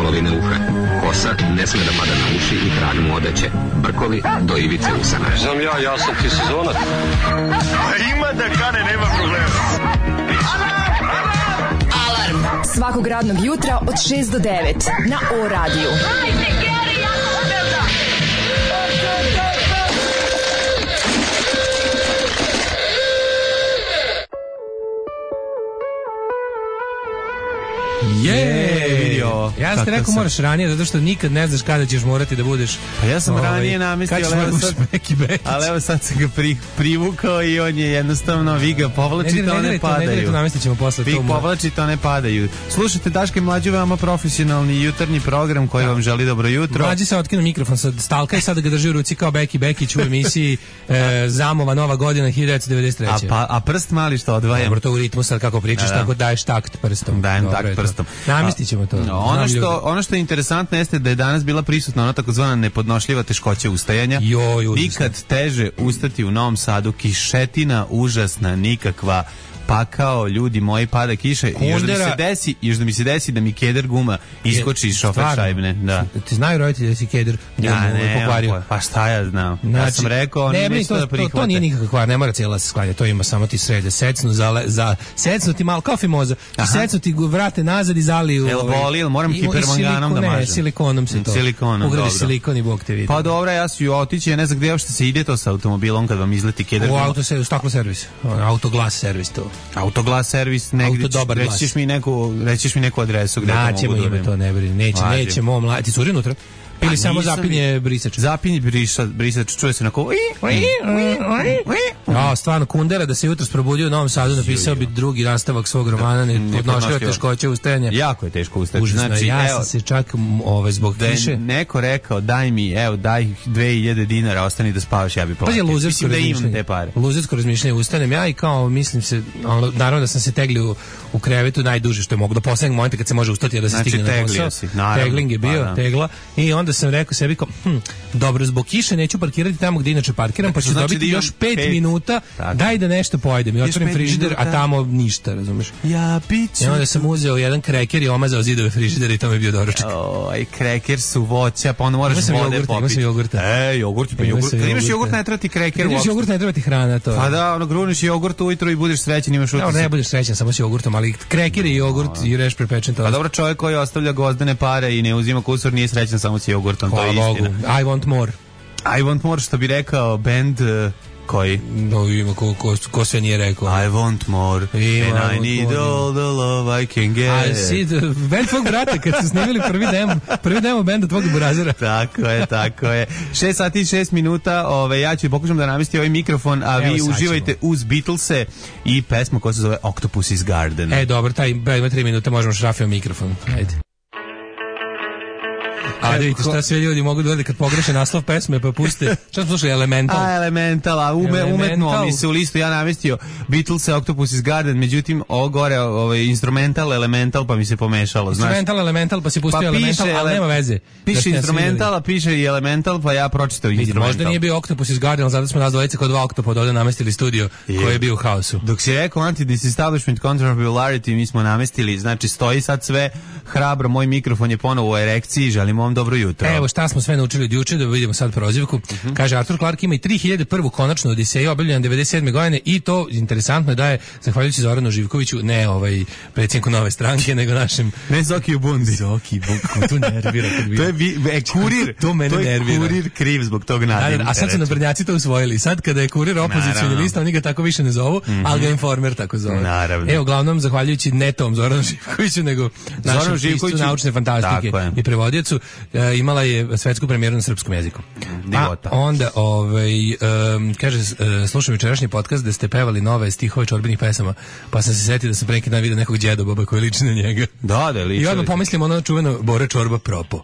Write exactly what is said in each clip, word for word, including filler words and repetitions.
polovine uha. Kosa ne sme da pada na uši i krag mu odeće. Brkovi do ivice usana. Znam ja, ja sam ti sezonac. Ima da kane, nema problema. Alarm svakog radnog jutra od šest do devet na O radiju. Je, ja sam ti rekao moraš ranije, zato što nikad ne znaš kada ćeš morati da budeš. Pa ja sam ovaj, ranije namestio, ali evo sad, ali evo sad sam ga pri, privukao i on je jednostavno, vi ga povlačite, one ne padaju. Ne, ne, namestit ćemo posle. Vi povlačite, one padaju. Slušajte Daška i Mlađu, veoma profesionalni jutarnji program koji da. vam želi dobro jutro. Mlađi se otkinu mikrofon sa stalka i sada ga drži u ruci kao Beki Bekić u emisiji e, Zamova Nova godina hiljadu devetsto devedeset treće. A, pa, a prst mali što odvajam? Dobro, to u ritmu sad kako pričaš, da, da. tako daješ takt prstom. Dajem Dobre, takt prstom. Namestit ćemo to. No, ono, što, ono što je interesantno jeste da je danas bila prisutna ona takozvana nepodnošljiva teškoća ustajanja. Joj, nikad teže ustati u Novom Sadu, kišetina užasna, nikakva, pakao, ljudi moji, pada kiša. I još da mi se desi, još da mi se desi da mi keder guma iskoči iz šofer šajbne. Da. Ti znaju roditelji da si keder ja ne, pokvario? Pa šta ja znam. Znači, ja sam rekao, oni ne, neće to da prihvate. To, to nije nikakav kvar, ne mora cijela se sklanja, to ima samo ti srede. Secnu, za, za, secnu ti malo, kao fimoza, i secnu ti vrate nazad i zaliju. Jel boli, ili moram hipermanganom da mažem? Ne, silikonom se to. Silikonom, ugradiš silikon i Bog te vidi. Pa dobro, ja ću otići, ja ne znam gdje uopšte se ide to sa automobilom kad vam izleti keder. U auto se, u staklo servis, autoglas servis to. Autoglas servis negdje, rećiš mi neku, rećiš mi neku adresu gdje to mogu dobijem. To ne brini, neće, Vađim. nećemo, mla... ti curi unutra? Ili pa samo zapinje brisač? Zapinje brisač, brisač, čuje se onako... Ja, stvarno, Kundera da se jutros probudio u Novom Sadu, napisao bi drugi nastavak svog romana, nepodnošljiva teškoća ustajanja. Jako je teško ustajati. Užasno, znači, ja sam se čak ovaj, zbog da kiše... neko rekao, daj mi, evo, daj dve hiljade dinara, ostani da spavaš, ja bi platio. Pa je luzersko razmišljanje. Luzersko razmišljanje, ustanem ja i kao, mislim se, ono, naravno da sam se teglio u, u krevetu najduže što je mogu, do poslednjeg momenta kad se može ustati, da se znači, stigne na posao. Si, naravno, tegling je bio, pa, tegla, i onda sam rekao sebi kao, hm, dobro, zbog kiše neću parkirati tamo gdje inače parkiram, pa ću znači dobiti još pet, pet minuta, tako. Daj da nešto pojedem. I otvorim frižider, a tamo ništa, razumeš? Ja piću. I onda sam uzeo jedan kreker i omazao zidove frižidera i to mi je bio doručak. Oj, kreker su voća, pa onda moraš vode popiti. Ima sam jogurta. E, jogurt, pa jogurt. Kad imaš jogurt, ne treba ti kreker uopšte. Kad imaš jogurt, ne treba ti hrana, to. Pa da, ono, gruniš jogurt ujutro i budeš srećan, imaš utisak. Ne, ne budeš srećan, samo s jogurtom, ali kreker i jogurt i reš prepečen to. Pa dobro, čovjek koji ostavlja gozdane pare i ne uzima kusur nije srećan samo s jogurtom, to je istina. I want more. I want more, što bi rekao band uh, koji? No, ima ko, ko, ko sve nije rekao. I want more, ima, and I need more. All the love I can get. I see the band tvog brata, kad su snimili prvi demo, prvi demo benda tvog burazera. Tako je, tako je. šest sati i šest minuta, ove, ja ću pokušam da namestim ovaj mikrofon, a Evo, vi uživajte ćemo. uz Beatlese i pesmu koja se zove Octopus's Garden. E, dobro, taj, ima tri minuta, možemo šrafio mikrofon. Ajde. A da vidite šta sve ljudi mogu da vede kad pogreše naslov pesme pa puste. Šta smo slušali? Elemental. A, Elemental, a ume, umetno mi se u listu ja namestio Beatles, Octopus's Garden, međutim ovo gore ovaj, instrumental, Elemental, pa mi se pomešalo. Instrumental, znaš? Elemental, pa si pustio pa Elemental, ali nema veze. Piše instrumental, a piše i Elemental, pa ja pročitao instrumental. Možda nije bio Octopus's Garden, zato smo nas dvojice kod dva oktopoda ovdje namestili studio je. koji je bio u haosu. Dok si rekao anti-disestablishment controversiality, mi smo namestili, znači stoji sad sve hrabro, moj mikrofon je ponovo u erekciji, želimo vam dobro jutro. Evo šta smo sve naučili od juče, da vidimo sad prozivku. Uh-huh. Kaže, Arthur Clarke ima i tri hiljade prvu konačnu Odiseju, objavljena devedeset sedme godine i to interesantno je da je, zahvaljujući Zoranu Živkoviću, ne ovaj predsjedniku Nove stranke, nego našem... Ne Zokiju Bundi. Zokiju Bundi, to nervira. To je vi, e, kurir, to, mene to je nervira. Kurir kriv zbog tog nadimka. A sad su naprednjaci to usvojili. Sad kada je kurir opozicioni lista, oni ga tako više ne zovu, mm-hmm. ali ga Informer tako zove. Naravno. Evo, uglavnom, zahvaljujući ne tom Zoranu Živkoviću, nego našem pistu naučne fantastike i prevodiocu, e, imala je svetsku premijeru na srpskom jeziku. Divota. A onda, ovaj, um, kaže, uh, slušam jučerašnji podcast da ste pevali nove stihove čorbenih pesama, pa sam se setio da sam pre neki dan vidio nekog djedoboba koji liči na njega. Da, da, liči. I onda pomislim ono čuveno Bore Čorba propo.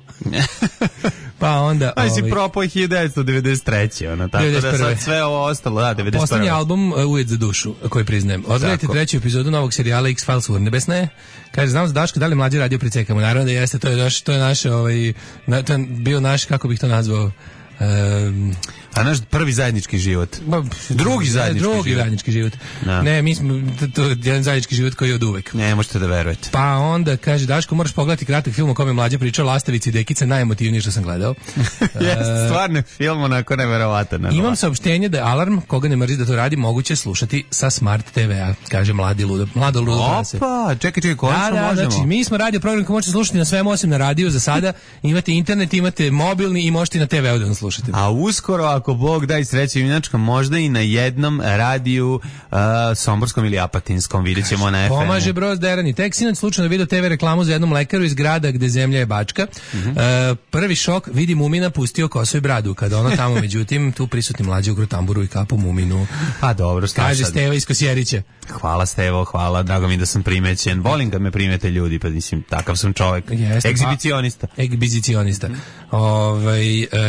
Pa onda... Aj si ovaj, propo hiljadu devetsto devedeset treće Ono, tako devedeset prve da sad sve ovo ostalo, da, devedeset prve Poslednji album, uh, Ujed za dušu, koji priznajem. Odgledajte treću epizodu novog serijala X-Files Urnebesna je. Kaže, znam za Daška, da li mlađi radio pricekamo? Naravno da jeste, to je naš, to je naše, ovaj, na, to je bio naš, kako bih to nazvao, um, A naš prvi zajednički život. Ba, drugi zajednički drugi život. zajednički život. Da. Ne, mi smo to je jedan zajednički život koji je od uvek. Ne, možete da verujete. Pa onda kaže Daško, moraš pogledati kratak film o kome mlađa priča Lastavici i Dekice, najemotivniji što sam gledao. Jeste, stvarno je film onako neverovatan. Imam saopštenje da je Alarm, koga ne mrzi da to radi, moguće slušati sa Smart te ve-a, kaže mladi ludo, mlado ludo prase. Opa, čekaj, čekaj, konačno da, da, možemo. Znači, mi smo radio program koji možete slušati na svemu osim na radiju za sada. Imate internet, imate mobilni i možete i na te ve-u da nas slušate. A uskoro, ako Bog da i sreće junačka, možda i na jednom radiju uh, somborskom ili apatinskom, vidjet ćemo na ef emu. Pomaže Broz Derani. Tek sinoć slučajno video te ve reklamu za jednom lekaru iz grada gde zemlja je Bačka. Uh-huh. Uh, prvi šok, vidi Mumina pustio kosu i bradu. Kada ono tamo, međutim, tu prisutni mlađi u grotamburu i kapu Muminu. Pa dobro, kaže Steva iz Kosjerića. Hvala Stevo, hvala, drago mi da sam primećen. Volim kad me primete ljudi, pa mislim, takav sam čovjek. Jeste, egzibicionista. Pa, egzibicionista. Ovaj,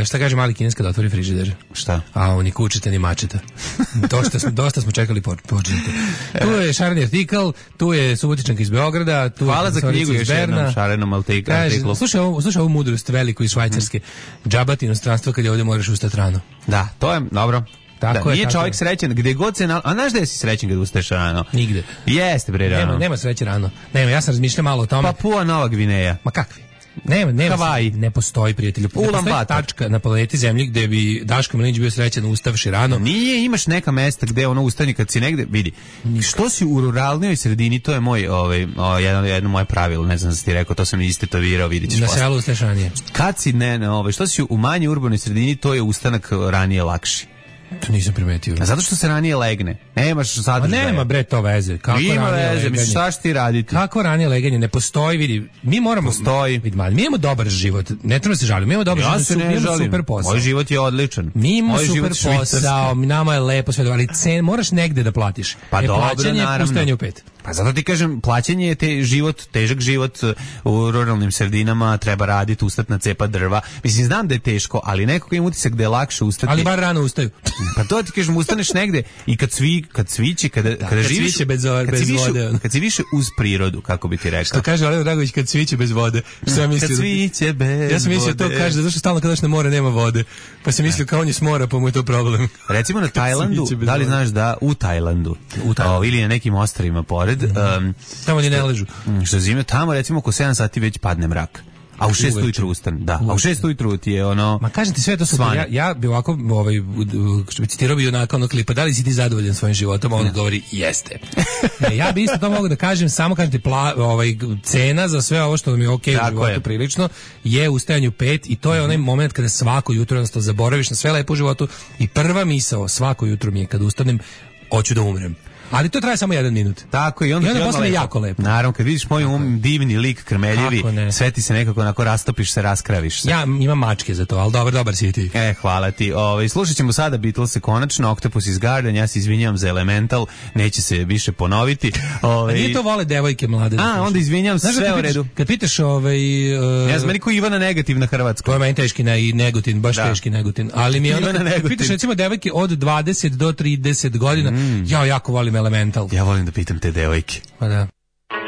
šta kaže mali Kines kada otvori frižider? Šta? A oni kučite ni mačeta. dosta, smo, dosta smo čekali počinite. Tu je šareni artikl, tu je Subotičanka iz Beograda, tu hvala je za knjigu još jednom šarenom artiklu. Slušaj ovu, slušaj ovu mudrost veliku iz Švajcarske. Mm. Džabati inostranstvo kad je ovdje moraš ustati rano. Da, to je dobro. Tako da, je, nije tako čovjek je. srećen gde god se na... A znaš da si srećen kad ustaješ rano? Nigde. Jeste bre rano. Nema, nema sreće rano. Nema, ja sam razmišljao malo o tome. Papua Nova Gvineja. Ma kakvi? Nema, nema. Hawaii. Ne postoji, prijatelju. Ne postoji tačka na planeti Zemlji gde bi Daško Milinić bio srećan ustavši rano. Nije, imaš neka mesta gde ono ustani kad si negde, vidi. Što si u ruralnoj sredini, to je moj ovaj o, jedno jedno moje pravilo, ne znam da si ti rekao, to sam i istetovirao, vidićeš. Na selu ustaješ ranije. Kad si ne, ne ovaj, što si u manje urbanoj sredini, to je ustanak ranije lakši. To nisam primetio. A zato što se ranije legne. Nemaš sadržaja. Nema bre to veze. Kako ima ranije veze, misliš šta ćeš ti raditi? Kako ranije leganje? Ne postoji, vidi. Mi moramo... Postoji. Vidi, mi imamo dobar život. Ne treba se žaliti. Mi imamo dobar ja život. Se ne mi imamo žalim. Super posao. Moj život je odličan. Mi imamo Moj super posao. Nama je lepo sve, ali cen moraš negde da platiš. Pa e, dobro, plaćanje naravno. Ustajanje u pet. Pa zato ti kažem, plaćanje je te život, težak život u ruralnim sredinama, treba raditi, ustati na cepa drva. Mislim, znam da je teško, ali neko koji ima utisak da je lakše ustati. Ali bar rano ustaju. Pa to ti kažem, ustaneš negde i kad svi, kad sviće, kada, da, kada kad živiš, sviće bez, kad bez si vode. Više, kad si više uz prirodu, kako bi ti rekao. Što kaže Alejo Dragović, kad sviće bez vode. Što ja mislio, kad sviće bez ja sam mislio vode. To kaže, zato što stalno kada na more nema vode. Pa sam mislio kao on je s mora, pa mu je to problem. Recimo na Tajlandu, da li znaš da u Tajlandu, u Tajlandu. O, ili na nekim ostrvima pored, mm-hmm. um, tamo ni ne ležu. Što zime, tamo recimo oko sedam sati već padne mrak. A u šest ujutru ustane, da. Uveče. A u šest ujutru ti je ono... Ma kažem ti sve to super. Ja, ja bi ovako, ovaj, citirao bi onako ono klipa, da li si ti zadovoljan svojim životom? On govori, jeste. E, ja bi isto to mogu da kažem, samo kažem ti, pla, ovaj, cena za sve ovo što vam je okej okay u životu je. Prilično, je ustajanje u pet i to je onaj moment kada svako jutro jednostavno zaboraviš na sve lepo u životu i prva misao svako jutro mi je kada ustanem, hoću da umrem. Ali to traje samo jedan minut. Tako i onda, I onda posle lepo. jako lepo. Naravno, kad vidiš moj um divni lik krmeljevi, sve ti se nekako onako rastopiš se, raskraviš se. Ja imam mačke za to, ali dobar, dobar si ti. E, hvala ti. Ovaj slušat ćemo sada Beatlese konačno, Octopus is Garden, ja se izvinjavam za Elemental, neće se više ponoviti. Ovaj... A nije to vole devojke mlade. A, onda izvinjavam se, sve u redu. Kad pitaš ovaj... Uh... Ja znam, meni ko Ivana Negativ na Hrvatskoj. To je meni teški ne, i Negotin, baš da. teški Negotin. Ali mi je ono, kad pitaš recimo devojke od dvadeset do trideset godina, mm. ja jako volim Elemental. Ja volim da pitam te devojke. Pa da.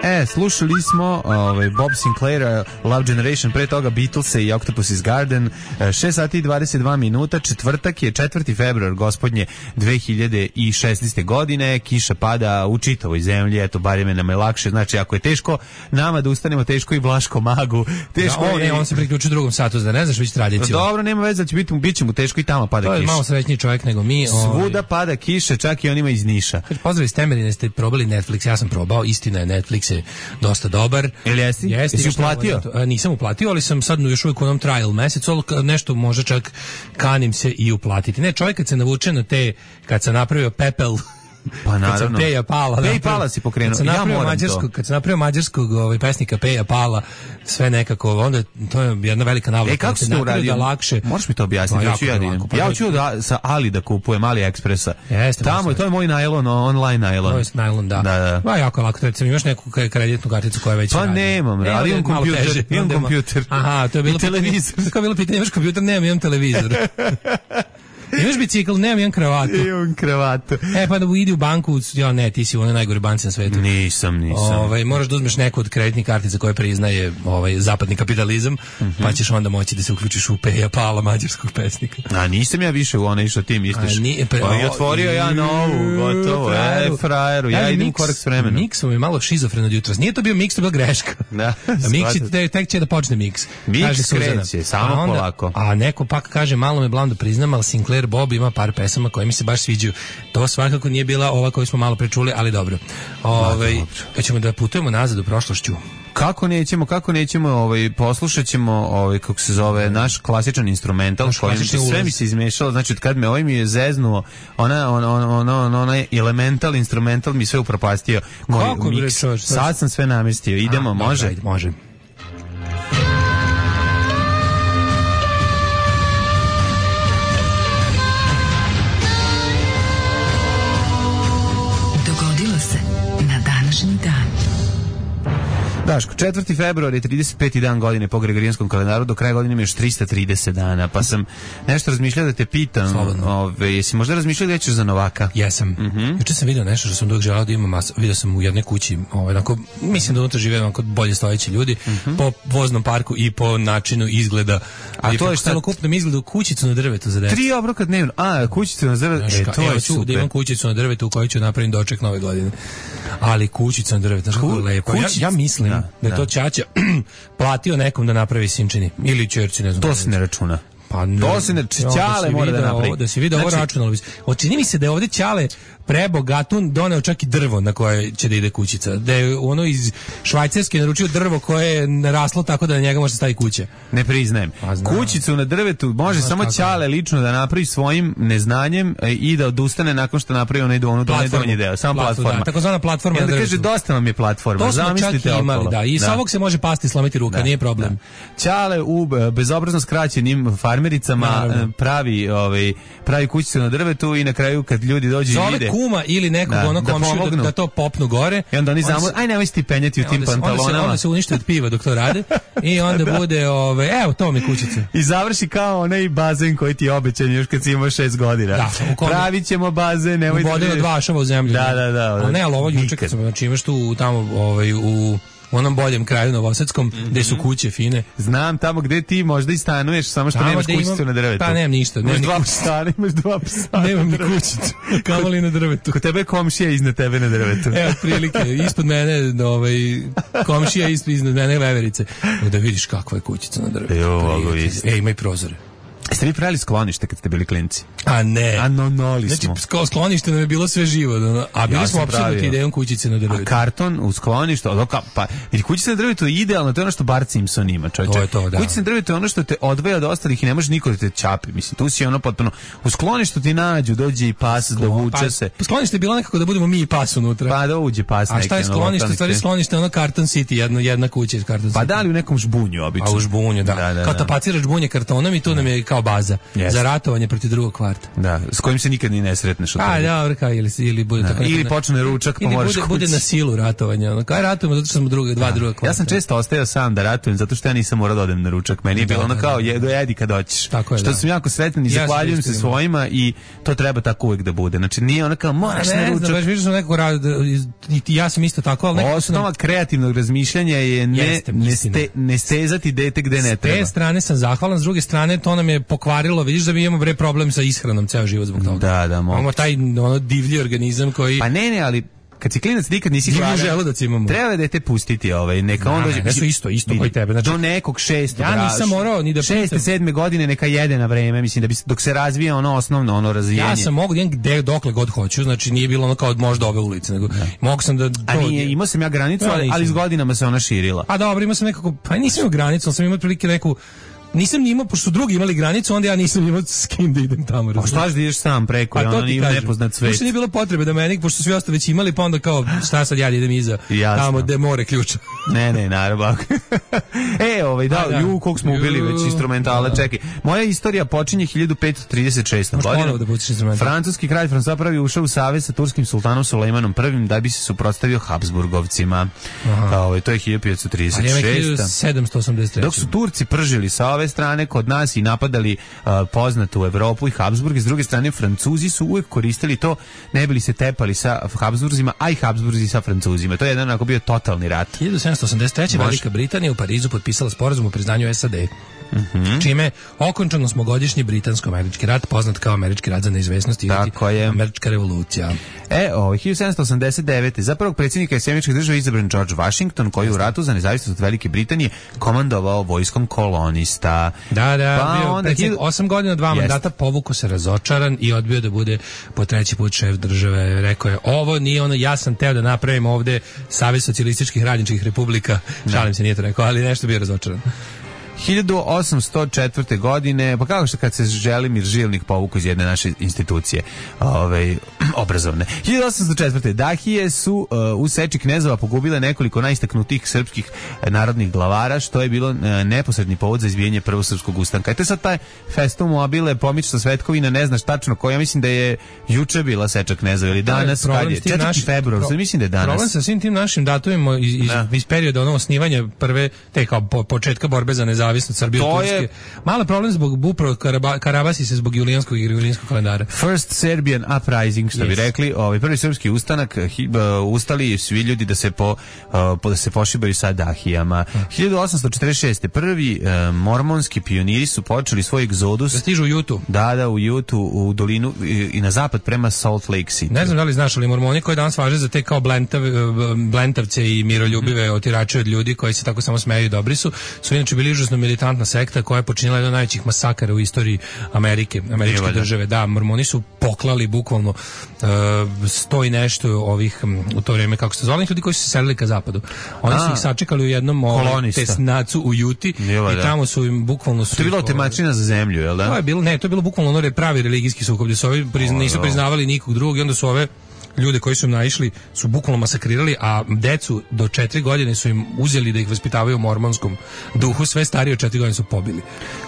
E, slušali smo ovaj, Bob Sinclaira, Love Generation, pre toga Beatlese i Octopus is Garden, šest sati i dvadeset dva minuta, četvrtak je četvrti februar gospodnje dve hiljade šesnaeste. godine, kiša pada u čitavoj zemlji, eto, bar je nam je lakše, znači ako je teško nama da ustanemo, teško i Vlaško Magu, teško da, on, je... Ne, on se priključi drugom satu, da ne znaš već tradiciju. Dobro, nema veze, da će biti, bit će mu teško i tamo pada kiša. To je malo srećniji čovjek nego mi. Svuda ovaj... pada kiša, čak i onima iz Niša. Pozdrav iz Temerine, ste probali Netflix, ja sam probao, istina je, Netflix je dosta dobar. Ili jesi? Jesi, jesi uplatio? Nisam uplatio, ali sam sad još uvijek u onom trial mesecu, nešto može čak kanim se i uplatiti. Ne, čovjek kad se navuče na te, kad se napravio pepel, pa naravno. Peja Pala. Peja Pala si pokrenuo. Ja moram to. Kad se napravio mađarskog ovaj, pesnika Peja Pala, sve nekako, onda to je jedna velika navlaka. E, kako se to uradio? Da lakše. Možeš mi to objasniti? Ja, ja, ja, ja hoću da sa Ali da kupujem, Ali Ekspresa. Jeste, tamo, to je moj najlon, online najlon. To je najlon, da. Da, da. Pa jako lako, recimo imaš neku kreditnu karticu koja već pa radi. nemam, e, ali imam kompjuter. Imam kompjuter. Aha, to je bilo televizor. To je bilo pitanje, imaš kompjuter? Nemam, imam televizor. Imaš bicikl, nemam jedan kravatu. Imam kravatu. E, pa da idi u banku, ja ne, ti si u onoj najgore banci na svetu. Nisam, nisam. Ovaj, moraš da uzmeš neku od kreditnih kartica koje priznaje ovaj, zapadni kapitalizam, mm-hmm. pa ćeš onda moći da se uključiš u Peja Pala, mađarskog pesnika. A nisam ja više u onaj što ti misliš. Nije, pre, pa je otvorio ja novu, gotovo. Frajeru. E, frajeru, ja, ja idem korak s vremenom. Miksom je malo šizofren od jutra. Nije to bio miks, to je bila greška. Da, miks je, tek će da počne miks. Miks kreće, samo a onda, polako. A neko pak kaže, malo me blam da priznam, ali Sinclair Bob ima par pesama koje mi se baš sviđaju. To svakako nije bila ova koju smo malo prečuli, ali dobro. Ove, da ćemo da putujemo nazad u prošlošću. Kako nećemo, kako nećemo, ovaj poslušaćemo ovaj kako se zove naš klasičan instrumental kojim sve mi se izmešalo, znači od kad me ovaj mi je zeznuo, ona on on on on onaj elemental instrumental mi sve upropastio. Moj miks. Sad sam sve namestio. Idemo, a, može? Ajde, može. Dogodilo se na današnji dan. Daško, četvrti februar je trideset peti dan godine po Gregorijanskom kalendaru, do kraja godine ima još trista trideset dana, pa sam nešto razmišljao da te pitam, ove, jesi možda razmišljao da ćeš za Novaka? Jesam. Mm-hmm. Juče sam vidio nešto što sam dok želao da imam, mas, vidio sam u jednoj kući, ovaj, onako, mislim da unutra žive onako bolje stojeći ljudi, mm-hmm. po voznom parku i po načinu izgleda, a i to po je šta? Celokupnom izgledu kućicu na drvetu za decu. Tri obroka dnevno, a, kućicu na drvetu, e, to je super. Da imam kućicu na drvetu u kojoj ću napraviti doček nove godine. Ali kućica na drvetu, znaš kako je lepo. Ja, ja mislim da, da je to Ćaća platio nekom da napravi sinčini ili ćerci, ne znam. To se ne računa. Pa ne, to se ne Ćale mora da napravi. Ovo, da si vidio znači, ovo računalo bi. Očini mi se da je ovde Ćale prebogatun doneo čak i drvo na koje će da ide kućica. Da je ono iz Švajcarske naručio drvo koje je naraslo tako da na njega može se stavi kuća. Ne priznajem. Kućicu na drvetu može samo Ćale lično da napravi svojim neznanjem i da odustane nakon što napravi onaj donji donji deo. Samo platforma. Da, takozvana platforma. Ja da kaže dosta vam je platforma. To smo čak imali, da. I sa ovog se može pasti i slomiti ruka, da, nije problem. Da. Ćale u bezobrazno skraćenim farmericama naravno pravi ovaj pravi kućicu na drvetu i na kraju kad ljudi dođu i vide kuma ili nekog da, onog komšiju da, da to popnu gore. I onda oni zamor, aj nemoj ti penjati u tim onda pantalonama. Onda se, onda se unište od piva dok to rade i onda da. bude, ove, evo to mi kućica. I završi kao onaj bazen koji ti je obećan još kad si imao šest godina. Da, pravit ćemo bazen, nemoj da... Ubodeno dva ašava u zemlju. Da, da, da. Ali ne, ali ovo juče kad sam, znači imaš tu tamo ovaj, u... u onom boljem kraju novosadskom, mm-hmm. gde su kuće fine. Znam, tamo gde ti možda i stanuješ, samo što tamo nemaš kućicu imam, na drvetu. Pa nemam ništa. Imaš dva psa, imaš dva psa. Nemam ni kućicu, kamoli na drvetu. Kod tebe komšija iznad tebe na drvetu. Evo, prilike, ispod mene, ovaj, komšija ispod iznad mene veverice. Da vidiš kakva je kućica na drvetu. Jo, ovo e, ima i prozore. Jeste vi pravili sklonište kad ste bili klinci? A ne. A no, noli smo. Znači, sklonište nam je bilo sve živo. A bili ja smo apsolutno idejom kućice na drvetu. A karton u skloništu, pa, jer kućica na drvetu je idealno, to je ono što Bart Simpson ima, čovječe. To je to, da. Kućica na drvetu je ono što te odvaja od ostalih i ne može niko da te čapi. Mislim, tu si ono potpuno, u skloništu ti nađu, dođe i pas, Sklo, dovuče pa, se. Sklonište je bilo nekako da budemo mi i pas unutra. Pa da uđe pas. A šta je sklonište? Stvari sklonište, ono Carton City, jedna, jedna kuća iz Carton City. Pa da li u nekom žbunju, obično. A u žbunju, da. da, da kao tapaciraš žbunje kartonom i tu nam je kao baza. Za ratovanje protiv drugog kvarta. Da, s kojim se nikad ni ne sretneš. A, dobro, kao ili, ili bude da, tako. Ili ne, počne ručak, pa moraš bude, bude na silu ratovanja. Ono, kao ratujemo zato što smo druga, dva da. druga kvarta. Ja sam često ostajao sam da ratujem zato što ja nisam morao da odem na ručak. Meni je bilo ono kao, jedo jedi kad hoćeš. Tako je, što da. sam jako sretan i ja zahvaljujem se svojima i to treba tako uvek da bude. Znači nije ono kao, moraš na ručak. Ne, baš sam nekako rado, ja sam isto tako, ali nekako osnova kreativnog razmišljanja je ne, ne, ste, ne stezati dete gde ne treba. S te strane sam zahvalan, s druge strane to nam je pokvarilo, vidiš da mi imamo bre problem sa ishranom ceo život zbog toga. Da, da, imamo taj ono divlji organizam koji... Pa ne, ne, ali kad si klinac nikad nisi gladan. Želudac imamo. Treba da te pustiti ovaj, neka on dođe. Ne, su isto, isto koji tebe. Znači, do nekog šestog. Ja nisam morao ni da šeste, sedme godine neka jede na vreme, mislim da bi dok se razvija ono osnovno ono razvijanje. Ja sam mogu da gde dokle god hoću, znači nije bilo ono kao od možda ove ulice, nego mogu sam da to... A nije, imao sam ja granicu, ali, ali s godinama se ona širila. A dobro, imao sam nekako, pa nisam imao granicu, ali sam imao prilike neku. Nisam ni imao, pošto su drugi imali granicu, onda ja nisam imao s kim da idem tamo. Pa šta da ideš sam preko, ono nije nepoznat svet. Pošto nije bilo potrebe da meni, pošto svi ostali već imali, pa onda kao, šta sad ja idem iza, jasno. Tamo gde more ključa. Ne, ne, naravno. e, ovaj, da, da. ju, koliko smo ubili već instrumentala, da. Čekaj. Moja istorija počinje hiljadu petsto trideset šeste. godine. Da Francuski kralj François prvi ušao u savez sa turskim sultanom Sulejmanom prvim da bi se suprotstavio Habsburgovcima. Ovaj, to je hiljadu petsto trideset šeste. sedamsto osamdeset treće. Dok su Turci pržili savez ove strane kod nas i napadali uh, poznatu Evropu i Habsburg, s druge strane Francuzi su uvijek koristili to, ne bili se tepali sa Habsburzima, a i Habsburzi sa Francuzima. To je jedan onako bio totalni rat. hiljadu sedamsto osamdeset treće. Velika Britanija u Parizu potpisala sporazum o priznanju S A D. Mm-hmm. Čime okončano smogodišnji britansko-američki rat, poznat kao američki rat za neizvesnost i američka revolucija. E, ovo, hiljadu sedamsto osamdeset devete. Za prvog predsjednika Sjedinjenih Država izabran George Washington, koji u ratu za nezavisnost od Velike Britanije komandovao vojskom kolonista. Da, da, pa bio predsjednik osam godina, dva jest. mandata, povuko se razočaran i odbio da bude po treći put šef države. Rekao je, ovo nije ono, ja sam teo da napravim ovde Savez socijalističkih radničkih republika. Šalim se, nije to rekao, ali nešto bio razočaran. hiljadu osamsto četvrte. godine, pa kako što kad se Želimir Žilnik povuku iz jedne naše institucije ovaj, obrazovne. hiljadu osamsto četvrte. Dahije su uh, u seči knezova pogubile nekoliko najistaknutijih srpskih narodnih glavara, što je bilo uh, neposredni povod za izbijanje prvog srpskog ustanka. I to je sad taj festum mobile, pomična Svetkovina, ne znaš tačno ko, ja mislim da je juče bila seča knezova ili danas, kad je četvrti februar, pro, mislim da je danas. Problem sa svim tim našim datumima iz, iz, iz perioda ono osnivanja prve, te kao po, početka borbe za nezavisnost Srbije od Turske. Je... Malo problem zbog upravo Karaba, Karabasi se zbog julijanskog i julijanskog kalendara. First Serbian Uprising, što yes. bi rekli, ovaj prvi srpski ustanak, hi, uh, ustali svi ljudi da se po, uh, da se pošibaju sa Dahijama. Hmm. hiljadu osamsto četrdeset šeste. prvi uh, mormonski pioniri su počeli svoj egzodus. Da stižu u Jutu. Da, da, u Jutu, u dolinu i, i na zapad prema Salt Lake City. Ne znam da li znaš, ali mormoni koji danas važe za te kao blentav, blentavce i miroljubive hmm. otirače od ljudi koji se tako samo smeju i dobri su, su inače bili užasno militantna sekta koja je počinila jedan od najvećih masakara u istoriji Amerike, američke države. Da, mormoni su poklali bukvalno uh, sto i nešto ovih u to vrijeme, kako se zvali, ljudi koji su se selili ka zapadu. Oni A, su ih sačekali u jednom ovaj, tesnacu u Juti Jeva, i tamo su im bukvalno su... To je bilo temačina za zemlju, je li da? To je bilo, ne, to je bilo bukvalno ono pravi religijski sukob, gdje su ovi prizna, nisu priznavali nikog drugog i onda su ove ljude koji su im naišli su bukvalno masakrirali, a decu do četiri godine su im uzeli da ih vaspitavaju u mormonskom duhu, sve starije od četiri godine su pobili.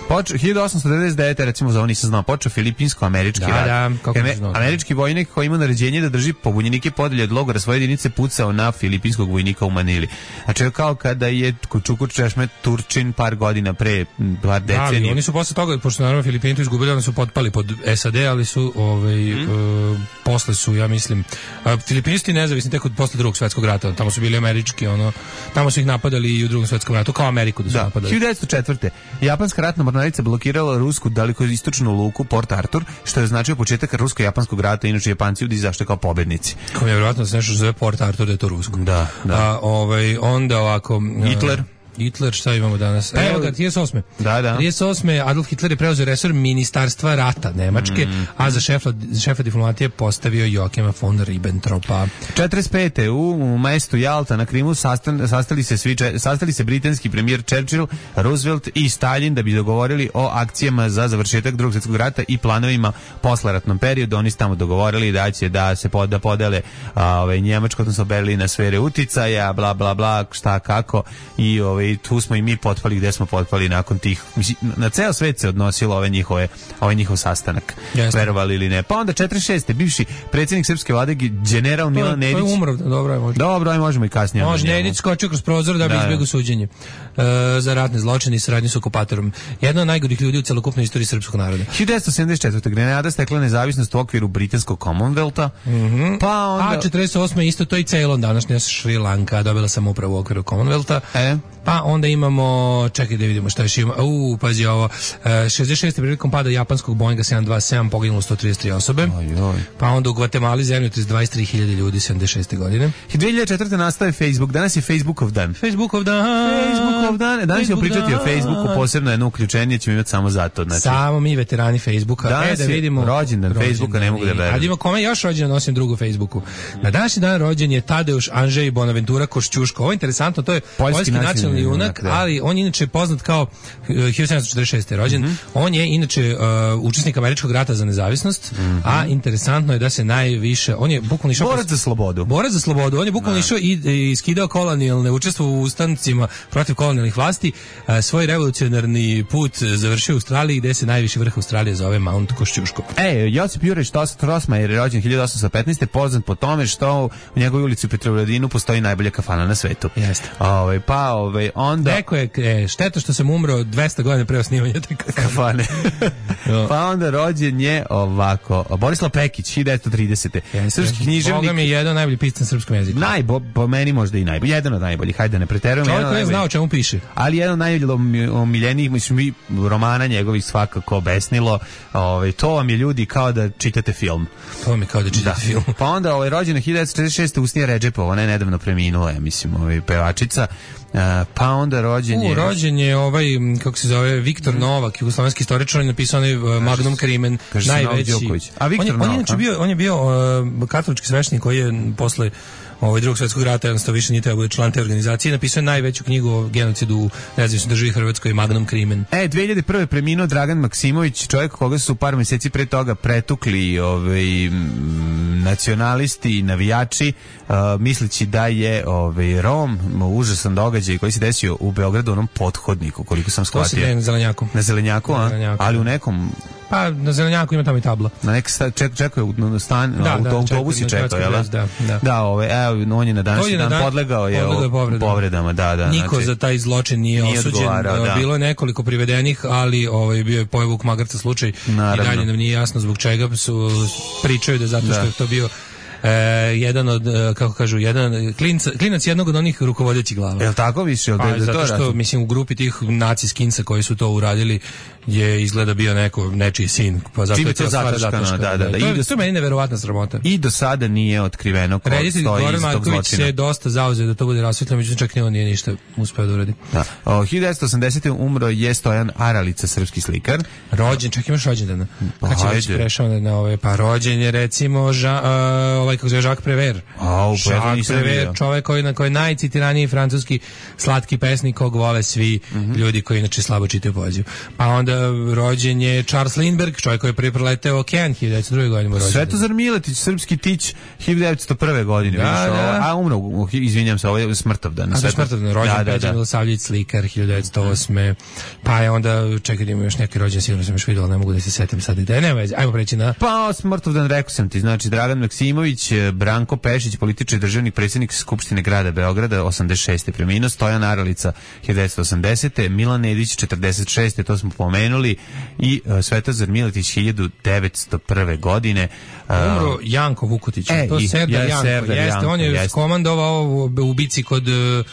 Počeo hiljadu osamsto devedeset devete. recimo za ovo nisam znao, počeo filipinsko-američki da, rat. Da, kako Ame, znao, američki vojnik koji ima naređenje da drži pobunjenike podelje od logora svoje jedinice pucao na filipinskog vojnika u Manili. Znači kao kada je Čukur Češmet Turčin par godina pre, par decenija. Da, oni su posle toga, pošto naravno Filipini to izgubili, oni su potpali pod S A D, ali su ovaj, mm. uh, posle su, ja mislim, uh, Filipinisti nezavisni tek od posle drugog svjetskog rata, tamo su bili američki, ono, tamo su ih napadali i u drugom svjetskom ratu, kao Ameriku da su da. napadali. hiljadu devetsto četvrte. Japanska ratna mornarica blokirala rusku dalekоistočnu luku Port Arthur, što je značio početak rusko-japanskog rata, inače Japanci ljudi izašli kao pobednici. Kao je vjerojatno se nešto zove Port Arthur, da je to rusko. Da, da. A, ovaj, onda ovako... Hitler... Hitler, šta imamo danas? Pa, evo ga, trideset osme. Da, da. trideset osme. Adolf Hitler je preuzeo resor ministarstva rata Nemačke, mm. a za šefa, šefa diplomatije postavio Joachima von Ribbentropa. četrdeset pete. U, u mestu Jalta na Krimu sastan, sastali, se svi, sastali se britanski premijer Churchill, Roosevelt i Stalin da bi dogovorili o akcijama za završetak drugog svjetskog rata i planovima posleratnom periodu. Oni su tamo dogovorili da će da se pod, da podele a, ove, Njemačko, odnosno Berlina sfere uticaja, bla, bla, bla, šta, kako i ove, i tu smo i mi potpali gde smo potpali nakon tih, mislim, na ceo svet se odnosilo ove njihove, ovaj njihov sastanak, Jasne. verovali ili ne. Pa onda četrdeset šeste. bivši predsjednik srpske vlade general Milan Nedić. To je umro, dobro je možda. Dobro, aj možemo i kasnije. Može, Nedić skočio kroz prozor da bi da, izbjegao suđenje uh, za ratne zločine i saradnju s okupatorom. Jedna od najgorih ljudi u celokupnoj istoriji srpskog naroda. hiljadu devetsto sedamdeset četvrte. Grenada stekla nezavisnost u okviru britanskog Commonwealtha. Mm -hmm. Pa onda... A četrdeset osme. isto to i Ceylon, današnja Šri Lanka, dobila sam upravo u okviru Commonwealtha. E? Pa onda imamo, čekaj da vidimo šta još ima. U, pazi ovo. šezdeset šeste. prilikom pada japanskog Boeinga sedam dvadeset sedam poginulo sto trideset tri osobe. Oj, oj. Pa onda u Gvatemali zemlju dvadeset tri hiljade ljudi sedamdeset šeste. godine. dve hiljade četvrte. nastaje Facebook. Danas je Facebookov dan. Facebookov dan. Facebookov dan. Danas ćemo pričati o Facebooku, posebno jedno uključenje ćemo imati samo zato. Znači. Samo mi veterani Facebooka. Danas e, da vidimo. rođendan Facebooka, ne mogu da verujem. A da ima kome još rođendan nosim drugu Facebooku. Na današnji dan rođen je Tadeusz Andrzej Bonaventura Košćuško. Ovo je interesantno, to je poljski, poljski nacionalni junak, ali on je inače poznat kao hiljadu sedamsto četrdeset šeste. rođen. Mm-hmm. On je inače uh, učesnik američkog rata za nezavisnost, mm-hmm. a interesantno je da se najviše, on je bukvalno išao borac za slobodu. Borac za slobodu. On je bukvalno išao i, i skidao kolonijalne, učestvovao u ustancima protiv kolonijalnih vlasti. Uh, svoj revolucionarni put završio u Australiji, gde se najviši vrh Australije zove Mount Košćuško. E, Josip Juraj Strossmayer je rođen hiljadu osamsto petnaeste. poznat po tome što u njegovoj ulici u Petrovaradinu postoji najbolja kafana na svetu. Jeste. Ove, pa, ove, Ovaj, onda... Neko je, e, šteta što sam umro dvesta godina pre osnivanja te kafane. Pa onda rođen je ovako, Borislav Pekić, hiljadu devetsto tridesete Srpski književnik. Boga mi je jedan najbolji pisac na srpskom jeziku. Najbo, po meni možda i najbolji. Jedan od najboljih, hajde da ne preterujemo. Čovjek koji je znao o čemu piše. Ali jedan od najomiljenijih, mislim, i romana njegovih svakako Besnilo. Ovaj, to vam je ljudi kao da čitate film. To vam je kao da čitate da. film. Pa onda ovaj, rođen je hiljadu devetsto četrdeset šeste Usnija Redžepova, ona je nedavno preminula, ja mislim, ovaj, pevačica. Uh, pa onda rođen je... U, rođen je ovaj, kako se zove, Viktor mm. Novak, jugoslovenski istoričar, on je napisao onaj uh, Magnum Crimen, najveći. A Viktor on, je, on, je bio, on je bio uh, katolički sveštenik koji je posle ovaj drugog svjetskog rata, jednostavno više nije trebao član te organizacije, napisao je najveću knjigu o genocidu u nezavisnoj državi Hrvatskoj, Magnum Crimen. E, dve hiljade prve preminuo Dragan Maksimović, čovjek koga su par mjeseci pre toga pretukli ovaj, nacionalisti i navijači, uh, misleći da je ovaj, Rom, užasan događaj koji se desio u Beogradu, onom pothodniku, koliko sam shvatio. To se na Zelenjaku. Na Zelenjaku, a? Na Zelenjaku. Ali u nekom... Pa na Zelenjaku ima tamo i tabla. Na neki ček, čekaju na stan, da, u da, autobusi čekaju, jel? Da, da. Da, ove, evo, on je na današnji dan, dan podlegao je o, povredama. povredama, da, da. Niko znači, za taj zločin nije, nije osuđen. Da. Bilo je nekoliko privedenih, ali ovaj bio je Pojvuk Magarca slučaj. Naravno. I dalje nam nije jasno zbog čega su pričaju da zato što da. je to bio E, jedan od, kako kažu, jedan klinca, klinac jednog od onih rukovodećih glava. Jel tako više? Jel pa, da, zato što, račun? mislim, u grupi tih naci skinsa koji su to uradili je izgleda bio neko, nečiji sin. Pa zato Čime je to zataškano, da, da, da. da. To, je, to je meni neverovatna sramota. I do sada nije otkriveno ko Reditelj stoji Goran iz tog Marković zločina. se dosta zauzeo da to bude rasvetljeno, međutim čak ni on nije ništa uspeo da uradi. Da. O, hiljadu devetsto osamdesete umro je Stojan Aralica, srpski slikar. Rođen, čak imaš rođendana. Pa kad će već prešao na ove, pa rođen je recimo ža, uh, ovaj kako zove Jacques Prévert. A, Jacques Prévert, čovjek koji na koji je najcitiraniji francuski slatki pesnik kog vole svi mm-hmm. ljudi koji inače slabo čitaju poeziju. Pa onda rođen je Charles Lindbergh, čovjek koji je prvi preleteo okean hiljadu devetsto druge godine. Svetozar Miletić, srpski tić hiljadu devetsto prve godine. Da, da. A umro, izvinjam se, ovo je Smrtovdan. A da, Smrtovdan, rođen da, Peđa da, da. Milosavljević, slikar hiljadu devetsto osme Pa je onda, čekaj da ima još neki rođen, sigurno sam još vidio, ali ne mogu da se setim sad gde. Nema veze, ajmo preći na... Pa Smrtovdan, rekao sam ti, znači Dragan Maksimović, Branko Pešić, političar i državnik, predsjednik Skupštine grada Beograda, osamdeset šeste preminuo, Stojan Aralica, hiljadu devetsto osamdesete Milan Nedić, četrdeset šeste to smo pomenuli, i uh, Svetozar Miletić, hiljadu devetsto prve godine. Uh, Umro Janko Vukotić, e, to je Serdar ja, Janko, Serdar jeste, Janko, on je jeste. komandovao u bici kod uh,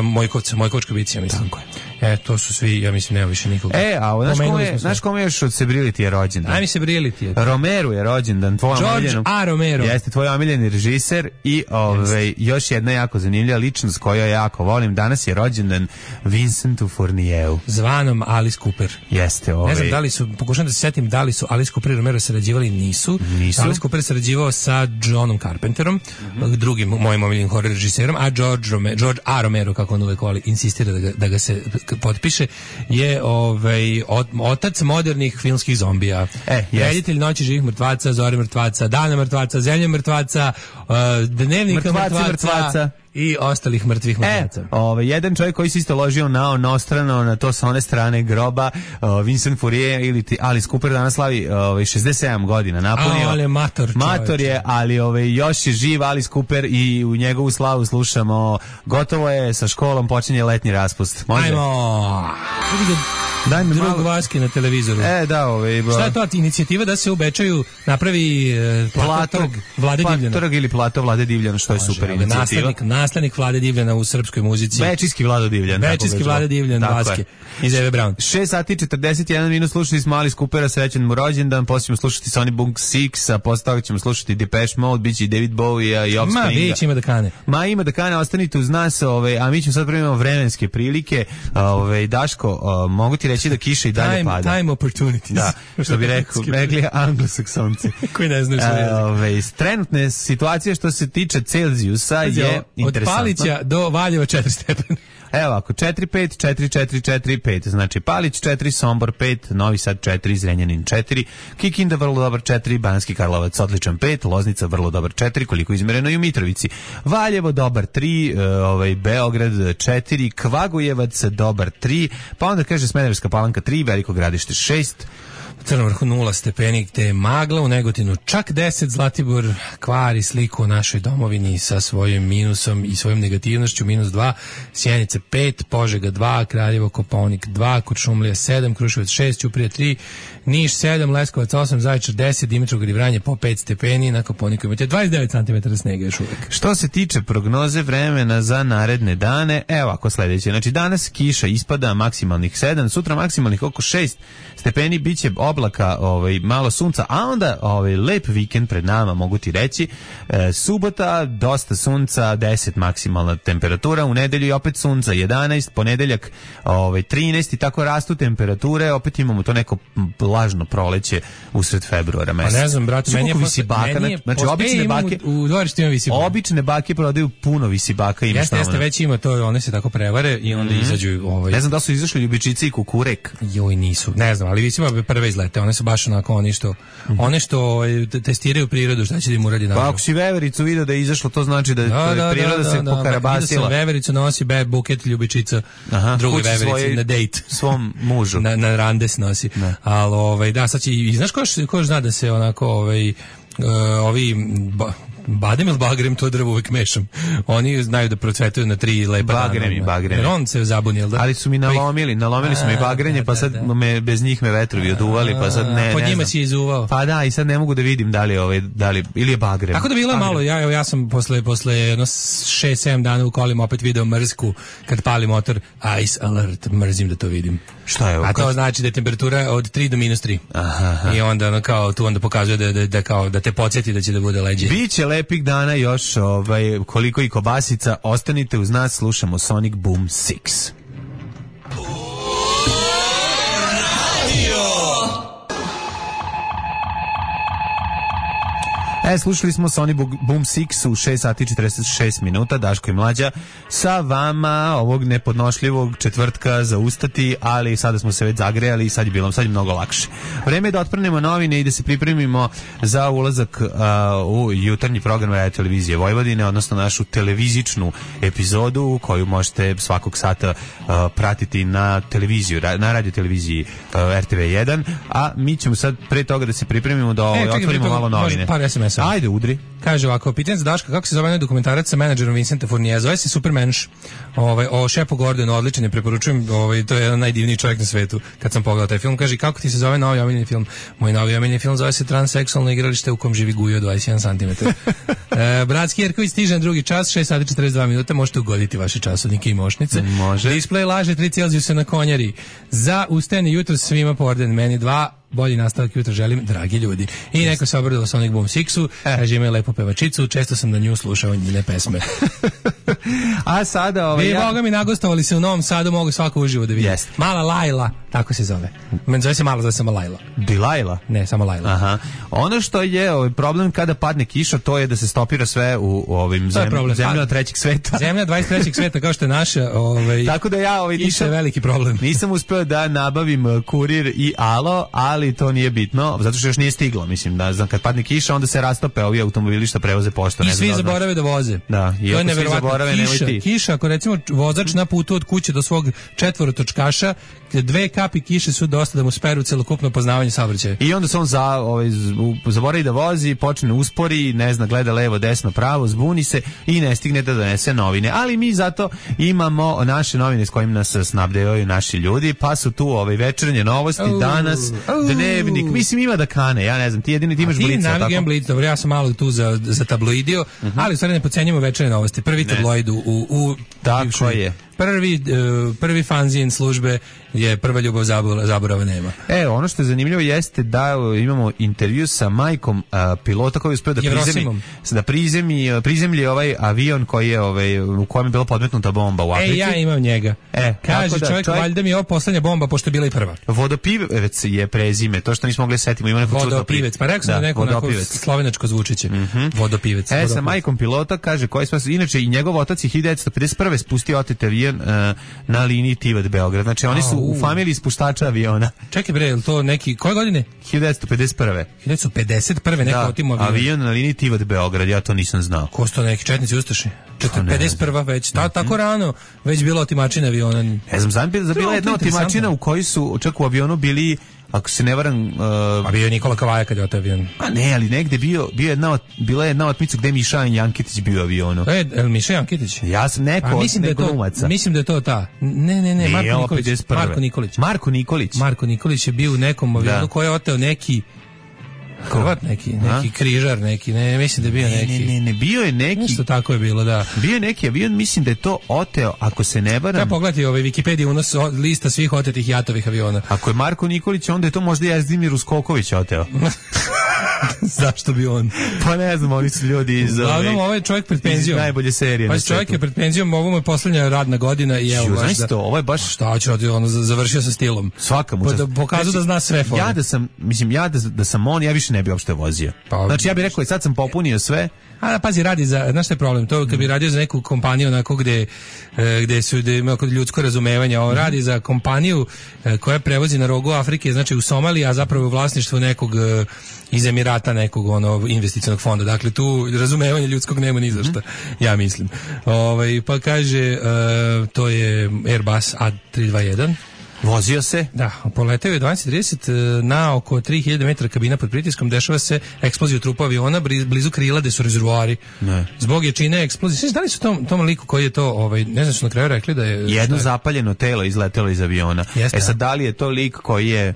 Mojkovca, Mojkovačka bici, ja mislim. Tako je. E, to su svi, ja mislim, nema više nikoga. E, a znaš kome je, znaš kome još od Sebrility je rođendan? Aj mi Sebrility je. Romero je rođendan, tvoj George omiljen. A. Romero. Jeste, tvoj omiljeni režiser i ovaj, još jedna jako zanimljiva ličnost koju ja jako volim. Danas je rođendan Vincentu Fourniereu. Zvanom Alice Cooper. Jeste, ovaj. Ne znam da li su, pokušam da se setim da li su Alice Cooper i Romero sarađivali, nisu. Nisu. Alice Cooper sarađivao sa Johnom Carpenterom, mm-hmm. drugim mojim omiljenim horror režiserom, a George, Rome, George A. Romero, kako on uvek voli, insistira da ga, da ga se potpiše, je ovaj, ot, otac modernih filmskih zombija. E, reditelj Noći živih mrtvaca, Zore mrtvaca, Dana mrtvaca, Zemlje mrtvaca, uh, Dnevnika mrtvaca, mrtvaca i ostalih mrtvih mrtvaca. E, ovaj, jedan čovjek koji se isto ložio na onostrano, na to sa one strane groba, uh, Vincent Fourier ili ti Alice Cooper danas slavi ovaj, šezdeset sedam godina napunio. A, ali mator, mator je, ali ovaj, još je živ Alice Cooper i u njegovu slavu slušamo, gotovo je sa školom, počinje letnji raspust. Može? Ajmo! Daj mi drug malo... Vaski na televizoru. E, da, ovaj... Ba... Šta je to inicijativa da se u Bečaju napravi e, plato trg Vlade Divljana? Trg ili plato Vlade Divljana, što je Može, super inicijativa. Naslednik, naslednik Vlade Divljana u srpskoj muzici. Bečijski Vlado Divljan. Bečijski Vlado Divljan, Vaske. Iz Eve Brown. šest sati četrdeset jedan minut slušali smo Alice Coopera, srećan mu rođendan, poslije ćemo slušati Sonny Boom Six, a posle toga ćemo slušati Depeche Mode, biće i David Bowie i Offspringa. Ma, već ima da kane. Ma, ima da kane, ostanite uz nas, ove, a mi ćemo sad primimo vremenske prilike. Ove, Daško, o, mogu ti reći da kiša i dalje time, pada. Time opportunities. Da, što bi rekao, rekli anglosaksonci. Koji ne znaju što je. Ove, trenutne situacije što se tiče Celzijusa je interesantno. Od Palića do Valjeva četiri stepena. Evo ako, četiri pet četiri četiri četiri pet, znači Palić četiri, Sombor pet, Novi Sad četiri, Zrenjanin četiri, Kikinda vrlo dobar četiri, Banatski Karlovac odličan pet, Loznica vrlo dobar četiri, koliko izmereno i u Mitrovici. Valjevo dobar tri, ovaj, Beograd četiri, Kvagojevac dobar tri, pa onda kaže Smederevska Palanka tri, Veliko Gradište šest, Crnom Vrhu nula stepeni, te je magla, u Negotinu čak deset, Zlatibor kvari sliku o našoj domovini sa svojim minusom i svojom negativnošću, minus dva, Sjenice pet, Požega dva, Kraljevo, Kopaonik dva, Kuršumlija sedam, Kruševac šest, Ćuprija tri, Niš sedam, Leskovac osam, Zaječar deset, Dimitrovgrad i Vranje po pet stepeni, na Kopaoniku imate dvadeset devet centimetara snega još uvijek. Što se tiče prognoze vremena za naredne dane, evo ako sledeće. Znači danas kiša ispada, maksimalnih sedam, sutra maksimalnih oko šest stepeni, biće oblaka, ovaj, malo sunca, a onda ovaj, lep vikend pred nama, mogu ti reći. E, subota, dosta sunca, deset maksimalna temperatura, u nedelju i opet sunca, jedanaest, ponedeljak ovaj, trinaest i tako rastu temperature, opet imamo to neko lažno proleće usred februara meseca. Pa ne znam, brate, meni je visibaka, meni je, znači obične bake, u, u dvorištu ima visibaka. Obične bake prodaju puno visibaka, imaš jeste, jeste, već ima to, one se tako prevare i onda mm. izađu ovaj. Ne znam da su izašli ljubičice i kukurek. Joj, nisu. Ne znam, ali visima prve izlete, one su baš onako oni što mm. one što testiraju prirodu, šta će da im uradi naravno. Pa ako si vevericu video da je izašlo, to znači da, da, da priroda da, se da, pokarabasila. Da, vevericu nosi be, buket ljubičica, aha, druge veverice na dejt svom mužu. na, na randes nosi. Ali ovaj, da, sad će, i znaš ko, ko zna da se onako ovaj, uh, ovi ba, badem ili bagrem, to drvo uvijek mešam. Oni znaju da procvetuju na tri lepa dana. Bagrem i bagrem. Jer on se zabunio, da? Ali su mi nalomili, nalomili su mi bagrenje, pa sad me, bez njih me vetrovi oduvali, pa sad ne, pod ne njima znam. si izuvao. Pa da, i sad ne mogu da vidim da li, ovaj, da li ili je bagrem. Tako da bilo je malo, ja, ja sam posle, posle jedno šest sedam dana u kolima opet video mrzku, kad pali motor, ice alert, mrzim da to vidim. Šta je ovo? A to znači da je temperatura od tri do minus tri. Aha, aha. I onda ono kao, tu onda pokazuje da, da, da, kao, da te podsjeti da će da bude leđe. Biće lepih dana još, ovaj, koliko i kobasica, ostanite uz nas, slušamo Sonic Boom šest. E, slušali smo Sony Boom šest u šest sati četrdeset šest minuta, Daško i Mlađa sa vama ovog nepodnošljivog četvrtka za ustati, ali sada smo se već zagrejali i sad je bilo, sad je mnogo lakše. Vreme je da otprnemo novine i da se pripremimo za ulazak uh, u jutarnji program Radio Televizije Vojvodine, odnosno našu televizičnu epizodu koju možete svakog sata uh, pratiti na televiziju, na radio televiziji uh, R T V jedan, a mi ćemo sad pre toga da se pripremimo da ovaj, e, otvorimo malo novine. Par es em es. Ajde, udri. Kaže ovako, pitanje za Daška, kako se zove onaj dokumentarac sa menadžerom Vincenta Fournije? Zove se Supermensch. Ovaj, o Shepu Gordonu, odličan je, preporučujem, ovaj, to je jedan najdivniji čovjek na svetu. Kad sam pogledao taj film, kaže, kako ti se zove novi omiljeni film? Moj novi omiljeni film zove se Transseksualno igralište u kom živi Gujo, dvadeset jedan centimetar. e, Bratski Jerković stiže na drugi čas, šest sati četrdeset dva minuta, možete ugoditi vaše časovnike i mošnice. Može. Display laže tri Celzijusa na konjari. Za ustajanje jutro svima po orden, meni dva, bolji nastavak jutra želim, dragi ljudi. I yes. Neko se obradilo Sonic Boom šest-u, e. kaže ima lepo pevačicu, često sam na nju slušao njene pesme. A sada ovaj... Vi, ja... Boga mi nagostovali se u Novom Sadu, mogu svako uživo da vidim. Yes. Mala Lajla, tako se zove. Men zove se Mala, zove se samo Lajla. Dilajla? Ne, samo Lajla. Aha. Ono što je ovaj problem kada padne kiša, to je da se stopira sve u, u ovim zem... zemljama trećeg sveta. Zemlja dvadeset trećeg sveta, kao što je naša. Ovaj... Tako da ja ovaj, nisam, je veliki problem. Nisam uspeo da nabavim kurir i alo, ali to nije bitno, zato što još nije stiglo, mislim, da znam, kad padne kiša, onda se rastope ovi automobili što prevoze pošto. I svi zaborave da voze. Da, i to je svi zaborave, nemoj ti. Kiša, ako recimo vozač na putu od kuće do svog četvorotočkaša, dve kapi kiše su dosta da mu speru celokupno poznavanje saobraćaja. I onda se on za, ovaj, zaboravi da vozi, počne uspori, ne zna, gleda levo, desno, pravo, zbuni se i ne stigne da donese novine. Ali mi zato imamo naše novine s kojim nas snabdevaju naši ljudi, pa su tu ovaj večernje novosti, uh, danas, uh, dnevnik, mislim ima da kane, ja ne znam, ti jedini ti imaš Blic. Ti navigam Blic, dobro, ja sam malo tu za, za tabloidio, uh-huh. ali u stvari ne podcenjujemo večernje novosti. Prvi tabloid u, u, u tako je. Prvi, uh, prvi fanzin službe je Prva ljubav, zaborava nema. E, ono što je zanimljivo jeste da imamo intervju sa majkom uh, pilota koji je uspio da prizemi, da prizemi, prizemlji ovaj avion koji je, ovaj, u kojem je bila podmetnuta bomba u Africi. E, ja imam njega. E, kaže da, čovjek, čovjek, valjda mi je ovo poslednja bomba, pošto je bila i prva. Vodopivec je prezime, to što nismo mogli setimo. Ima neko Vodopivec, pa rekao sam da, neko onako slovenačko zvučiće. Mm-hmm. Vodopivec. E, vodopivec. Sa majkom pilota kaže koji smo, inače i njegov otac je hiljadu devetsto pedeset prve spustio otet avion uh, na liniji Tivat-Beograd. Znači oni su u familiji spuštača aviona. Čekaj bre, je li to neki, koje godine? hiljadu devetsto pedeset prve. hiljadu devetsto pedeset prve neko da, otimo avion. avion na liniji Tivat-Beograd, ja to nisam znao. Ko su to neki četnici ustaši? pedeset prva već, ta, tako rano već bilo otimačina aviona. Ne znam, znam, bila jedna otimačina u kojoj su čak u avionu bili ako se ne varam... Uh, a bio je Nikola Kavaja kad je oteo avion. A ne, ali negde bio, bio jedna, bila je jedna otmica gde Miša Jankitić bio u avionu. E, el Miša Jankitić? Ja sam neko a, mislim od da je to, glumaca. Mislim da je to ta. Ne, ne, ne, Marko Nikolić. Marko Nikolić. Marko Nikolić. Marko Nikolić je bio u nekom avionu da. Koji je oteo neki Hrvat neki, neki a? križar neki, ne, mislim da je bio neki. Ne, ne, ne, bio je neki. Nešto tako je bilo, da. Bio je neki avion, mislim da je to oteo, ako se ne varam. Treba pogledati ovaj Wikipedia unos lista svih otetih jatovih aviona. Ako je Marko Nikolić, onda je to možda Jezdimir Uskoković oteo. Zašto bi on? Pa ne znam, oni su ljudi iz Uglavnom, ovaj čovjek pred penzijom. Najbolje serije. Pa čovjek je pred penzijom, ovo mu je poslednja radna godina i evo baš da. To, ovo je baš šta će raditi, ono završio sa stilom. Svaka mu. Da pokazao da zna sve fore. Ja da sam, mislim ja da, da sam on, ja više ne bih uopšte vozio. Pa, znači ja bih rekao, sad sam popunio sve. A da, pazi, radi za, znaš šta je problem? To kad bi radio za neku kompaniju onako gde, gde su, gde ima ljudsko razumevanje, on radi za kompaniju koja prevozi na rogu Afrike, znači u Somaliji, a zapravo u vlasništvu nekog iz Emirata, nekog ono investicionog fonda. Dakle, tu razumevanje ljudskog nema ni za šta, ja mislim. Ovaj, pa kaže, uh, to je Airbus A tri dvadeset jedan. Vozio se? Da, poleteo je dvanaest trideset na oko tri hiljade metara kabina pod pritiskom, dešava se eksplozija trupa aviona blizu krila gde su rezervoari. Ne. Zbog jačine eksplozije. Sve da li su tom, tom liku koji je to, ovaj, ne znam što na kraju rekli da je... Jedno zapaljeno telo izletelo iz aviona. Jeste, e sad, da li je to lik koji je...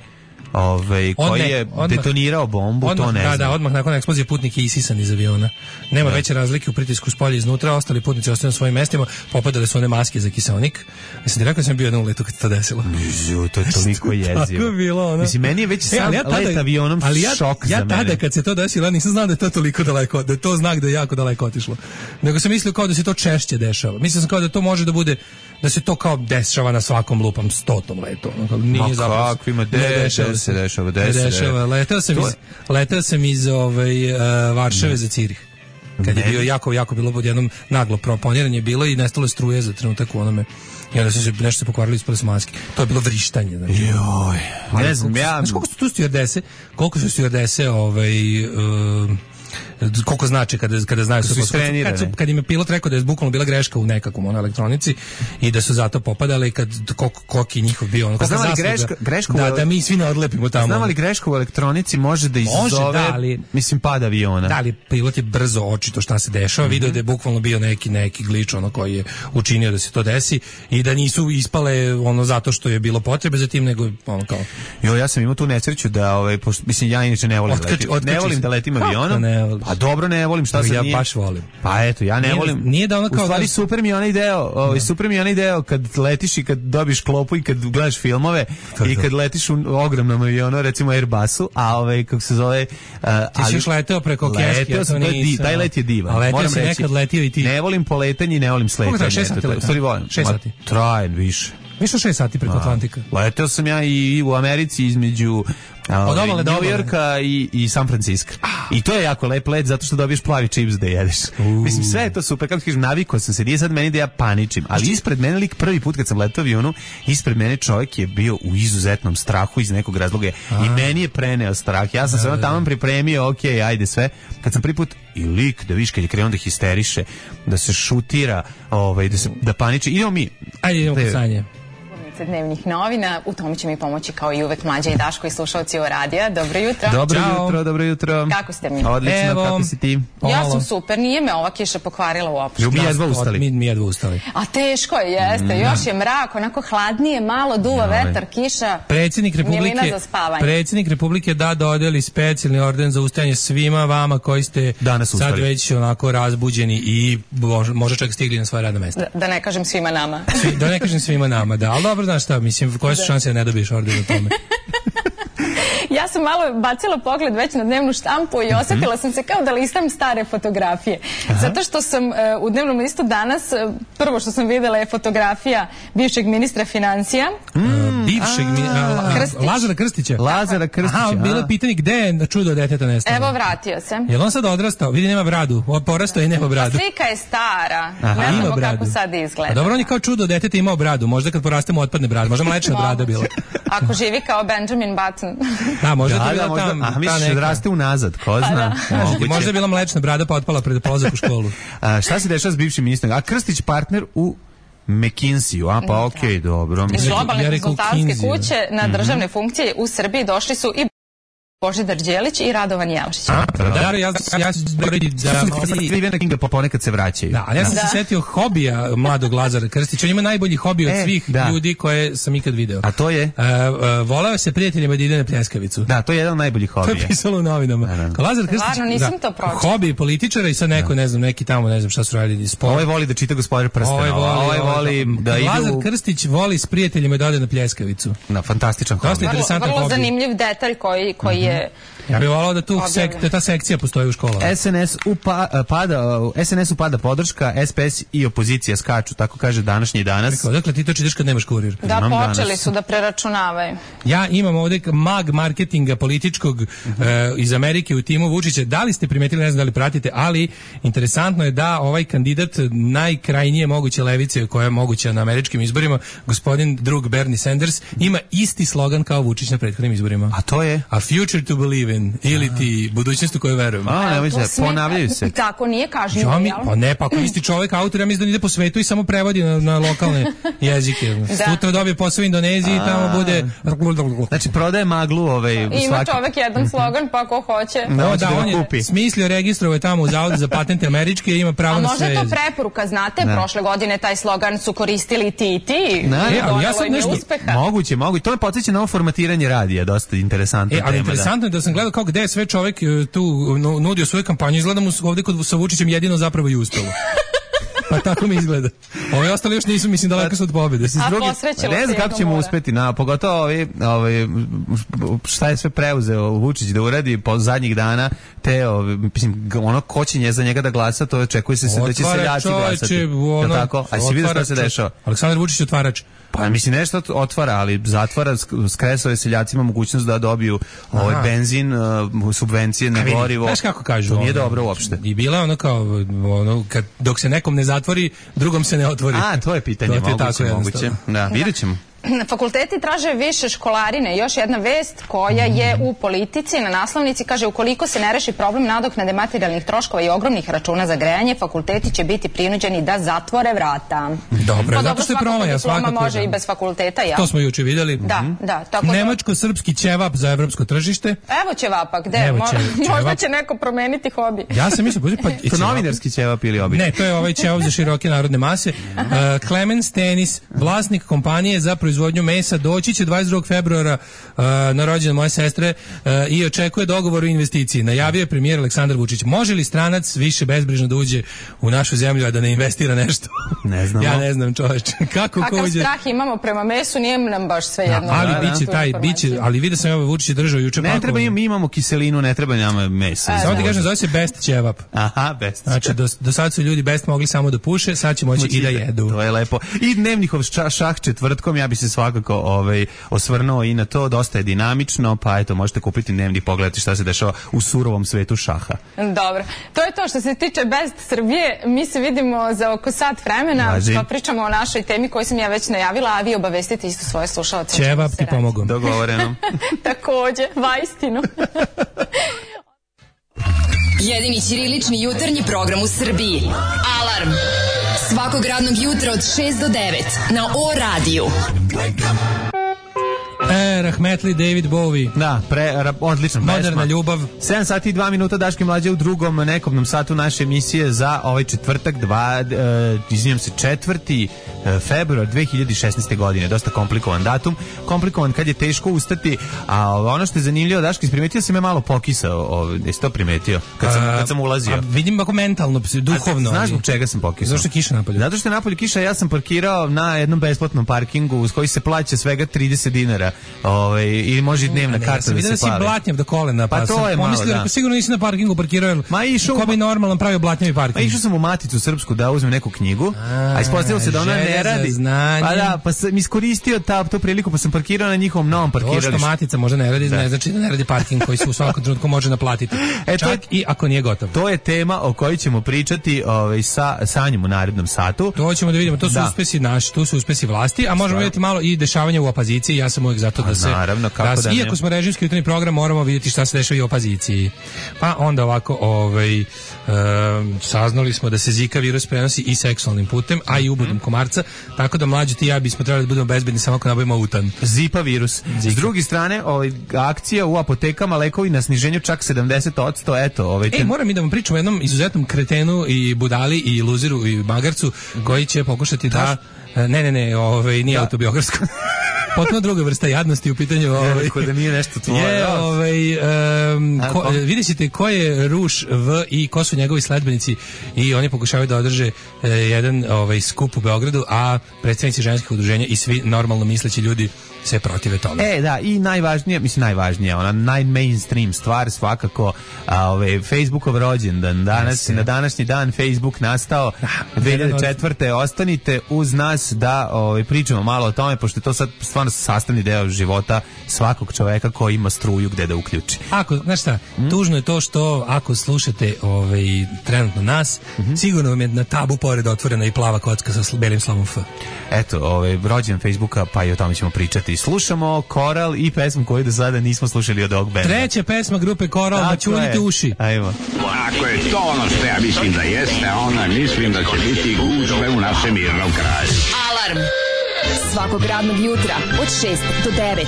Ove, koji je odmah, detonirao bombu, odmah, to ne da, znam. Da, odmah nakon eksplozije putnik je isisan iz aviona. Nema da. veće razlike u pritisku spolja iznutra, ostali putnici ostaju na svojim mestima, popadale su one maske za kiseonik. Mislim, rekao sam bio na uletu kad se to desilo. Mizu, to je toliko jezivo. Tako je bilo, ono. Mislim, meni je već sam e, ja tada, let avionom ali ja, šok ja za mene. Ja tada kad se to desilo, ja nisam znao da je to toliko daleko, da je to znak da je jako daleko otišlo. Nego sam mislio kao da se to češće dešava. Mislio sam kao da to može da bude, da se to kao dešava na svakom lupam stotom letu. Nije zapravo. Kako ima, de, se dešava, dešava. Letao sam iz, letao sam iz ovaj, uh, Varšave ne. za Cirih. Kad ne. je bio jako, jako bilo pod jednom naglo proponiranje bilo i nestalo je struje za trenutak u onome. I onda su se nešto se pokvarili, ispali su maske. To je bilo vrištanje. Znači. Joj. Ne znam, ja... Znači, koliko su tu stewardese, koliko su stewardese ovaj... Uh, koliko znači kada kada znaju su kad su kad im je pilot rekao da je bukvalno bila greška u nekakvom ono elektronici i da su zato popadale i kad koliko koliki njihov bio ono kako znali greška greška da, da mi svi ne odlepimo tamo. Znamo li greška u elektronici može da izazove može, da, ali, mislim pad aviona. Da li pilot je brzo očito šta se dešava, mm-hmm. video da je bukvalno bio neki neki glič ono koji je učinio da se to desi i da nisu ispale ono zato što je bilo potrebe za tim nego ono kao. Jo, ja sam imao tu nesreću da ovaj pošto, mislim ja inače ne volim Otkač, letiti, ne volim da letim avionom. Pa dobro, ne volim, šta sad ja nije? Ja baš volim. Pa eto, ja ne nije, volim. Nije da ono kao... U stvari, da... super mi je onaj deo, ovaj, super mi je onaj deo kad letiš i kad dobiš klopu i kad gledaš filmove to i kad letiš u ogromnom avionu, recimo Airbusu, a ovaj, kako se zove... Uh, ti si još leteo preko Keške, leteo sam, di, taj let je divan. A leteo si nekad letio i ti. Ne volim poletanje i ne volim sletanje. Koliko traje, šest sati leta? Stvari volim. Šest sati. Traje više. Više od šest sati preko Atlantika. Leteo sam ja i u Americi između New Yorka i, i San Francisco. Ah. I to je jako lep let zato što dobiješ plavi čips da jedeš. Uh. Mislim, sve je to super. Kako kažem, navikao sam se. Nije sad meni da ja paničim. Ali ispred mene lik prvi put kad sam letao avionu, ispred mene čovjek je bio u izuzetnom strahu iz nekog razloga. A. I meni je preneo strah. Ja sam da, se ono tamo pripremio, ok, ajde sve. Kad sam prvi put i lik, da viš kad je krenuo da histeriše, da se šutira, ovaj, da, se, da paniči. Idemo mi. Ajde, idemo kod Sanje. Dnevnih novina, u tome će mi pomoći kao i uvek Mlađa i Daško i slušalci ovo radija. Dobro jutro. Dobro Ćao. jutro, dobro jutro. Kako ste mi? Odlično, evo, kako si ti? Ja sam super, nije me ova kiša pokvarila uopšte. Mi jedva ustali. Mi, mi jedva ustali. A teško je, jeste. Mm. Još je mrak, onako hladnije, malo duva no, vetar, kiša. Predsjednik Republike, predsjednik Republike da dodeli specijalni orden za ustajanje svima vama koji ste danas sad već onako razbuđeni i možda čak stigli na svoje radno mesto. Da, da ne kažem svima nama. Svi, da ne kažem svima nama, da. Ali dobro, znaš šta, mislim, koje su šanse da ne dobiješ orden o tome? Ja sam malo bacila pogled već na dnevnu štampu i osjetila sam se kao da listam stare fotografije. Aha. Zato što sam uh, u dnevnom listu danas, uh, prvo što sam videla je fotografija bivšeg ministra financija. Mm, bivšeg a, Krstić. Lazara Krstića. Lazara Krstića. Aha, bilo je pitanje gde je čudo deteta nestalo. Evo, vratio se. Je li on sad odrastao? Vidi, nema bradu. Porastao i nema bradu. A slika je stara. Aha. Ne znamo kako sad izgleda. A dobro, on je kao čudo deteta imao bradu. Možda kad porastemo otpadne brada. Možda mlečna brada bila. Ako živi kao Benjamin Button. Da, možda da, to bila možda, tam. A misliš da raste unazad, ko zna? Da. Možda je bila mlečna brada pa otpala pred polazak u školu. A, šta se dešava s bivšim ministrom? A Krstić partner u McKinsey, a pa okej, okay, dobro. Iz globalne Ja rekao konsultantske Kinsey, kuće na državne funkcije u Srbiji došli su i Božidar Đelić i Radovan Jelšić. A, da, da, ja, ja ću zboriti da... Stevena Kinga ponekad se vraćaju. Da, ali ja sam Da. se setio hobija mladog Lazara Krstića. On ima najbolji hobi od E, svih da. ljudi koje sam ikad video. A to je? Uh, uh, voleo se prijateljima da ide na pljeskavicu. Da, to je jedan od najboljih To je hobija. pisalo u novinama. Da, da. Kao Lazar Krstić, Stvarno, nisam to pročitala. hobi političara i sad neko, ne znam, neki tamo, ne znam šta su radili, sport. Ovaj voli da čita Gospodar prstenova, ovaj voli da ide Lazar u... Krstić voli s prijateljima da ode na pljeskavicu. Na fantastičan Dosta hobi. Vrlo, interesantan vrlo hobi. zanimljiv detalj koji, koji je... Ja bih volao da tu Objavljen. sek, da ta sekcija postoji u školama. S N S upa, pada, S N S upada podrška, S P S i opozicija skaču, tako kaže današnji danas. Rekao, dakle ti to čitaš kad nemaš kurir. Da, Imam počeli danas. su da preračunavaju. Ja imam ovdje mag marketinga političkog Mhm. e, iz Amerike u timu Vučića. Da li ste primetili, ne znam da li pratite, ali interesantno je da ovaj kandidat najkrajnije moguće levice koja je moguća na američkim izborima, gospodin drug Bernie Sanders, ima isti slogan kao Vučić na prethodnim izborima. A to je? A future to believe in, ili ti budućnost u kojoj verujem. A, nemoj To se, sme- ponavljaju se. Tako, nije kažnjivo, Ja mi, jel? pa ne, pa ako isti čovjek autor, ja mislim da ide po svetu i samo prevodi na, na lokalne jezike. Sutra dobije posao u Indoneziji i tamo bude... Znači, prodaje maglu ovaj, Ima svaki... čovek jedan slogan, pa ko hoće. Da, O, hoće da, da ga on je kupi. smislio, registrovao je tamo u Zavodu za patente američke i ima pravo A na možda sve je to jezike. preporuka, znate, prošle godine taj slogan su koristili ti i ti. Da, i e, ali ja donelo sad im je nešto- uspeha. Moguće, moguće. To me podsjeća na ovo formatiranje radija, dosta interesantna E, ali tema. interesantno je da sam gledao kao gde je sve čovjek e, tu nu- nudio svoju kampanju, izgleda mu s- ovdje kod sa Vučićem jedino zapravo i uspelo. Pa tako mi izgleda. Ovi ostali još nisu, mislim, daleko su od pobjede. Da. A Drugi- posrećilo ne se znam kako jedno ćemo mora. uspeti, na, pogotovo ovi, ovi, šta je sve preuzeo Vučić da uradi po zadnjih dana, te ovi, mislim, g- ono kočenje za njega da glasa, to očekuje se, se da će Otvarač, seljaci glasati. čoveče, ono, Jel tako? A si vidio šta otvarač, se dešava? Aleksandar Vučić otvarač. Pa mislim nešto otvara, ali zatvara, sk- skresao je seljacima mogućnost da dobiju ovaj Aha. benzin, uh, subvencije na Vidi, gorivo. Znaš kako kažu? To nije ono, dobro uopšte. I bila je ono kao, ono, kad, dok se nekom ne zatvori, drugom se ne otvori. A, to je pitanje, To ti je moguće, tako moguće. jednostavno. Da, vidjet ćemo. Fakulteti traže više školarine. Još jedna vest koja je u Politici na naslovnici kaže ukoliko se ne reši problem nadoknade materijalnih troškova i ogromnih računa za grejanje, fakulteti će biti prinuđeni da zatvore vrata. Dobro, Pa zato dobro, što je svakako promaja, diploma svakako. može da. i bez fakulteta, ja. To smo juče vidjeli. Da, da. Tako da- Nemačko-srpski ćevap za evropsko tržište. Evo ćevapa, gde? Evo Mo- ćevap. Možda će neko promeniti hobi. Ja sam mislio, pa, To novinarski ćevap ili običan? Ne, to je ovaj ćevap za široke narodne mase. Uh, Clemens Tenis, vlasnik kompanije za proizvodnju mesa, doći će dvadeset drugog februara uh, na rođendan moje sestre uh, i očekuje dogovor o investiciji. Najavio je premijer Aleksandar Vučić. Može li stranac više bezbrižno da uđe u našu zemlju, a da ne investira nešto? Ne znamo. Ja ne znam, čoveče. Kako ko Kakav uđe? strah imamo prema mesu, nije nam baš sve Da, jedno. ali Da, da. biće Tu taj, informaciju. biće, ali vidio sam ovo Vučić je držao juče Ne pakovanje. treba im, mi imamo kiselinu, ne treba nama mesa. E, Samo ti da. kažem, zove se Best ćevap. Aha, best. Znači, do, do sad su ljudi Best mogli samo da puše, sad će moći i da jedu. To je lepo. I dnevnikov ša- šah četvrtkom, ja bi se svakako ovaj, osvrnuo i na to, dosta je dinamično, pa eto, možete kupiti dnevnik, pogledati šta se dešava u surovom svetu šaha. Dobro. To je to što se tiče Best Srbije. Mi se vidimo za oko sat vremena, Važi. pa pričamo o našoj temi koju sam ja već najavila, a vi obavestite isto svoje slušalce. Ćevap ti pomogao. Dogovoreno. Takođe, vaistinu. Jedini ćirilični jutarnji program u Srbiji. Alarm. Svakog radnog jutra od šest do devet na O radiju. E, Rahmetli David Bowie. Da, pre, ra, odlična pesma. Moderna ljubav. sedam sati i dva minuta, Daške mlađe u drugom nekobnom satu naše emisije za ovaj četvrtak, dva, e, izvinjam se, četvrti e, februar dve hiljade šesnaeste. godine. Dosta komplikovan datum. Komplikovan kad je teško ustati, a ono što je zanimljivo, Daške, primetio sam je malo pokisao, ovaj, jesi to primetio? Kad sam, kad sam ulazio. A vidim ako mentalno, psi- duhovno. A znaš ali- zbog čega sam pokisao? Zašto je kiša napolju? Zato što je napolju kiša, ja sam parkirao na jednom besplatnom parkingu uz koji se plaća svega trideset dinara. Ovaj, i može i dnevna A ne, karta ja sam da vidio se da si plavi. blatnjav do kolena, pa, Pa to sam je malo, pomislio, da. rekao, sigurno nisi na parkingu parkirao, jer Ma išao ko bi u- normalan pravio blatnjavi Pa parking. išao sam u Maticu Srpsku da uzmem neku knjigu, a ispostavilo se da ona želja ne za radi. znanjem. Pa da, pa sam iskoristio ta, tu priliku, pa sam parkirao na njihovom novom To što parkiralištu. matica može ne radi, ne znači da ne radi parking koji se u svakom trenutku može naplatiti. E, to je- Čak i ako nije gotov. To je tema o kojoj ćemo pričati ovaj, sa Sanjom u narednom satu. To ćemo da vidimo, to su Da. uspesi naši, tu su uspesi vlasti, a možemo vidjeti malo i dešavanja u opoziciji. Ja sam uvijek zato da se naravno, kako se- da ne. iako smo režimski jutarnji program, moramo vidjeti šta se dešava i u opoziciji. Pa onda ovako, ovaj em, saznali smo da se Zika virus prenosi i seksualnim putem, a i ubodom komarca. marca, tako da mlađi ti i ja bismo trebali da budemo bezbedni samo ako nabavimo utan. Zipa virus. Zika. S druge strane, ovaj, akcija u apotekama, lekovi na sniženju čak sedamdeset posto, eto. Ovaj, ten... E, moram i da vam pričam o jednom izuzetnom kretenu i budali i luziru i magarcu koji će pokušati da... Ne, ne, ne, ovaj, nije da. autobiografsko. Potpuno druga vrsta jadnosti u pitanju. Ovaj, da nije nešto tvoje. Je, ovaj, um, ko, vidjet ćete ko je Ruš V i ko su njegovi sledbenici i oni pokušavaju da održe eh, jedan ovaj, skup u Beogradu, a predstavnici ženskih udruženja i svi normalno misleći ljudi se protive tome. E, da, i najvažnije, mislim najvažnije, ona najmainstream stvar svakako, a, ove, Facebookov rođendan. Danas, na današnji dan Facebook nastao dve hiljade četvrte. Ostanite uz nas da ove, pričamo malo o tome, pošto je to sad stvarno sastavni deo života svakog čoveka koji ima struju gde da uključi. Ako, znaš šta, mm? tužno je to što ako slušate ovaj, trenutno nas, mm-hmm. sigurno vam je na tabu pored otvorena i plava kocka sa belim slovom F. Eto, ovaj, rođendan Facebooka, pa i o tome ćemo pričati. Slušamo Koral i pesmu koju do sada nismo slušali od ovog benda. Treća pesma grupe Koral, da čunite uši. Ajmo. Ako je to ono što ja mislim da jeste, onda mislim da će biti gužve u našem mirnom kraju. Alarm svakog radnog jutra od šest do devet.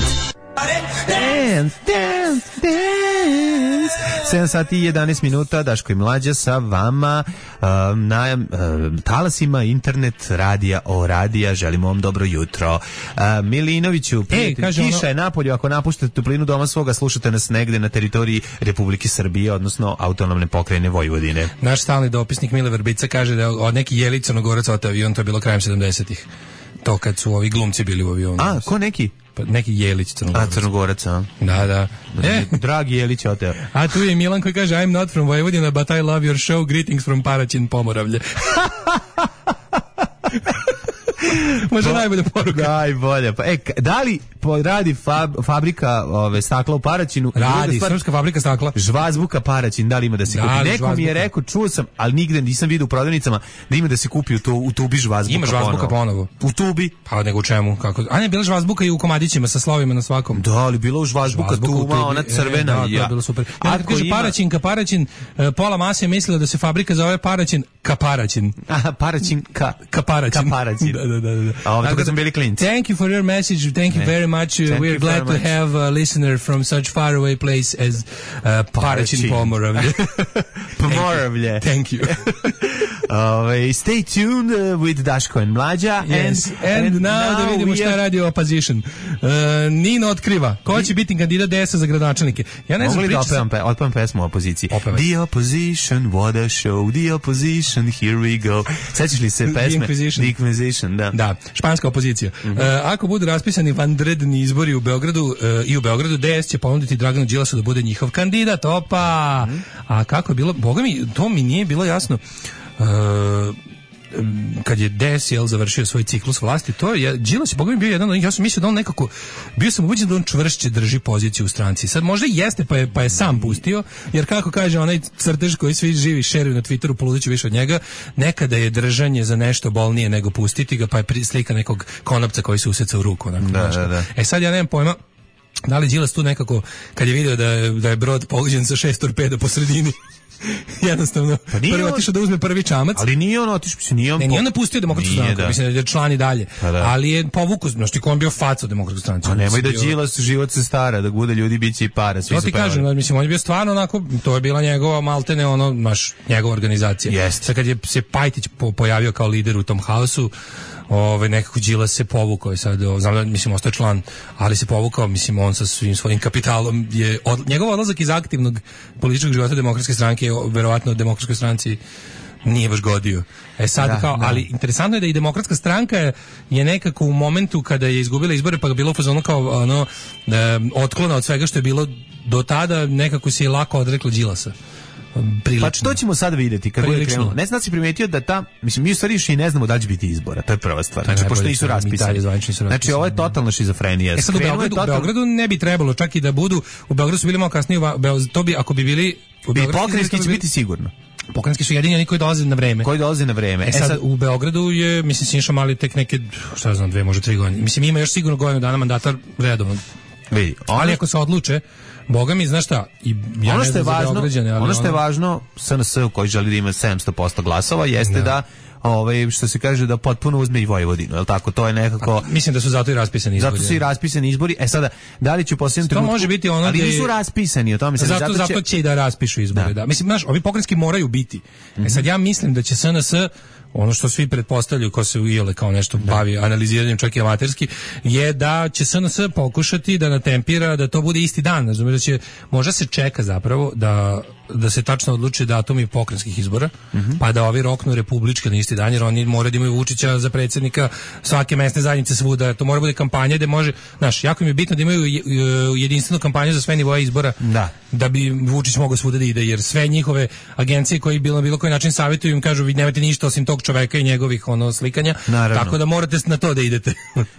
Dance, dance, dance. sedam sati i jedanaest minuta, Daško i Mlađa sa vama um, na um, talasima internet radija o radija. Želimo vam dobro jutro. Uh, Milinoviću, prijatelj, e, kiša ono... je napolju, ako napuštate toplinu doma svoga, slušate nas negde na teritoriji Republike Srbije, odnosno autonomne pokrajine Vojvodine. Naš stalni dopisnik Mile Vrbica kaže da od neki Jelić Crnogorac od avion, to je bilo krajem sedamdesetih. To kad su ovi glumci bili u avionu. A, ko neki? Pa neki Jelić Crnogorac. A, Crnogorac, a? Da, da. E. Dragi Jelić, oteo. A tu je Milan koji kaže I'm not from Vojvodina, but I love your show. Greetings from Paraćin, Pomoravlje. Može Bo, najbolja poruka. Najbolja. Pa, e, da li radi fab, fabrika ove, stakla u Paraćinu? Radi, stvar, srpska fabrika stakla. Žvazbuka Paraćin, da li ima da se da, kupi? Neko žvazbuka. Mi je rekao, čuo sam, ali nigde nisam vidio u prodavnicama da ima da se kupi u, to, u tubi žvazbuka. Ima žvazbuka ponovo. U tubi? Pa nego u čemu? Kako? A ne, bila žvazbuka i u komadićima sa slovima na svakom. Da, ali bila u žvazbuka tuba, ona crvena. E, da, ja. To je bilo super. Ja, kad kaže ima... Paraćin, ka Paraćin, pola mase je mislila da se fabrika zove Paraćin, ka Paraćin. Aha, Paraćin, ka, ka Paraćin. Ka Paraćin. Da, da, da, da. A ovdje kad sam bili klinci. Thank you for your message. Thank you very much. Uh, we are glad to have a listener from such far away place as uh, Paraćin, Pomoravlje. Pomoravlje. Thank you. uh, stay tuned uh, with Daško and Mlađa. Yes. And, and, and now, now da vidimo šta radi opposition. Uh, Nino otkriva. Ko će biti kandidat D S-a za gradonačelnike? Ja ne znam, priča sam... Da otpevam pesmu o opoziciji. Opevaj. The opposition, what a show. The opposition, here we go. Sećaš li se pesme? The Inquisition. The Inquisition, da. Da, španska opozicija. Mm-hmm. Uh, ako budu raspisani vanredni izbori u Beogradu uh, i u Beogradu, D S će ponuditi Draganu Đilasu da bude njihov kandidat. Opa! Mm-hmm. A kako je bilo? Boga mi, to mi nije bilo jasno. Uh, kad je D S jel završio svoj ciklus vlasti, to je Đilas je Boga mi bio jedan od njih. Ja sam mislio da on nekako, bio sam ubeđen da on čvršće drži poziciju u stranci. Sad možda jeste, pa je, pa je sam pustio, jer kako kaže onaj crtež koji svi živi šeruju na Twitteru, poludeću više od njega, nekada je držanje za nešto bolnije nego pustiti ga, pa je slika nekog konopca koji se useca u ruku. Onako, da, da, da. E sad ja nemam pojma da li Đilas tu nekako, kad je video da je, da je brod pogođen sa šest torpeda po sredini, jednostavno pa prvo on... otišao da uzme prvi čamac. Ali nije on otišao, mislim, nije on... Ne, nije on napustio Demokratsku stranku, da. Mislim da je član i dalje. Pa da. Ali je povukao, znaš ti ko on bio faca Demokratskoj stranci. Pa nemoj da bio... Đilas život se stara, da bude ljudi biće i para. Svi to ti kažem, mislim, on je bio stvarno onako, to je bila njegova maltene, ono, naš, njegova organizacija. Jest. Sad kad je se Pajtić po, pojavio kao lider u tom haosu, Ove, nekako Đilas se povukao i sad, znam da, mislim, ostaje član, ali se povukao, mislim, on sa svim svojim kapitalom je, od, njegov odlazak iz aktivnog političkog života Demokratske stranke je verovatno Demokratskoj stranci nije baš godio. E sad, da, kao, da. Ali interesantno je da i Demokratska stranka je nekako u momentu kada je izgubila izbore, pa bilo fazonu kao, ono, e, otklona od svega što je bilo do tada, nekako se je lako odreklo Đilasa. Prilično. Pa što ćemo sad vidjeti kad bude krenulo? Ne znam da si primetio da ta, mislim, mi u stvari i ne znamo da li će biti izbora, to je prva stvar. Znači, pošto nisu raspisani. Znači, ovo je totalna šizofrenija. E sad u Beogradu, total... u Beogradu ne bi trebalo čak i da budu, u Beogradu su bili malo kasnije, to bi, ako bi bili... Bi pokrajinski će biti sigurno. Pokrajinski su jedini oni koji dolaze na vreme. Koji dolaze na vreme. E sad, e sad u Beogradu je, mislim, Siniša Mali tek neke, šta znam, dve, možda tri godine. Mislim, ima još sigurno godinu dana mandata redovno. Vidi, ali ako se odluče, Boga mi, znaš šta, i ja ono što je važno, ali ono što je važno, S N S koji želi da ima sedamsto posto glasova, jeste da, da ovaj što se kaže da potpuno uzme i Vojvodinu, je l' tako? To je nekako... A, mislim da su zato i raspisani izbori. Zato su i raspisani izbori. E sada, da li će u posljednjem trenutku... To može biti ono... Ali nisu raspisani, o tome se... Zato, zato, zato će... će i da raspišu izbore, da. da. Mislim, znaš, ovi pokrajinski moraju biti. Mm-hmm. E sad ja mislim da će S N S, ono što svi pretpostavljaju ko se ujele kao nešto da. bavi analiziranjem čak i amaterski, je da će S N S pokušati da natempira da to bude isti dan. Znači, da će, možda se čeka zapravo da da se tačno odluči datumi pokrajinskih izbora, mm-hmm. pa da ovi roknu republičke na isti dan, jer oni moraju da imaju Vučića za predsjednika svake mesne zajednice svuda. To mora bude kampanja gde može, znaš, jako im je bitno da imaju jedinstvenu kampanju za sve nivoe izbora, da, da bi Vučić mogao svuda da ide, jer sve njihove agencije koji bilo na bilo koji način savjetuju im kažu vi nemate ništa osim tog čoveka i njegovih ono slikanja, naravno. Tako da morate na to da idete.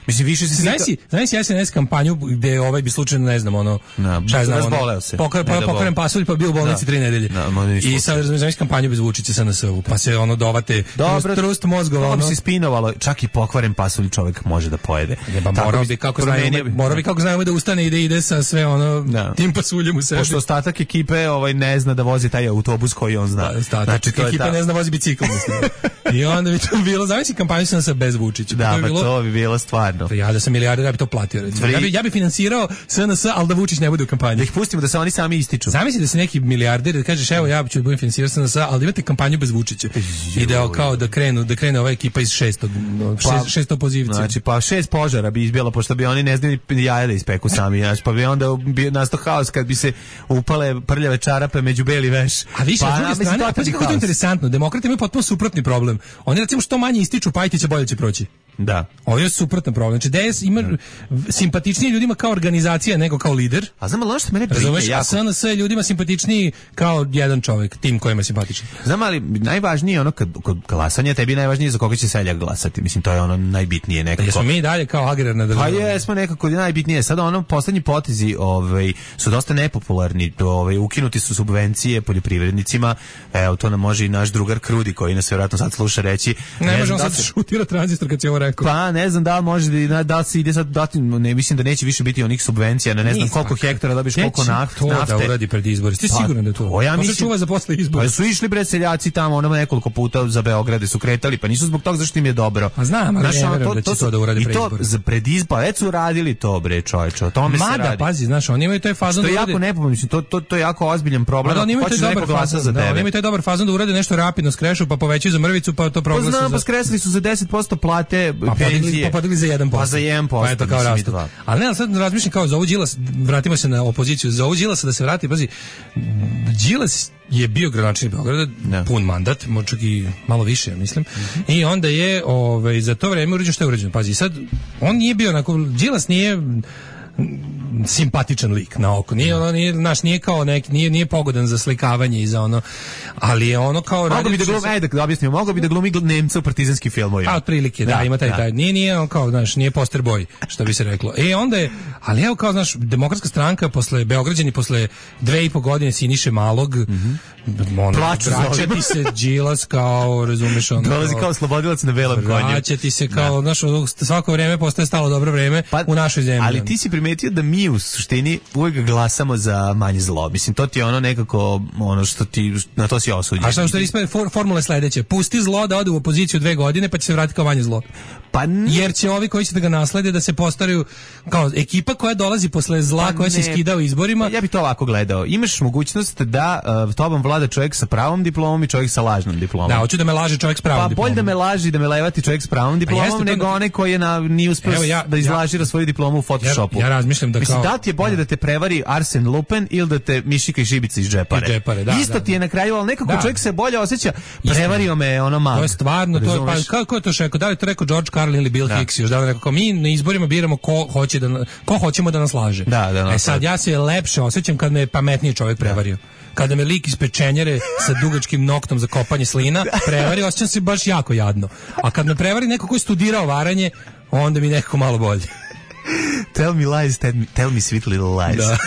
Mislim više se znaš si, znaš si S N S kampanju gde ovaj bi slučajno ne znam ono, no, šta je znam ono, pokar, pa, pokaren pasulj pa bio u bolnici tri nedelje. No, i sad razumiješ kampanju bez Vučića S N S-u, pa se ono dovate dobro, trust mozgova, ono se spinovalo, čak i pokvaren pasulj čovjek može da pojede. Jeba, morao bi kako znamo, morao bi kako znamo da ustane i da ide sa sve ono da. Tim pasuljem u sebi. Pošto ostatak ekipe ovaj ne zna da vozi taj autobus koji on zna. Da, ostatak znači, to ekipa ta... ne zna vozi bicikl, mislim. I onda bi to bilo, zamisli kampanju S N S-a bez Vučića. Da, to bi, bilo, to bi bilo stvarno. Ja da sam milijarder, ja bi to platio. Vri... Ja bi ja bi finansirao S N S, al da Vučić ne bude u kampanji. Da ih pustimo da se oni sami ističu. Zamisli da se neki milijarder da kažeš evo ja ću da budem finansirati S N S, ali da imate kampanju bez Vučića. I da kao da krenu, da krene ova ekipa iz šestog, šest, šest opozicije. Znači pa šest požara bi izbjela pošto bi oni ne znali jaja da ispeku sami, znači pa bi onda bi nastao haos kad bi se upale prljave čarape među beli veš. A više pa, s druge strane, a pa kako je to interesantno, demokrati imaju potpuno suprotni problem. Oni recimo što manje ističu Pajtića bolje će proći. Da. Ovo je suprotan problem. Znači D S ima da. simpatičniji ljudima kao organizacija nego kao lider. A znam, ali što mene brine jako. A S N S je ljudima simpatičniji kao jedan čovjek, tim kojima je simpatičan. Znam, ali najvažnije je ono kad, kod glasanja tebi najvažnije za koga će seljak glasati. Mislim, to je ono najbitnije nekako. Jesmo mi dalje kao agrarna država. Pa jesmo nekako najbitnije. Sada ono poslednji potezi ovaj, su dosta nepopularni. Ovaj, ukinuti su subvencije poljoprivrednicima. Evo, to nam može i naš drugar Krudi koji nas vjerojatno sad sluša reći. Ne, ne možemo sad se šutira tranzistor kad će ovo rekao. Pa ne znam da li može da, da se ide sad dati, ne mislim da neće više biti onih subvencija na ne znam koliko hektara dobiš koliko nafte. To da uradi pred izbore. Ti pa, sigurno da je to? to ja mislim, čuva za posle izbora. Pa su išli bre seljaci tamo, ono nekoliko puta za Beograde su kretali, pa nisu zbog toga zašto im je dobro. A znam, ali ne verujem da će to da uradi pred izbore. I to za pred izbore, već su radili to bre čoveče, o tome se radi. Mada, pazi, znaš, oni imaju taj fazon da urade. To je jako nepopularno, mislim, to, to, to je jako ozbiljan problem. Oni imaju taj dobar fazon za tebe. Oni imaju taj dobar fazon da urade nešto rapidno skrešu, pa povećaju za mrvicu, pa to proglase. Pa znam, pa skresali su za deset posto plate penzije. Pa za jedan posto. Pa za jedan posto. Pa eto kao rastu. Ali ne, ali sad razmišljam kao za ovu Đilas, vratimo se na opoziciju, za ovu Đilasa da se vrati, pazi, Đilas je bio gradonačelnik Beograda, ne. pun mandat, čak i malo više, ja mislim. Mm-hmm. I onda je ovaj, za to vreme urađeno što je urađeno. Pazi, sad, on nije bio onako, Đilas nije simpatičan lik na oko. Nije ono, nije, naš, nije kao neki, nije, nije pogodan za slikavanje i za ono, ali je ono kao... Mogu bi da glumi, ajde da objasnimo, mogu bi da glumi Nemca u partizanskim filmovima. A, otprilike, da, da, ima taj, da. taj, nije, nije on kao, znaš, nije poster boy, što bi se reklo. E, onda je, ali evo kao, znaš, Demokratska stranka posle, Beograđani posle dve i po godine Siniše Malog, mm-hmm. ono, vraćati se Đilas kao, razumeš, ono... Dolazi kao slobodilac na belom konju. Vraćati se kao, znaš, svako vreme postaje stalo dobro vreme pa, u našoj zemlji. Ali ti si primetio da mi u suštini uvijek glasamo za manje zlo. Mislim, to ti je ono nekako, ono što ti, na to si osuđen. A šta što ispred for, formule sledeće? Pusti zlo da ode u opoziciju dve godine, pa će se vratiti kao manje zlo. Pa ne. Jer će ovi koji će da ga naslede da se postaraju kao ekipa koja dolazi posle zla pa koja se skida u izborima. Ja bih to ovako gledao. Imaš mogućnost da uh, tobom vlada čovjek sa pravom diplomom i čovjek sa lažnom diplomom. Da, hoću da me laže čovjek s pravom pa, diplomom. Pa bolje da me laži da me levati čovjek s pravom diplomom nego onaj koji je na, nije uspio ja, da izlažira ja, svoju diplomu u Photoshopu. Ja, ja razmišljam da Mislim, kao... da ti je bolje da te prevari Arsen Lupin ili da te Mišika i Šibica iz džepare. džepare da, Isto da, ti je na kraju, ali nekako da. čovjek se bolje osjeća. Prevario me ono malo. To je stvarno, to je, pa, kako je to šeko? Da li to rekao George Carlin ili Bill da. Hicks? Još da li rekao, mi na izborima biramo ko, hoće da, ko hoćemo da nas laže. Da, da, e sad, ja se lepše osjećam kad me pametniji čovjek prevario. Kada me lik iz pečenjere sa dugačkim noktom za kopanje slina prevari, osjećam se baš jako jadno. A kad me prevari neko ko je studirao varanje, onda mi nekako malo bolje. Tell me lies, tell me, tell me sweet little lies. Da.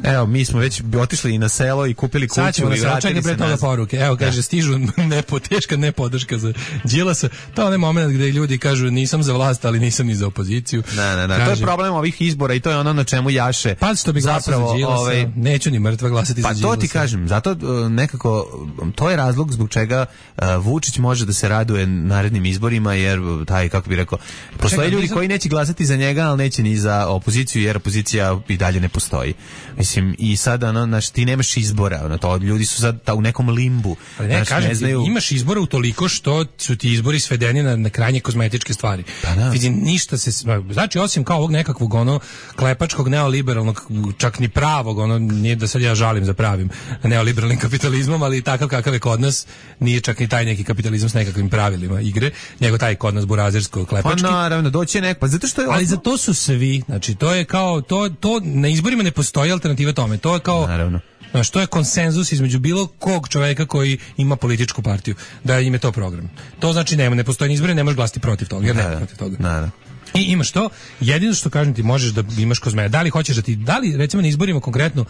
Evo, mi smo već otišli i na selo i kupili kuću. Sad ćemo i vratili čekaj se pre toga poruke. Evo, kaže, da. stižu nepo, teška nepodrška za Đilasa. To je onaj moment gde ljudi kažu nisam za vlast, ali nisam ni za opoziciju. Ne, ne, ne. Kaže, to je problem ovih izbora i to je ono na čemu jaše. Pa što bi glasao za Đilasa, ovaj, neću ni mrtva glasati pa za Đilasa. Pa to ti kažem, zato nekako, to je razlog zbog čega uh, Vučić može da se raduje narednim izborima, jer taj, kako bi rekao, postoje ljudi koji neće glasati za njega, ali neće ni za opoziciju, jer opozicija i dalje ne postoji. Mislim, i sada, ono, znaš, ti nemaš izbora, ono, to, ljudi su sad ta, u nekom limbu. Ali ne, znaš, kažem, ne znaju... imaš izbora utoliko što su ti izbori svedeni na, na krajnje kozmetičke stvari. Pa da. Vidim, ništa se, znači, osim kao ovog nekakvog, ono, klepačkog, neoliberalnog, čak ni pravog, ono, nije da sad ja žalim za pravim neoliberalnim kapitalizmom, ali takav kakav je kod nas, nije čak ni taj neki kapitalizam s nekakvim pravilima igre, nego taj kod nas burazersko klepački. Pa naravno, doći je nek, pa zato što je... Ali za to su svi, znači, to je kao, to, to, na izborima ne postoji alternativa tome, to je kao... Naravno. Znaš, to je konsenzus između bilo kog čoveka koji ima političku partiju, da im je to program. To znači nema, ne postoji izbori, ne možeš glasati protiv toga, jer nema protiv toga. Naravno. I imaš to, jedino što kažem ti možeš da imaš kozme. Da li hoćeš da ti, da li recimo na izborima konkretno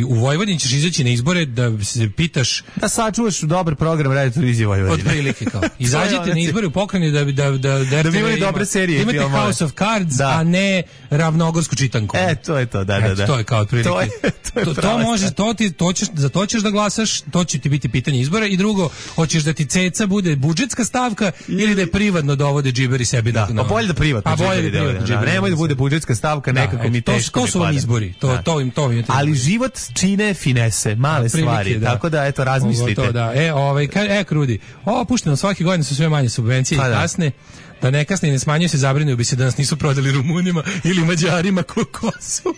u Vojvodini ćeš izaći na izbore da se pitaš da sačuvaš dobar program radio televizije Vojvodine. Od prilike kao. Izađite na izbore u Pokrajini da da da da, da bi imali dobre serije. Imate filmove. House of Cards, da. A ne Ravnogorsku čitanku. E, to je to, da, da, da. To je kao otprilike. To, je, to, je to, to može, to ti, to ćeš, za to ćeš da glasaš, to će ti biti pitanje izbora i drugo, hoćeš da ti ceca bude budžetska stavka ili da je privatno dovode džiberi sebi da. Na, pa bolje da privatno. Pa bolje da privatno. Nemoj da bude budžetska stavka, da, nekako mi teško to, to su vam izbori, to, da. to im to im ali život čine finese, male prilike, stvari, da. Tako da eto razmislite. To, da. E, ovaj, e, krudi. O, pušteno svake godine su sve manje subvencije pa, i kasne. Da ne kasne i ne smanjuju se, zabrinuo bi se da nas nisu prodali Rumunima ili Mađarima kokosu.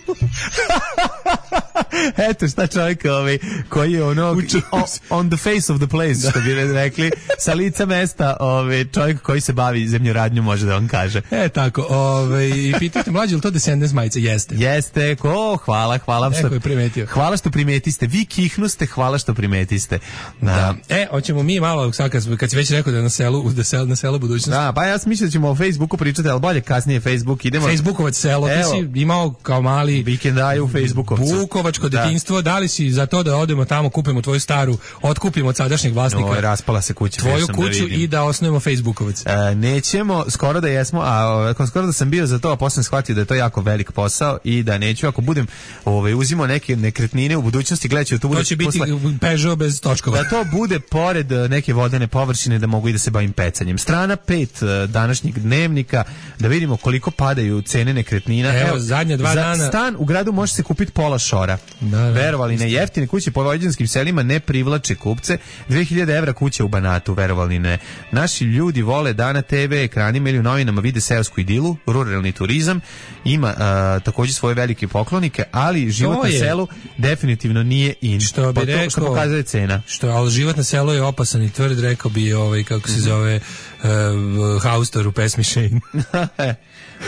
Eto šta čovjek ovaj, koji je ono on, on the face of the place, da. Što bi rekli, sa lica mesta ovaj, čovjek koji se bavi zemljoradnjom može da vam kaže. E tako, ovaj, i pitajte mlađi, ili to Descendants majice? Jeste. Jeste, ko, hvala, hvala što, je primetio. Hvala što primetiste, vi kihnuste, hvala što primetiste. Da. Da. E, hoćemo mi malo, sad kad, kad si već rekao da na selu, da sel, na selu budućnosti. Da, pa ja mislim da ćemo o Facebooku pričati, ali bolje kasnije Facebook. Idemo. Facebookovac selo, ti si imao kao mali vikendaju u Facebookovcu. Vukovačko detinjstvo, da. Da li si za to da odemo tamo, kupimo tvoju staru, otkupimo od sadašnjeg vlasnika. No, raspala se kuća. Tvoju kuću da i da osnujemo Facebookovac. E, nećemo, skoro da jesmo, a skoro da sam bio za to, a posle sam shvatio da je to jako velik posao i da neću, ako budem ovaj, uzimao neke nekretnine u budućnosti, gledaću da to bude... To će biti posle, Peugeot bez točkova. Da to bude pored neke vodene površine, da mogu i da se bavim pecanjem. Strana pet današnjeg dnevnika, da vidimo koliko padaju cene nekretnina. Evo, Evo zadnje dva za dana... stan u gradu može se kupiti pola šora. Da, da. Verovali ne, jeftine kuće po vojvođanskim selima ne privlače kupce. dve hiljade evra kuća u Banatu, verovali ne. Naši ljudi vole da na te ve ekranima ili u novinama vide seosku idilu, ruralni turizam, ima a, također svoje velike poklonike, ali život na selu definitivno nije in. Što bi pa rekao, to što pokazuje cena. Što, ali život na selu je opasan i tvrd, rekao bi ovaj, kako se zove, uh, Haustor u pesmi Shane.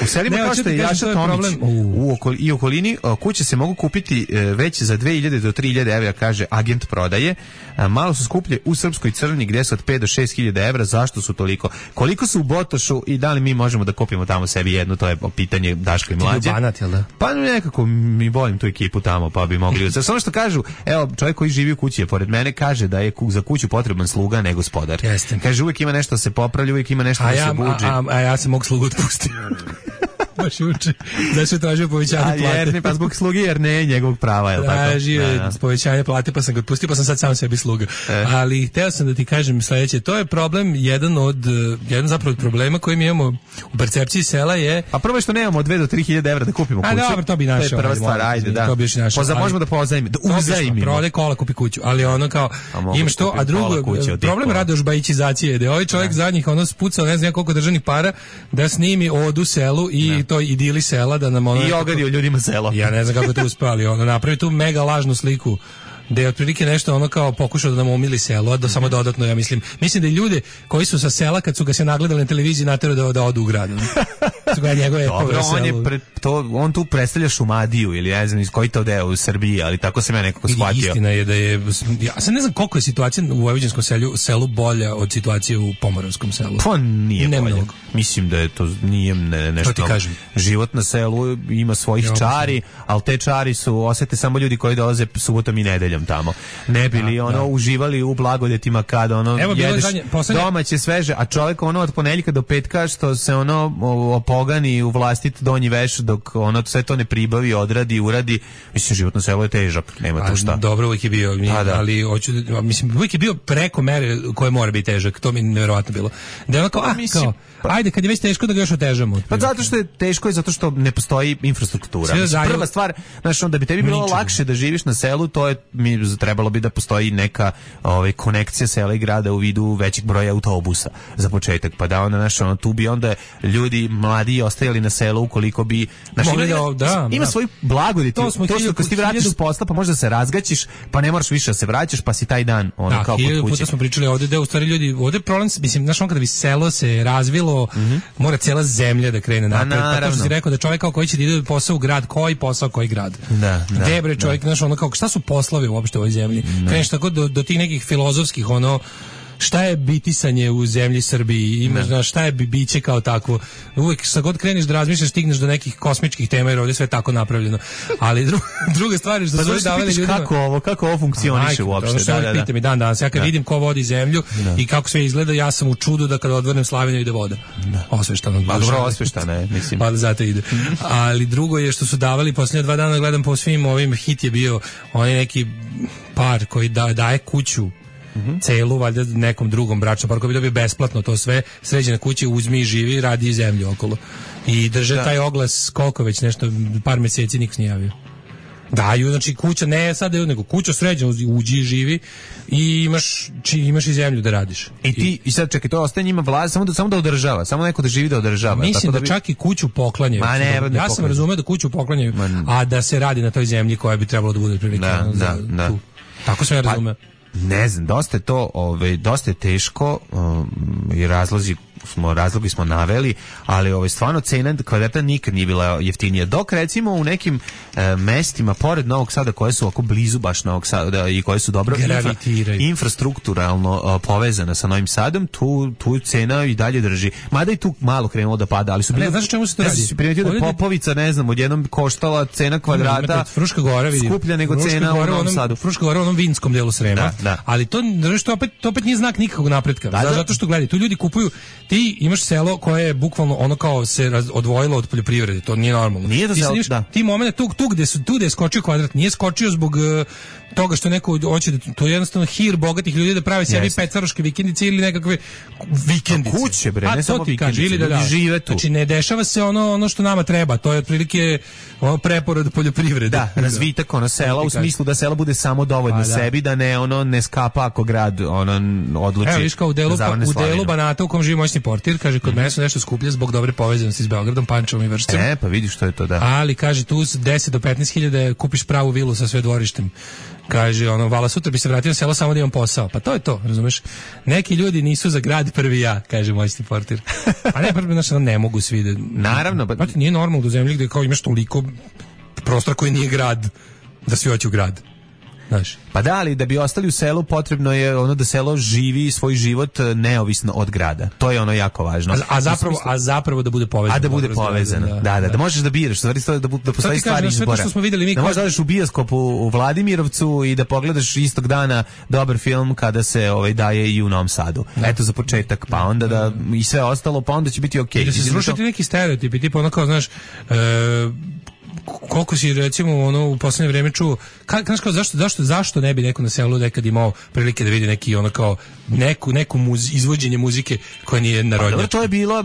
U selima kao što je Jaša Tomić u okol, i okolini kuće se mogu kupiti već za dve hiljade do tri hiljade evra, kaže agent prodaje. Malo su skuplje u Srpskoj Crni gde su od pet do šest hiljada evra. Zašto su toliko? Koliko su u Botošu i da li mi možemo da kupimo tamo sebi jednu? To je pitanje Daška i Mlađe. Banat, jel da? Pa nekako mi volim tu ekipu tamo, pa bi mogli. Samo što kažu, evo čovjek koji živi u kući je pored mene, kaže da je za kuću potreban sluga nego gospodar. Jeste. Kaže uvijek ima nešto da se popravlja, uvijek ima nešto a da ja, se buđi. A, a, a ja se mogu slugu otpustiti. Baš uče. Da se tražio povećanje plate. Jer ne, pa zbog sluge, jer ne je njegovog prava, je li tako? Tražio je povećanje plate, pa sam ga otpustio, pa sam sad sam sebi sluga. E. Ali hteo sam da ti kažem sledeće, to je problem, jedan od, jedan zapravo od problema koji mi imamo u percepciji sela je... A prvo je što nemamo od dve do tri hiljade evra da kupimo kuću. A dobro, to bi našao. To je prva stvar, ajde, da. To bi još našao. Poza, možemo da pozajmimo, da uzajmimo. Prodaj kola, kupi kuću, ali ono kao, imaš to, a drugo, problem Radoš Bajićizacije, da je ovaj čovjek zadnjih ono spucao, ne znam koliko državnih para, da snimi odu selu i to idili sela. Da nam ono i ogadio ljudima selo. Ja ne znam kako je to uspeli. Ono napravi tu mega lažnu sliku da je otprilike nešto ono kao pokušao da nam umili selo, a da samo dodatno, ja mislim. Mislim da i ljude koji su sa sela kad su ga se nagledali na televiziji naterali da, da odu u grad. Dobro, on je pre, to, on tu predstavlja Šumadiju ili ne znam iz koji to deo u Srbiji, ali tako se me nekako shvatio. Istina je da je, ja sad ne znam koliko je situacija u vojvođanskom selu, selu bolja od situacije u pomoravskom selu. Pa nije ne bolje. Mnogo. Mislim da je to nije ne, nešto. To ti kažem. Život na selu ima svojih ja, čari, ali te čari su osete samo ljudi koji dolaze subotom i nedeljom tamo. Ne bili da, ono da. uživali u blagodetima kada ono Evo, jedeš zadnje, poslednje... domaće sveže, a čovjek ono od ponedjeljka do petka što se ono opogani u vlastit donji veš dok ono sve to ne pribavi, odradi, uradi. Mislim, život na selu je težak, nema tu šta. Dobro, uvijek je bio, mi, da. ali hoću, mislim, uvijek je bio preko mere koje mora biti težak, to mi je nevjerovatno bilo. Da je ono kao, a, mislim, kao, pa, ajde, kad je već teško da ga još otežamo. Pa zato što je teško i zato što ne postoji infrastruktura. Mislim, prva stvar, znaš, da bi tebi bilo ničega. Lakše da živiš na selu, to je, mi trebalo bi da postoji neka ovaj, konekcija sela i grada u vidu većeg broja autobusa za početak, pa da onda, znaš, ono, tu bi onda ljudi mladi ostajali na selu ukoliko bi, znaš, ima, da, da, ima da. svoj blagodeti, to, to što kad ti vratiš s posla, pa možda se razgaćiš, pa ne moraš više da se vraćaš, pa si taj dan ono, da, kao kod kuće. Da, puta smo pričali ovde da u stvari ljudi, ovde problem, mislim, znaš, on kada bi selo se razvilo, mm-hmm. mora cijela zemlja da krene napred, pa to što si rekao da čovjek kao koji će da ide posao u grad, koji posao, koji grad. Da, da. Gde bre čovjek, znaš, ono kao, šta su poslovi uopšte u ovoj zemlji? Kreneš tako do, do tih nekih filozofskih, ono, šta je bitisanje u zemlji Srbiji, imaš, znaš, šta je biće kao takvo. Uvijek sa god kreniš da razmišljaš, stigneš do nekih kosmičkih tema jer ovdje sve tako napravljeno. Ali dru, druga stvar je što pa su davali ljudima... Kako ovo, kako ovo funkcioniše uopšte? Da, da, da. Pita mi dan danas, ja kad da. vidim ko vodi zemlju da. i kako sve izgleda, ja sam u čudu da kada odvrnem Slavinju ide voda. Da. Osveštano. Pa dobro, osveštano je, mislim. Pa da zato ide. Ali drugo je što su davali, posljednje dva dana gledam po svim ovim, hit je bio onaj neki par koji da, daje kuću Mm-hmm. celu, valjda nekom drugom bračnom paru koji bi dobio besplatno to sve, sređe na kući, uzmi i živi, radi zemlju okolo. I drže da. taj oglas koliko već nešto, par mjeseci niko nije javio. Daju, znači kuća, ne sad nego kuća sređena, uđi i živi i imaš, či, imaš i zemlju da radiš. I ti, i sad čekaj, to ostaje njima vlada, samo da, samo da održava, samo neko da živi da održava. Mislim tako da, da bi... čak i kuću poklanjaju. Ma ne, ne ja sam razumeo da kuću poklanjaju, Man. a da se radi na toj zemlji koja bi trebalo da bude prilike. Da, za, da, da. Tu. Tako sam ja razumeo. Pa, ne znam, dosta je to, ovaj, dosta je teško um, i razlozi smo, razlogi smo naveli, ali ovaj, stvarno cena kvadrata nikad nije bila jeftinija. Dok recimo u nekim e, mestima pored Novog Sada koje su oko blizu baš Novog Sada i koje su dobro infra, infrastrukturalno o, povezane sa Novim Sadom, tu, tu cena i dalje drži. Mada i tu malo krenulo da pada, ali su bili... Znaš čemu se to radi? Ja primetio da Popovica, ne znam, odjednom koštala cena kvadrata Fruška Gora, vidim, skuplja nego Fruška cena u Novom Sadu. Fruška Gora u onom vinskom delu Srema, da, da. ali to, to, opet, to opet nije znak nikakvog napretka. Da, da. Zato što gledaj, tu ljudi kupuju, ti imaš selo koje je bukvalno ono kao se raz, odvojilo od poljoprivrede, to nije normalno. Nije to ti, selo, nimaš, da. ti momente tu, tu gde su tu gde je skočio kvadrat, nije skočio zbog uh, toga što neko hoće da to je jednostavno hir bogatih ljudi da prave sebi petvaroške vikendice ili nekakve vikendice. A kuće bre, ne samo vikendice, ili da, da žive tu. Znači ne dešava se ono ono što nama treba, to je otprilike ono preporod poljoprivrede. Da, razvitak ono sela u smislu da selo bude samo dovoljno da. sebi, da ne ono ne skapa ako grad ono odluči. Evo viš kao u delu, pa, u delu Banata u kom živi moćni portir, kaže kod mm-hmm. mene su nešto skuplje zbog dobre povezanosti s Beogradom, Pančevom i Vršcem. E, pa vidiš što je to, da. Ali kaže tu deset do petnaest hiljada kupiš pravu vilu sa sve dvorištem. Kaže ono, vala sutra bi se vratio na selo samo da imam posao. Pa to je to, razumeš? Neki ljudi nisu za grad prvi ja, kaže moćni portir. A ne, prvi naš ne mogu svi da... Naravno. Pa nije normalno u zemlji gde kao imaš toliko prostora koji nije grad, da svi hoće u grad. Znaš. Pa da, ali da bi ostali u selu potrebno je ono da selo živi svoj život neovisno od grada. To je ono jako važno. A, a zapravo a zapravo da bude povezano. A da bude povezano. Da, da, da, da, da možeš da biraš, stvari da da, da postoji stvari izbora. Što smo videli mi da možeš da odeš u bioskop u, u Vladimirovcu i da pogledaš istog dana dobar film kada se ovaj daje i u Novom Sadu. Da. Eto za početak, pa onda da i sve ostalo, pa onda će biti okej. Okay. I da se srušati neki stereotipi, tipa ono kao, znaš, e, koliko si recimo ono u poslednje vreme čuo ka, kao, zašto, zašto, zašto ne bi neko na selu nekad imao prilike da vidi neki ono kao neku, neku muz, izvođenje muzike koja nije narodnjačka. Pa, to je bilo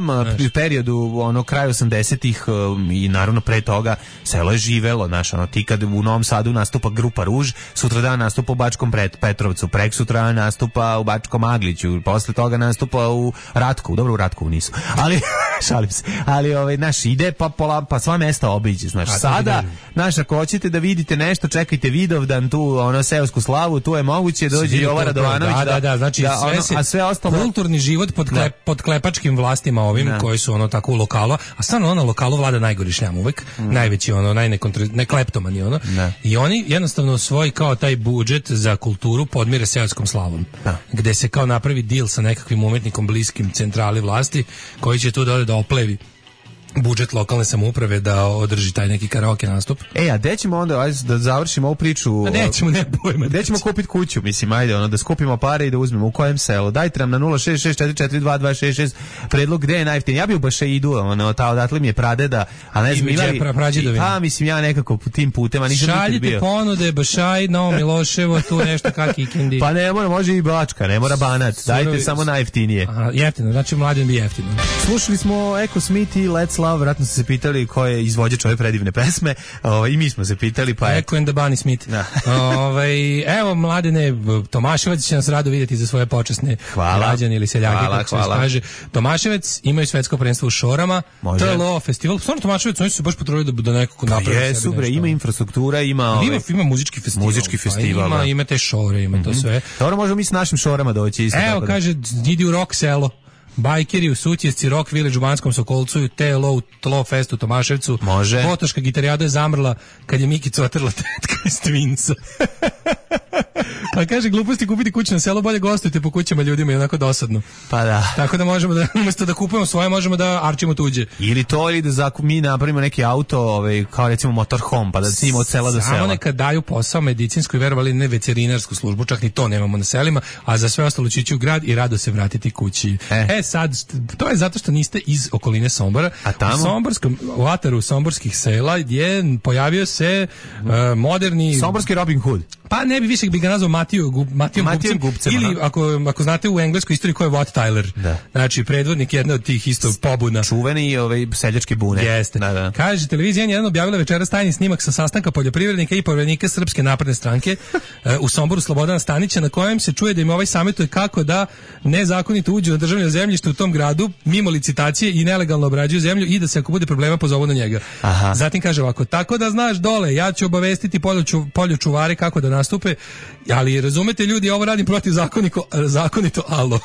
u periodu ono kraj osamdesetih um, i naravno pre toga selo je živelo, znaš, ono ti kad u Novom Sadu nastupa grupa Ruž, sutra dan nastupa u Bačkom Petrovcu, prek sutra nastupa u Bačkom Agliću, posle toga nastupa u Ratkovu, dobro u Ratkovu nisu, ali Šalim se. Ali ovaj naš ide pa pola pa sva mesta obiđe, znaš. A, sada naš ako hoćete da vidite nešto, čekajte Vidovdan tu, ono seosku slavu, tu je moguće dođe Jovan Radovanović. Da, da, da, znači da, sve ono, se, a sve ostalo kulturni život pod klep, pod klepačkim vlastima ovim da. Koji su ono tako u lokalu, a stvarno ono lokalu vlada najgori šljam uvek, mm. najveći ono najnekleptomani ono. Da. I oni jednostavno svoj kao taj budžet za kulturu podmire seoskom slavom. Da. Gde se kao napravi deal sa nekakvim umetnikom bliskim centrali vlasti koji će tu dole da oplevi budžet lokalne samouprave da održi taj neki karaoke nastup. E, a gde ćemo onda, ajde da završimo ovu priču? A nećemo, ne pojma. Gde ćemo kupiti kuću, mislim, ajde, ono, da skupimo pare i da uzmemo, u kojem selu? Dajte nam na nula šest šest četiri četiri dva dva šest šest predlog gde je najjeftinije. Ja bi u Bašeidu, ono, ta odatle mi je pradeda, a ne znam, imali... Pa, mislim, ja nekako tim putem, a nisam nikad bio. Šaljite ponude, Bašaj, Novo Miloševo, tu nešto kaki Kindi. Pa ne mora, može i Bačka, ne mora Banac, dajte samo najjeftinije. Aha, jeftino, znači mladen bi jeftino. Slušali smo Eko Smith i Let's Love, vratno ste se pitali ko je izvođač ove predivne pesme, o, i mi smo se pitali, pa Eko and the Bunny Smith. Ove, evo, mladene, Tomaševac će nas rado vidjeti za svoje počasne građane ili seljake, hvala, kako hvala. Se kaže. Tomaševac imaju svetsko prvenstvo u Šorama, T L O festival, stvarno Tomaševac, oni su se baš potrudili da, da nekako napravi je, super, ima infrastruktura, ima, ove, ima, ima muzički festival, muzički festival ima, ima te šore, ima mm-hmm. to sve. Dobro, možemo mi s našim šorama doći isto. Evo, kaže, idi u rock selo. Bajkeri u Sutjesci, Rock Village u Banskom Sokolcu, T L O u Tlo Fest u Tomaševcu. Može. Botoška gitarijada je zamrla kad je Mikica otrla tetka iz Twinsa. Pa kaže, gluposti kupiti kuću na selo, bolje gostujte po kućama ljudima, je onako dosadno. Pa da. Tako da možemo da, umjesto da kupujemo svoje, možemo da arčimo tuđe. Ili to, ili da zakup, mi napravimo neki auto, ovaj, kao recimo motorhome, pa da snimo od sela do sela. Samo neka daju posao medicinsku i verovali ne veterinarsku službu, čak ni to nemamo na selima, a za sve ostalo će ići u grad i rado se vratiti kući. E, e sad, to je zato što niste iz okoline Sombora. A tamo? U Somborskom, u ataru somborskih sela je pojavio se uh, moderni... Somborski Robin Hood. Pa ne bi više bi ga nazvao Matiju, Matijom Gubcem, Gubcem ili ako, ako znate u engleskoj istoriji ko je Wat Tyler. Da. Znači predvodnik jedne od tih isto pobuna. Čuveni ovaj seljački bune. Jeste. Da, da. Kaže, televizija jedan objavila večeras tajni snimak sa sastanka poljoprivrednika i povjerenika Srpske napredne stranke uh, u Somboru Slobodana Stanića, na kojem se čuje da im ovaj savjetuje kako da nezakonito uđu na državno zemljište u tom gradu mimo licitacije i nelegalno obrađuju zemlju i da se ako bude problema pozovu na njega. Aha. Zatim kaže ovako, tako da znaš dole, ja ću obavestiti poljoču, poljočuvare kako da nastupe, ali razumete ljudi, ovo radim protiv zakonito, zakonito, alo.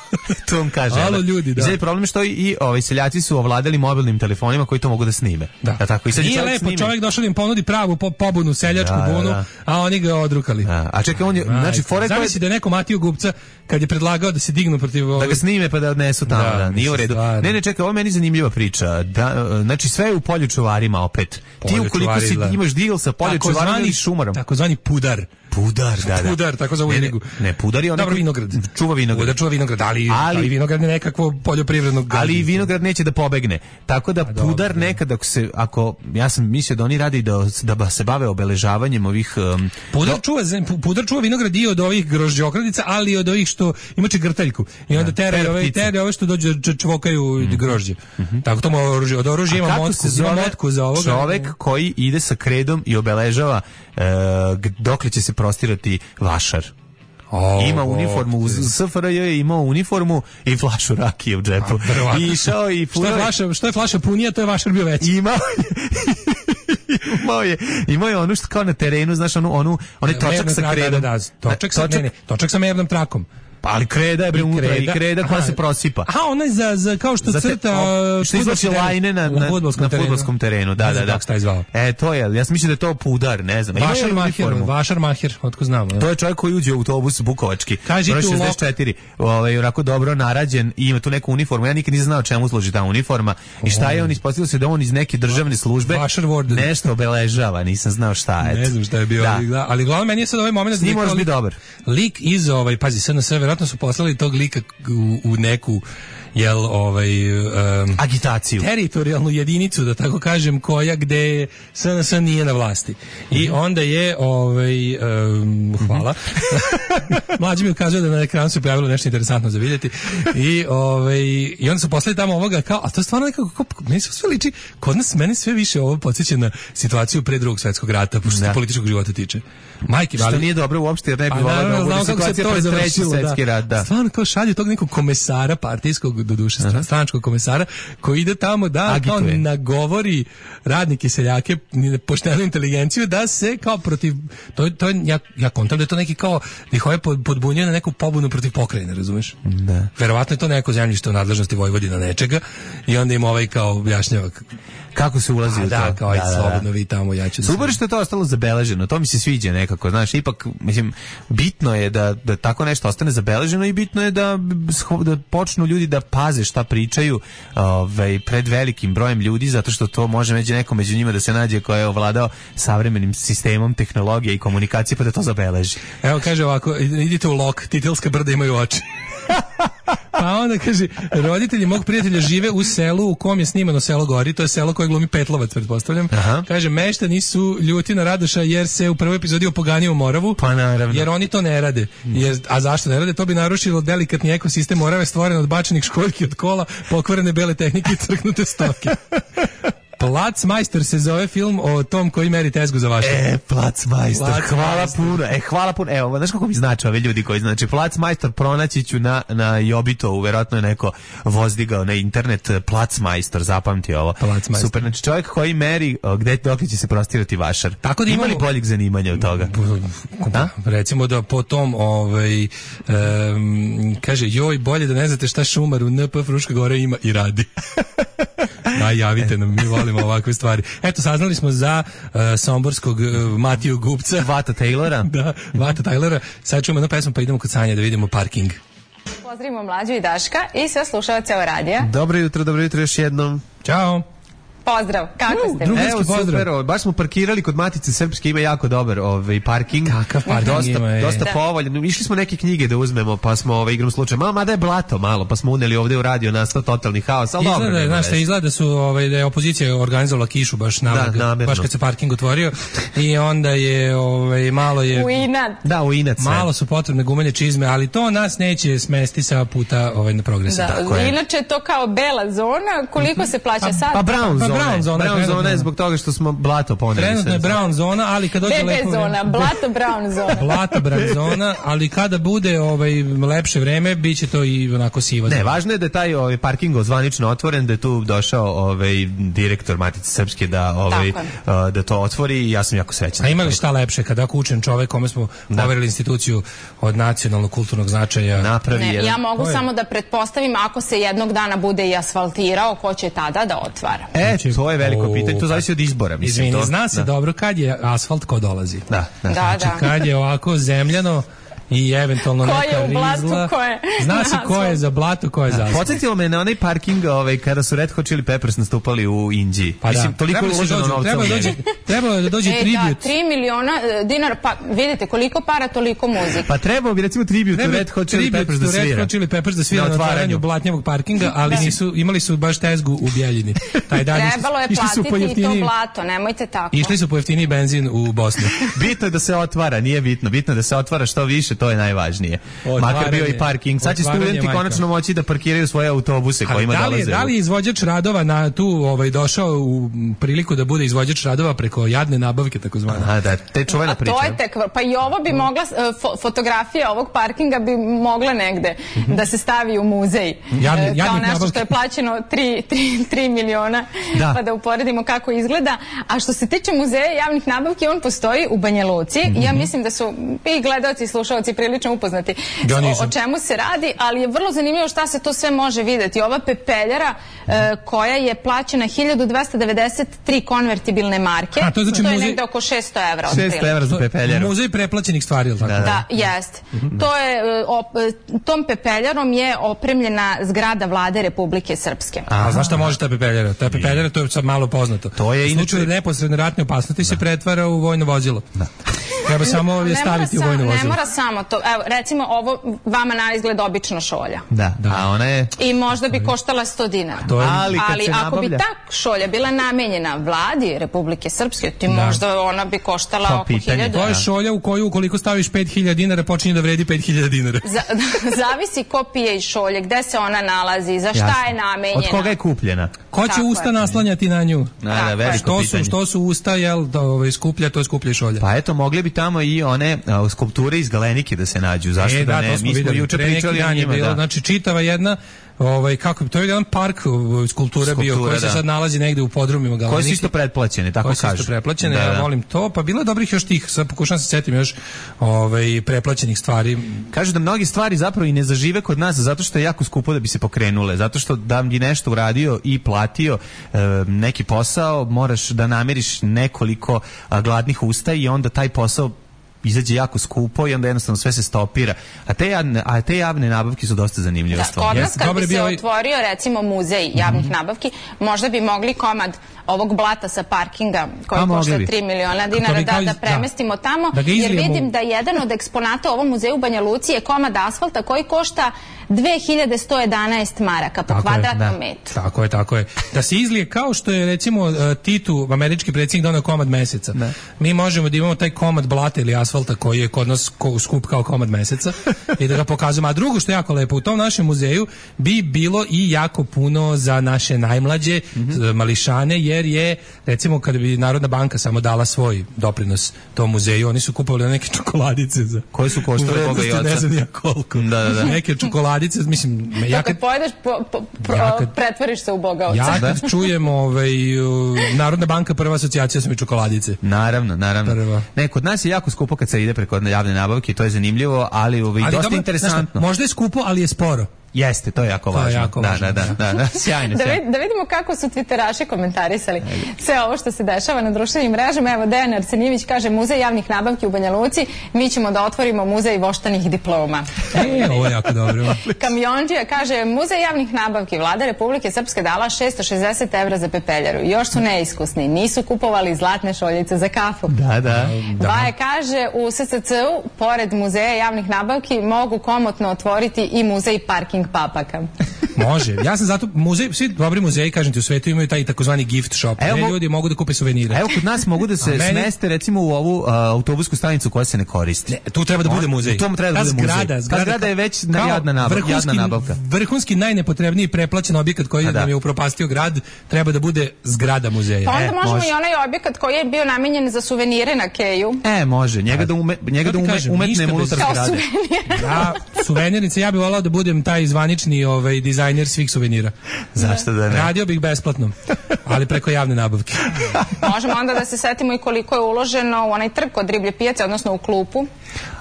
To vam kaže. Alo ljudi, da. I problem je što i, i ovaj seljaci su ovladali mobilnim telefonima koji to mogu da snime. Da. Da tako i sad nije lepo, snime. Čovjek došao da im ponudi pravu po, pobunu, seljačku da, bunu, da. A oni ga odrukali. Da. A čekaj, on je, Aj, znači, fore zamisli koje... da je neko Matiju Gubca kad je predlagao da se dignu protiv ovog... Da ga snime pa da odnesu tamo, da, da nije u redu. Stvarno. Ne, ne, čekaj, ovo je meni zanimljiva priča. Da, znači sve je u poljočuvarima opet. Ti ukoliko si imaš deal sa poljočuvarima ili šumarom. Takozvani pudar. Pudar, da, da. Pudar, tako zove knjigu. Ne, pudar je onaj Dobro, vinograd. Čuva vinograd. Pudar čuva vinograd, ali, ali, ali vinograd je nekakvo poljoprivredno gazdinstvo. Ali vinograd neće da pobegne. Tako da A, pudar dobro, nekad, ako se, ako, ja sam mislio da oni radi da, da se bave obeležavanjem ovih... Um, pudar, do... čuva, pudar čuva vinograd i od ovih grožđokradica, ali i od ovih što ima čegrtaljku. I onda tere, da, ove, tere ove što dođe čvokaju mm-hmm. grožđe. Mm-hmm. Tako to ima oružje. Od oružja ima motku, ima motku za ovoga. Čovek koji ide sa kredom i obeležava uh, dokle će se prostirati vašar. Oh, ima uniformu, u S F R J je imao uniformu i flašu rakije u džepu. I išao i što je flaša, što je flaša punija, to je vašar bio veći. Imao imao je, imao je ono što kao na terenu, znaš, onu, onu, onaj točak sa kredom. Da, da, točak, sa, ne, ne, točak sa mernom trakom. Pa ali kreda je bre unutra i kreda koja se prosipa. Aha, ona je za, za kao što za te, crta o, što izlači lajne na, na, na fudbalskom terenu. terenu. Da, da, da. da. E, to je, ja sam mislio da je to pudar, ne znam. Vašar Mahir, Vašar Mahir, otko znamo. To je čovjek koji uđe u autobus bukovački. Kaži tu šezdeset četiri, ovaj, onako dobro narađen i ima tu neku uniformu. Ja nikad nisam znao čemu služi ta uniforma i šta je on, ispostavilo se da on iz neke državne službe nešto obeležava, nisam znao šta je. Ne znam šta je bio, ali glavno meni je sad ovaj momenat da može biti dobar. Lik iz ovaj, pazi, S N S verovatno su poslali tog lika u, u neku jel ovaj um, agitaciju, teritorijalnu jedinicu, da tako kažem, koja gde S N S nije na vlasti. I onda je ovaj um, hvala. Mlađi mi ukazuje da na ekranu se pojavilo nešto interesantno za vidjeti. I ovaj i onda su poslali tamo ovoga kao, a to je stvarno nekako meni se sve liči, kod nas mene sve više ovo podsjeća na situaciju pre Drugog svjetskog rata, što se političkog života tiče. Majke, što nije dobro uopšte, jer ne bi voleo da bude situacija pre Trećeg svjetskog Srpski rat, da. Stvarno kao šalju tog nekog komesara partijskog, doduše uh-huh. stranačkog komesara, koji ide tamo da agituje, kao nagovori radnike, seljake, poštenu inteligenciju da se kao protiv, to, to je, ja, ja kontam da je to neki kao, da ih ovaj podbunjuje na neku pobunu protiv pokrajine, razumeš? Da. Verovatno je to neko zemljište u nadležnosti Vojvodina nečega i onda im ovaj kao objašnjava kako se ulazi u da, to. Kao, da, da, slobodno vi tamo, ja ću da... Super što je to ostalo zabeleženo, to mi se sviđa nekako, znaš, ipak, mislim, bitno je da, da tako nešto ostane zabeleženo i bitno je da, da počnu ljudi da paze šta pričaju ovaj, pred velikim brojem ljudi, zato što to može među neko među njima da se nađe ko je ovladao savremenim sistemom tehnologije i komunikacije, pa da to zabeleži. Evo, kaže ovako, idite u Lok, Titelska brda imaju oči. Pa onda kaže, roditelji mog prijatelja žive u selu u kom je snimano Selo gori, to je selo koje glumi Petlovac, pretpostavljam. Aha. Kaže, meštani su ljuti na Radoša jer se u prvoj epizodi opoganio u Moravu, pa naravno. Jer oni to ne rade. Jer, a zašto ne rade? To bi narušilo delikatni ekosistem Morave stvoren od bačenih školjki od kola, pokvarene bele tehnike i crknute stoke. Placmajstor se zove film o tom koji meri tezgu za vaše. E, Placmajstor, hvala puno. E, hvala puno. Evo, znaš kako mi znači ove ljudi koji znači Placmajstor pronaći ću na, na Jobitovu, verovatno je neko vozdigao na internet Placmajstor, zapamti ovo. Super, znači čovjek koji meri gde dok će se prostirati vašar. Tako da imali boljeg zanimanja od toga. Da? Recimo da po tom ovaj, um, kaže, joj, bolje da ne znate šta šumar u N P Fruška Gora ima i radi. Da, javite nam, mi volimo ovakve stvari. Eto, saznali smo za uh, somborskog uh, Matiju Gupca. Vata Taylora. Da, Vata Taylora. Sad čujemo jednu pesmu pa idemo kod Sanje da vidimo parking. Pozdravimo Mlađu i Daška i sve slušalce o radija. Dobro jutro, dobro jutro još jednom. Ćao. Pozdrav, kako ste? Evo, super, o, baš smo parkirali kod Matice Srpske, ima jako dobar ovaj, parking. Kakav parking dosta, ima, je. Dosta Da. povoljan. Išli smo neke knjige da uzmemo, pa smo ovaj, igrom slučaja. Malo, mada je blato malo, pa smo uneli ovde u radio, nastao totalni haos, ali dobro. Izgleda, znaš, šta izgleda da su, ovaj, da je opozicija organizovala kišu baš namerno, da, baš kad se parking otvorio i onda je, ovaj, malo je... U inat. Da, u inat sve. Malo su potrebne gumenje čizme, ali to nas neće smesti sa puta ovaj, na progresa. Da, Tako je. inače to kao bela zona, koliko se plaća sad? Pa brown Pa zona. brown zona, Brown trenutno. zona je zbog toga što smo blato poneli. Trenutno je sve. brown zona, ali kad dođe Bebe lepo zona, vreme- blato brown zona. Blato brown zona, ali kada bude ovaj lepše vreme, biće to i onako siva. Ne, zona. važno je da je taj ovaj parking zvanično otvoren, da je tu došao ovaj direktor Matice Srpske da ovaj Tako uh, da to otvori i ja sam jako srećan. A ima li šta lepše kada ako učen čovek kome smo poverili instituciju od nacionalnog kulturnog značaja? Napravi Ne, jedan. ja mogu To je- samo da pretpostavim ako se jednog dana bude i asfaltirao, ko će tada da otvara. E, to je veliko O, pitanje, to zavisi od izbora, mislim. Izvini, to, zna se da. dobro kad je asfalt ko dolazi. Da, da. Da, Znači, da. kad je ovako zemljano i eventualno Ko je neka u blatu, rizla. ko je Zna se na ko je asfaltu. za blato, ko je za asfalt. Podsjetilo me na onaj parking ovaj, kada su Red Hot Chili Peppers nastupali u Indiji. Pa Mislim, da. toliko je Trebalo se uloženo dođe- novca trebalo u je njega. dođe- Trebalo je da dođe E, da, tribut. tri miliona e, dinara, pa vidite koliko para, toliko muzike. Pa trebao bi recimo tribut Treba Red Hot Chili tribut Peppers da to Red svira. Hot Chili Peppers da svira Na na otvaranju otvaranju. blatnjavog parkinga, ali nisu, imali su baš tezgu u Bjeljini. Taj dan išli- Trebalo je išli su po platiti i to jeftiniji- blato, nemojte tako. Išli su po jeftiniji benzin u Bosnu. Bitno je da se otvara, nije bitno. Bitno je da se otvara što više, to je najvažnije. Makar bio i parking. Sad će otvaranje, studenti majka. konačno moći da parkiraju svoje autobuse Ali kojima da li, je, dolaze. da li je izvođač radova na tu ovaj došao u priliku da bude izvođač radova preko jadne nabavke takozvane? Aha, da, te čuvena A priča. to je tek, pa i ovo bi mogla, e, fo- fotografija ovog parkinga bi mogla negde da se stavi u muzej. Jadni- E, kao jadnih nešto nabavki. što je plaćeno tri miliona, Da. pa da uporedimo kako izgleda. A što se tiče muzeja javnih nabavki, on postoji u Banja Luci. Ja mislim da su i gledaoci i slušaoci prilično upoznati Ja o, nisam. o čemu se radi, ali je vrlo zanimljivo šta se to sve može videti. Ova pepeljara e, koja je plaćena hiljadu dvesta devedeset tri konvertibilne marke, A, to je znači to je muzej- negde oko šesto evra. šesto otprilike. evra za pepeljaru. Muzej preplaćenih stvari, ili tako? Da, Da, jest. To je, e, op, e, tom pepeljarom je opremljena zgrada vlade Republike Srpske. A znaš šta može ta pepeljara? Ta pepeljara, to je sad malo poznato. To je u slučaju inače- neposredne ratne opasnosti se pretvara u vojno vozilo. Da. Treba samo je Ne mora staviti u sam- vojno Ne vozilo. mora samo to. Evo, recimo ovo vama na izgled obično šolja. Da, a ona je... I možda bi koštala sto dinara. To je- Ali kad se ako bi nabavlja- ta šolja bila namenjena vladi Republike Srpske, ti možda ona bi koštala To oko pitanje. hiljadu. To je šolja u koju ukoliko staviš pet hiljada dinara počinje da vredi pet hiljada dinara. Za, zavisi ko pije iz šolje, gde se ona nalazi, za šta Jasno. je namenjena. Od koga je kupljena? Ko će Tako usta je. naslanjati na nju? Da, da, Tako je. veliko Što su, pitanje. što su usta, jel, da, ovaj, skuplja, to je skuplja i šolja. Pa eto, mogli bi tamo i one a, skulpture iz Galenike da se nađu. Zašto e, da, da ne? Mi smo juče pričali o njima. Bilo, da. Znači, čitava jedna ovaj kako to je jedan park skulptura, skulptura bio koji da. se sad nalazi negde u podrumima Galenike. Koje su isto pretplaćene, tako kažu. Koje su isto pretplaćene, da, ja da. volim to, pa bilo je dobrih još tih, sad pokušam se setim još ovaj pretplaćenih stvari. Kažu da mnogi stvari zapravo i ne zažive kod nas zato što je jako skupo da bi se pokrenule, zato što da bi nešto uradio i platio e, neki posao, moraš da namiriš nekoliko a, gladnih usta i onda taj posao izađe jako skupo i onda jednostavno sve se stopira. A te javne, a te javne nabavke su dosta zanimljive da, stvari. Kod nas kad Dobre bi se bio... otvorio recimo muzej javnih mm-hmm. nabavki, možda bi mogli komad ovog blata sa parkinga koji a, košta tri miliona dinara da, da premestimo da. tamo, da jer vidim da jedan od eksponata u ovom muzeju u Banja Luci je komad asfalta koji košta dve hiljade sto jedanaest maraka po tako kvadratnom je, da. metru. Tako je, tako je. Da se izlije kao što je recimo Titu, američki predsjednik, donao komad meseca. Ne. Mi možemo da imamo taj komad blata ili asfalta koji je kod nas skup kao komad meseca i da ga pokazujemo. A drugo što je jako lepo, u tom našem muzeju bi bilo i jako puno za naše najmlađe mm-hmm. mališane, jer je recimo kada bi Narodna banka samo dala svoj doprinos tom muzeju, oni su kupovali neke čokoladice za koje su koštale Boga i oca. Ne znam ja koliko. Da, da, da. Neke čokoladice, mislim, ja kad pojedeš, po, po, pro, ja kad, pretvoriš se u Boga oca. Ja kad čujem ovaj, Narodna banka, prva asocijacija su mi čokoladice. Naravno, naravno. Prva. Ne, kod nas je jako skupo kad se ide preko javne nabavke, to je zanimljivo, ali, ovaj, ali dosta dobro, interesantno. Možda je skupo, ali je sporo. Jeste, to je jako to važno. Je jako da, važno. Da, da, da, da, sjajno. Da, vid, da vidimo kako su twitteraši komentarisali sve ovo što se dešava na društvenim mrežama. Evo, Dejan Arsenijević kaže, muzej javnih nabavki u Banja Luci, mi ćemo da otvorimo muzej voštanih diploma. E, ovo je jako dobro. Kamionđija kaže, muzej javnih nabavki, vlada Republike Srpske dala šesto šezdeset evra za pepeljaru. Još su neiskusni, nisu kupovali zlatne šoljice za kafu. Da, da. Vaje kaže, u S C C-u, pored muzeja javnih nabavki, mogu komotno otvoriti i muzej parking papaka. Može. Ja sam zato muzej, svi dobri muzeji, kažem ti, u svetu imaju taj takozvani gift shop. Evo, gdje ljudi mogu da kupe suvenire. Evo kod nas mogu da se meni... smeste recimo u ovu uh, autobusku stanicu koja se ne koristi. Ne, tu treba da bude muzej. U tom treba da bude muzej. Zgrada, zgrada, ta zgrada je već jadna nabavka. Jadna nabavka. Vrhunski najnepotrebniji preplaćen objekat koji nam je upropastio grad, treba da bude zgrada muzeja. Pa onda e, možemo može. i onaj objekat koji je bio namenjen za suvenire na Keju. E, može. Njega da, ume, njega da ume, kažem, umetnemo unutar zgrade. Ja, suvenirnice, ja bih volao da budem taj zvanični ovaj, dizajner svih suvenira. Zašto da ne? Radio bih besplatno, ali preko javne nabavke. Možemo onda da se setimo i koliko je uloženo u onaj trg kod riblje pijace, odnosno u klupu.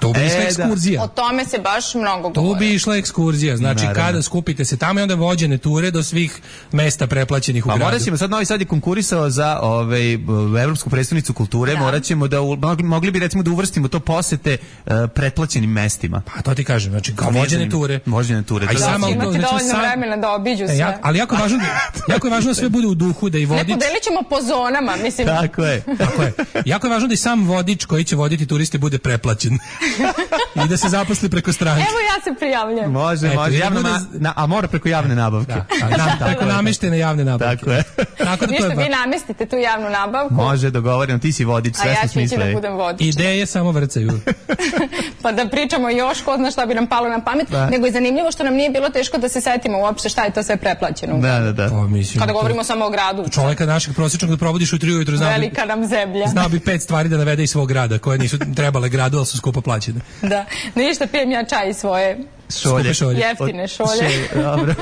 To bi išla e, ekskurzija. O tome se baš mnogo govori. To bi išla ekskurzija. Znači, naravno, kada skupite se tamo i onda vođene ture do svih mesta preplaćenih u pa gradu. Morat ćemo, sad Novi Sad je konkurisao za ovaj, Evropsku predstavnicu kulture, da. Morat ćemo da, mogli bi recimo da uvrstimo to posete uh, pretplaćenim mestima. Pa to ti kažem, znači, kao vođene ture. Vođene ture. A i samo imati znači, dovoljno sam... vremena da obiđu sve. E, ja, ali jako je važno, jako je važno da sve bude u duhu, da i vodič... Ne podelit ćemo po zonama, mislim. Tako je. Tako je. Jako je važno da i sam vodič koji će voditi turiste bude preplaćen. I da se zaposli preko stranke. Evo ja se prijavljam. Može, Eto, može. Javno, bude... na, a mora preko javne nabavke. Da, da, da, preko nameštene javne nabavke. Tako je. Tako da Ništa, to je ba... vi namestite tu javnu nabavku. Može, dogovorim, ti si vodič, sve smo smislili. A ja ću ići da budem vodič. Ideje samo vrcaju. Pa da pričamo još, ko zna šta bi nam palo na pamet, da. Nego je zanimljivo što nam nije bilo teško da se setimo uopšte šta je to sve preplaćeno. Da, da, da. Pa, mislim, kada to... govorimo samo o gradu. Čoveka našeg prosječnog da provodiš u tri ujutru, znao bi... Velika nam zemlja. Znao bi pet stvari da navede iz svog grada, koje nisu trebale gradu, ali su skupo plaćene. Da, ništa, pijem ja čaj svoje šolje. šolje. Jeftine šolje. Še, dobro.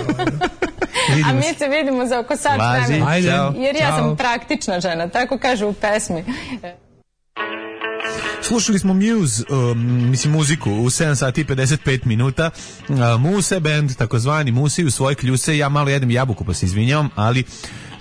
A mi se vidimo za oko sat vremena. Jer ja sam praktična žena, tako kaže u pesmi. Slušali smo Muse, um, mislim muziku, u sedam sati i pedeset pet minuta. Uh, Muse band, takozvani Musi u svoje kljuse. Ja malo jedem jabuku, pa se izvinjavam, ali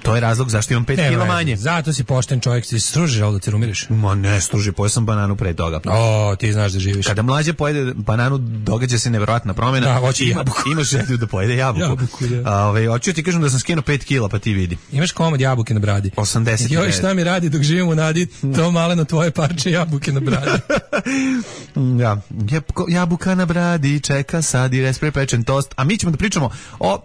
to je razlog zašto imam pet kila manje. Zato si pošten čovjek, ti stružiš, ali da ti rumiriš. Ma ne, struži, pojeo sam bananu pre toga. O, ti znaš da živiš. Kada mlađe pojede bananu, događa se nevjerojatna promjena. Da, hoće jabuku. Imaš želju da pojede jabuku. Jabuku, da. A, ove, hoću ti kažem da sam skinuo pet kila, pa ti vidi. Imaš komad jabuke na bradi. osamdeset. Joj, šta mi radi dok živim u nadi, to maleno tvoje parče jabuke na bradi. Ja, jabuka na bradi, čeka sad i respre pečen tost. A mi ćemo da pričamo o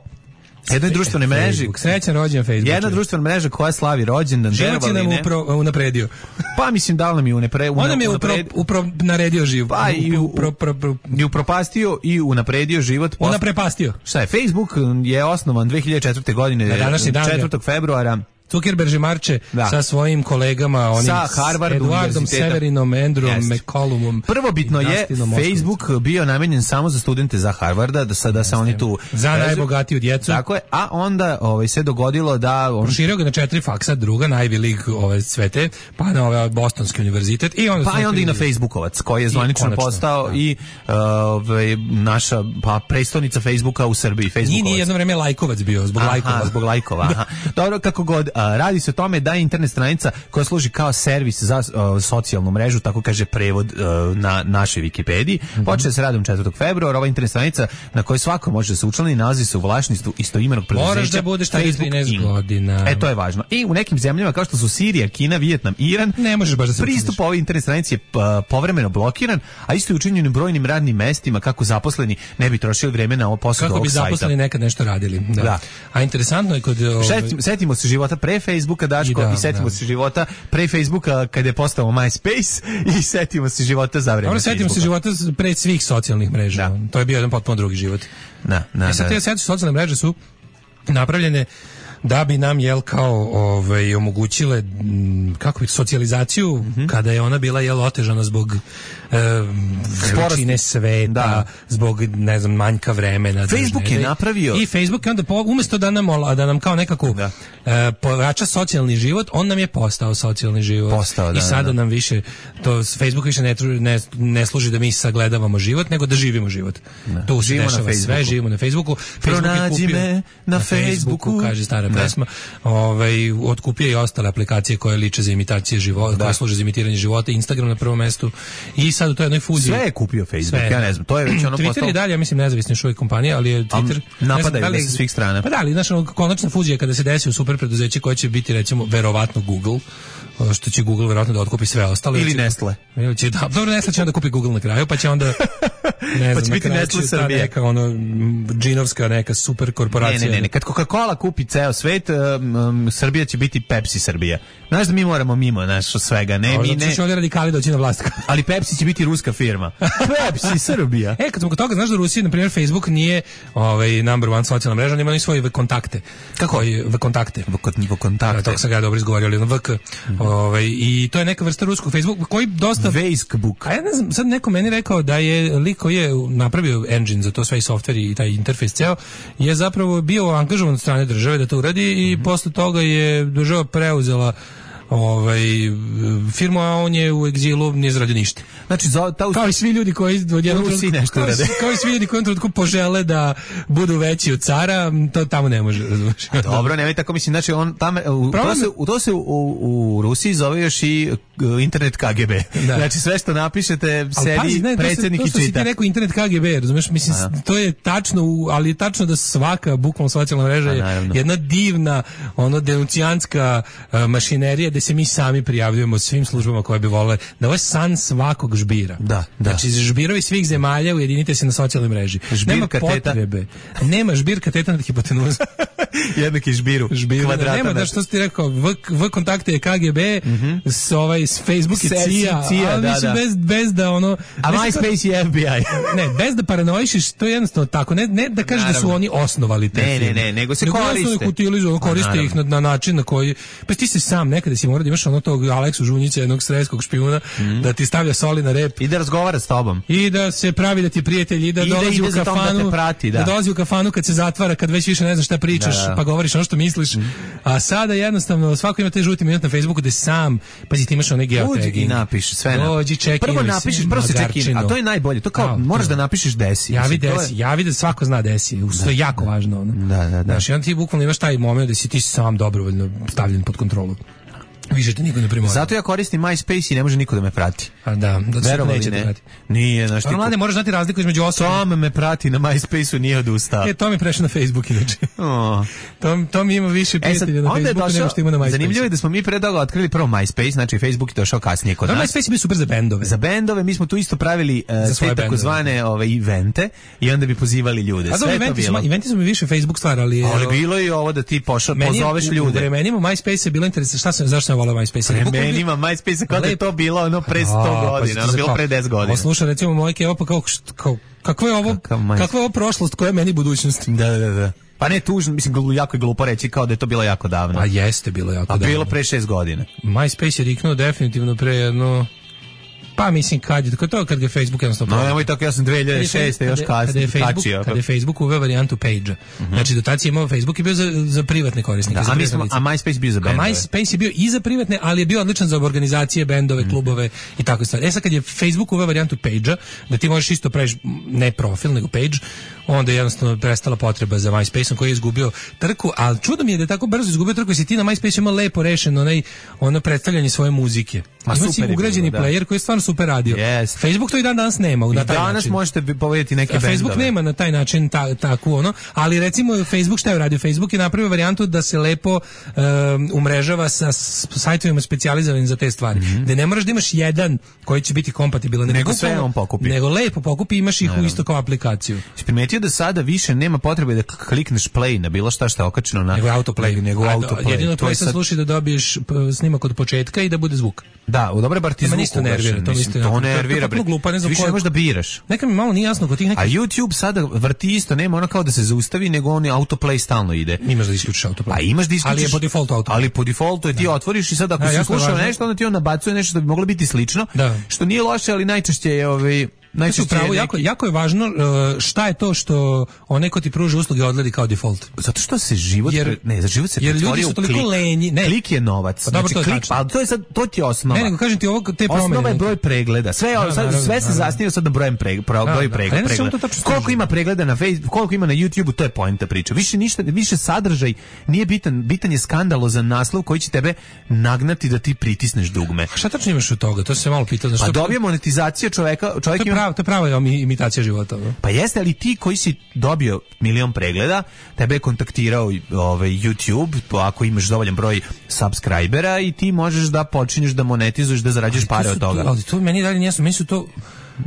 jednoj društvenoj mreži. Srećan rođendan Facebook. Jedna društvena mreža koja slavi rođendan. Život je nam upro, unapredio. Pa mislim da li nam je unapre, On nam je upro, upro, naredio život. Pa i u, upro, upro, upro. i upropastio i unapredio život. Unaprepastio. Šta je, Facebook je osnovan dve hiljade četvrte godine, na današnji dan četvrtog februara. Zuckerberg marče da. sa svojim kolegama, onim sa Harvard Eduardom Severinom, Andrewom McCollumom. Prvobitno je Facebook bio namenjen samo za studente za Harvarda, da sada se oni tu za najbogatiju djecu. Tako je, a onda ovaj se dogodilo da on proširio ga na četiri faksa, druga Ivy League ove svete, pa na ovaj Bostonski univerzitet i onda pa i onda i na Facebookovac koji je zvanično postao da. i ovaj naša pa prestonica Facebooka u Srbiji, Facebookovac. Nije jedno vreme lajkovac bio zbog aha, lajkova, zbog lajkova. Aha. Dobro, kako god, a, radi se o tome da je internet stranica koja služi kao servis za a, socijalnu mrežu, tako kaže prevod a, na našoj Wikipediji. Mm-hmm. Počne se radom četvrtog februara, ova internet stranica na kojoj svako može da se učlani, nalazi se u vlasništvu istoimenog preduzeća. Moraš da budeš taj trinaest godina. E, to je važno. I u nekim zemljama kao što su Sirija, Kina, Vijetnam, Iran, ne možeš baš da se pristup ovoj internet stranici je a, povremeno blokiran, a isto je učinjeno brojnim radnim mestima kako zaposleni ne bi trošili vreme na ovo posao kako bi zaposleni nekad nešto radili. Da. Da. A interesantno je kod ovaj... Šetimo, setimo se života pre Facebooka, Daško, i, da, i setimo da. se života pre Facebooka kad je postao MySpace i setimo se života za vreme. Dobro, setimo se života pre svih socijalnih mreža. Da. To je bio jedan potpuno drugi život. Da, da, e sad, te sad socijalne mreže su napravljene da bi nam jel kao ovaj omogućile kako bi socijalizaciju mm-hmm. kada je ona bila jel otežana zbog vrućine sveta, da. zbog ne znam manjka vremena. Facebook držne, je napravio i Facebook je onda po, umjesto da nam da nam kao nekako da. e, pojača socijalni život, on nam je postao socijalni život. Postao, da, i sada da, da. nam više to Facebook više ne, ne, ne služi da mi sagledavamo život, nego da živimo život. Da. To se dešava sve, živimo na Facebooku. Pronađi me na, na Facebooku, Facebooku, kaže stara pesma. Ovaj otkupio i ostale aplikacije koje liče za imitacije života, da. koje služe za imitiranje života, Instagram na prvom mestu. I sad u toj jednoj fuziji. Sve je kupio Facebook, sve. Ja ne znam, to je već ono Twitter postalo... je dalje, ja mislim, nezavisna još uvijek kompanija, ali je Twitter... Um, napadaju da li, sa svih strana. Pa da, ali znaš, konačna fuzija kada se desi u super preduzeće koje će biti, recimo, verovatno Google, što će Google verovatno da otkupi sve ostale. Ili Nestle. Ili će, da, dobro, Nestle će onda kupi Google na kraju, pa će onda... Ne pa znam, će biti Nestle Srbije. Neka, ono, džinovska neka super korporacija. Ne, ne, ne, ne. Kad Coca-Cola kupi ceo svet, um, um, Srbija će biti Pepsi Srbija. Znaš da mi moramo mimo našo svega, ne, mi ne... Će ovdje radikali doći na vlast. Ali Pepsi će biti ruska firma. Pepsi Srbija. E, kad smo kod toga, znaš da u Rusiji, na primjer, Facebook nije ovaj, number one socijalna mreža, nema ni svoje kontakte. Kako? V kontakte. V kontakte. To sam ga dobro izgovorio, ali V K. Mm-hmm. Ovaj, i to je neka vrsta ruskog Facebook koji dosta... Facebook. A ja ne znam, sad neko meni rekao da je lik koji je napravio engine za to sve i software i taj interfejs ceo, je zapravo bio angažovan od strane države da to uradi i mm-hmm. posle toga je država preuzela ovaj firmu, a on je u egzilu, nije zaradio ništa. Znači za ta kao i svi ljudi koji od jednog nešto rade. Kao i svi ljudi koji trenutku požele da budu veći od cara, to tamo ne može, razumiješ. Dobro, nemoj tako, mislim, znači on tamo u to se u to se u, u Rusiji zove još i internet K G B. Da. Znači sve što napišete sebi predsjednik i čita. To se ti rekao internet K G B, razumiješ, mislim, a, to je tačno, ali je tačno da svaka bukvalno socijalna mreža je jedna divna, ono denuncijanska uh, mašinerija da se mi sami prijavljujemo svim službama koje bi volele, da ovo je san svakog žbira. Da, da. Znači, žbirovi svih zemalja ujedinite se na socijalnoj mreži. Žbir nema kateta. Potrebe. Nema žbir kateta na hipotenuzu. Jednaki žbiru. Žbiru. Kvadrata. Nema, da što si ti rekao, v, v kontakte je K G B, mm-hmm. s, ovaj, s Facebook je C I A, C I A, ali da, mislim, da. Bez, bez da ono... A MySpace je F B I. Ne, bez da paranoišiš, to je jednostavno tako. Ne, ne da kažeš da su oni osnovali te ne, ne, ne, nego se nego koriste. Utilizuju, koriste ih na, na način na koji... Pa ti se sam nekada si mora da imaš ono tog Aleksu Žunjića, jednog sreskog špijuna, mm. da ti stavlja soli na rep. I da razgovara s tobom. I da se pravi da ti prijatelj i da I dolazi da u kafanu. Da, prati, da. da dolazi u kafanu kad se zatvara, kad već više ne znaš šta pričaš, da, da. pa govoriš ono što misliš. Mm. A sada jednostavno svako ima te žuti minut na Facebooku da sam, pazi ti imaš one geotagging. Uđi i napiši sve. Dođi, check-in. Prvo napišeš, prvo se check-in, a to je najbolje. To kao, da, moraš da napišeš desi. Javi desi, je... javi da svako zna desi. To je jako važno. Ono. Da, da, da. Znaš, i onda ti bukvalno imaš taj moment da si ti sam dobrovoljno stavljen pod kontrolu. Više te niko ne primora. Zato ja koristim MySpace i ne može niko da me prati. A da, da se neće ne. da prati. Nije, znaš ti. Mlade, moraš znati razliku između osoba. Tom me prati na MySpace-u, nije odustao. E, to mi prešao na Facebook inače. Oh. to, to mi ima više prijatelja e, na Facebooku došao, nego što ima na MySpace. Zanimljivo je da smo mi pre toga otkrili prvo MySpace, znači Facebook je došao kasnije kod da, nas. MySpace je bio super za bendove. Za bendove, mi smo tu isto pravili uh, te takozvane ove evente i onda bi pozivali ljude. A sve to bilo. Eventi su mi više Facebook stvar, ali... Ali bilo i ovo da ti pošao, pozoveš ljude. U vremenima MySpace je bilo interesantno. Šta sam, zašto sam volao MySpace? Meni ima MySpace kada je to bilo ono pre sto godina, ono bilo pre deset godina. Slušaj, recimo moj Kevo, pa kao, kao kakva je ovo, kakva je ovo prošlost, koja je meni budućnost? Da, da, da. Pa ne tužno, mislim, glu, jako je glupo reći kao da je to bilo jako davno. A jeste bilo jako A davno. A bilo pre šest godina. MySpace je riknuo definitivno pre jedno... Pa mislim kad je, to kad je Facebook jednostavno... No, nemoj tako, ja sam dve hiljade šeste još kasnije kačio. Kada je Facebook uveo varijantu page-a. Uh-huh. Znači, do tada je imao Facebook i bio za, za privatne korisnike. Da, za a, smo, a MySpace bio za bendove. A MySpace je bio i za privatne, ali je bio odličan za organizacije, bendove, uh-huh. klubove i tako stvari. E sad kad je Facebook uveo varijantu page-a, da ti možeš isto praviš ne profil, nego page, onda je jednostavno prestala potreba za MySpace-om koji je izgubio trku, ali čudo mi je da je tako brzo izgubio trku, si ti na MySpace imao lepo rešeno onaj, ono predstavljanje svoje muzike. Ima si ugrađeni bilo, player da. Koji je stvarno super radio. Yes. Facebook to i dan danas nema. I na taj danas način. Možete povedati neke bendove. Facebook nema na taj način ta, tako ono, ali recimo Facebook šta je radio? Facebook je napravio varijantu da se lepo um, umrežava sa sajtovima specijalizovanim za te stvari. Mm-hmm. Da ne moraš da imaš jedan koji će biti kompatibilan. Nego, nego sve on pokupi. Nego lepo pokupi i imaš ih u isto kao aplikaciju. Si primetio da sada više nema potrebe da klikneš play na bilo šta što je okačeno na... Nego autoplay. Nego autoplay. Jedino play sam sad... sluši da dobiješ snimak od početka i da bude zvuk. Da, u dobre bar ti zvuk isto nervira, to mislim, to nervira. To, to, to ne znam više ne možeš da biraš. Neka mi malo nije jasno kod tih nekih. A YouTube sada vrti isto, nema ono kao da se zaustavi, nego on je autoplay stalno ide. Imaš da isključiš autoplay. A imaš da isključiš. Ali je po defaultu autoplay. Ali po defaultu je ti otvoriš i sad ako si slušao nešto, onda ti on nabacuje nešto što bi moglo biti slično, da. Što nije loše, ali najčešće je ovaj Najčešće pravo, jako, jako je važno uh, šta je to što onaj ko ti pruži usluge odgledi kao default. Zato što se život jer, pre, ne, za život se jer ljudi su toliko klik. lenji. Ne. Klik je novac. Pa dobro, znači, to je klik, pa to je sad to ti je osnova. Ne, nego kažem ti ovo te promene. Osnova je broj pregleda. Sve da, sad, naravno, sve se zasniva sad na brojem pre, pro, da, broj pregleda. Da, pregleda. pregleda. Koliko ima pregleda na Facebook, koliko ima na YouTubeu, to je poenta priče. Više ništa, više sadržaj nije bitan, bitan je skandalozan naslov koji će tebe nagnati da ti pritisneš dugme. A šta tačno imaš od toga? To se malo pitao, znači. Pa dobije monetizacija čoveka, čovjek ima. To je pravo, to je prava imitacija života. No? Pa jeste, ali ti koji si dobio milion pregleda, tebe je kontaktirao ovaj YouTube, ako imaš dovoljan broj subscribera i ti možeš da počinješ da monetizuješ, da zarađuješ pare od toga. To, ali to meni dalje nijesno, meni su to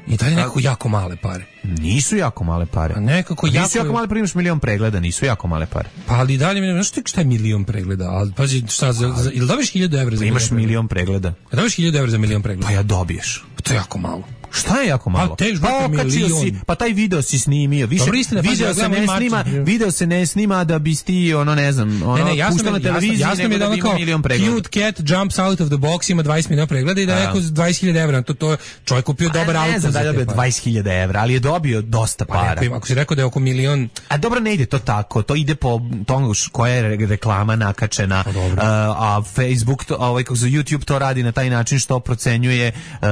i dalje nekako jako male pare. Nisu jako male pare. A nekako nisu jako... Nisu jako male pare, imaš milion pregleda, nisu jako male pare. Pa ali dalje, znaš ti šta je milion pregleda? Ali pazi, šta, za, za, ili dobiš hiljadu evra za imaš milion pregleda? Ja dobiš hiljadu evra za milion pregleda? Pa ja dobiješ. To je jako malo. Šta je jako malo? Pa, tež, pa, si, pa taj video si snimio. Više, dobro, istina, video, pa, se ne snima, video se ne snima da bi ti, ono, ne znam, ono, ne, ne, puštao na televiziji, jasno, nego jasno da bi imao milion pregleda. Cute cat jumps out of the box, ima dvadeset miliona pregleda i da neko dvadeset hiljada evra. To, to čovjek kupio a, dobar auto. Ne znam da je dobio dvadeset hiljada evra, ali je dobio dosta para. Pa, ako si rekao da je oko milion... A dobro, ne ide to tako. To ide po tomu koja je reklama nakačena. A, a Facebook, to, ovaj, kako za YouTube to radi na taj način što procenjuje uh,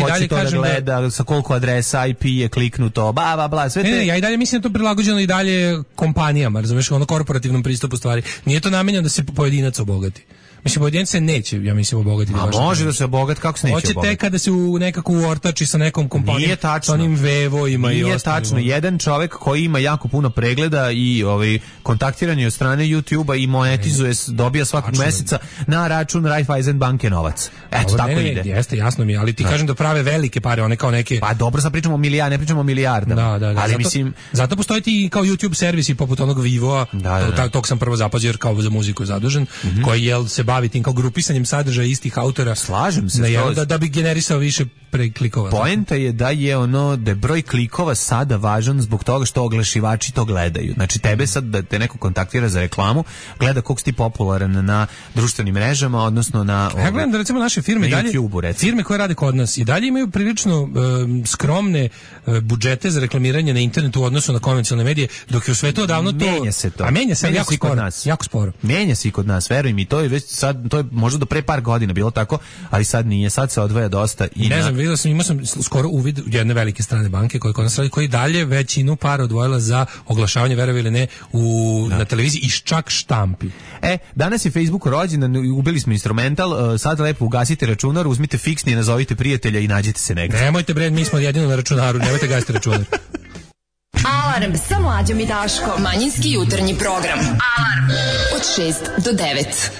ko će to da gleda, sa koliko adresa I P je kliknuto, ba, ba, bla, sve te... Ne, ne, ja i dalje mislim da to prilagođeno i dalje kompanijama, razumiješ, ono korporativnom pristupu stvari. Nije to namenjeno da se pojedinac obogati. Mislim, pojedinac se neće, ja mislim, obogatiti. A može da se obogati, kako se neće obogati? Hoće tek kada se u nekako uortači sa nekom kompanijom. Nije tačno. Sa onim Vevojima i ostalim. Nije tačno. Jedan čovjek koji ima jako puno pregleda i ovaj, kontaktiranje od strane YouTube-a i monetizuje, dobija svakog meseca na račun Raiffeisen banke novac. Eto, dobro, tako ne, ne, ide. Jeste, jasno mi, ali ti da. Kažem da prave velike pare, one kao neke... Pa dobro, sad pričamo o milijard, ne pričamo o milijardama. Da, da, da. Ali zato, mislim... zato postoji ti kao YouTube servisi poput onog Vivoa, da, da, da. tog sam prvo zapazio jer kao za muziku zadužen, mm-hmm. koji jel se bavi tim kao grupisanjem sadržaja istih autora. Slažem se. Da, da, da bi generisao više preklikova. Poenta je da je ono da je broj klikova sada važan zbog toga što oglašivači to gledaju. Znači tebe sad da te neko kontaktira za reklamu, gleda koliko si ti popularan na društvenim mrežama, odnosno na ja gledam da recimo naše firme dalje, YouTube, firme koje rade kod nas i dalje imaju prilično um, skromne uh, budžete za reklamiranje na internetu u odnosu na konvencionalne medije, dok je u svetu odavno to menja se to. A menja se menja jako sporo. Nas. Jako sporo. Menja se i kod nas, veruj mi, to je već sad to je možda do pre par godina bilo tako, ali sad nije, sad se odvaja dosta i ne na... znam, vidio sam, imao sam skoro uvid u jedne velike strane banke koje kod nas radi, koji dalje većinu para odvojila za oglašavanje, verovi ili ne, u, na televiziji i čak štampi. E, danas je Facebook rođendan, ubili smo instrumental, sad lepo ugasite računar, uzmite fiksni, nazovite prijatelja i nađete se negde. Nemojte bre, mi smo jedino na računaru, nemojte gasiti računar. Alarm sa Mlađom i Daškom. Manjinski jutarnji program. Alarm od šest do devet.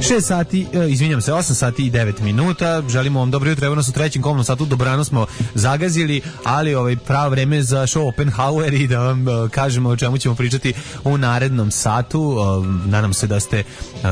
šest sati, izvinjam se, osam sati i devet minuta. Želimo vam dobro jutro, evo nas u trećem komnom satu, dobrano smo zagazili, ali ovaj pravo vreme za show Oppenhauer i da vam uh, kažemo o čemu ćemo pričati u narednom satu. Uh, nadam se da ste uh,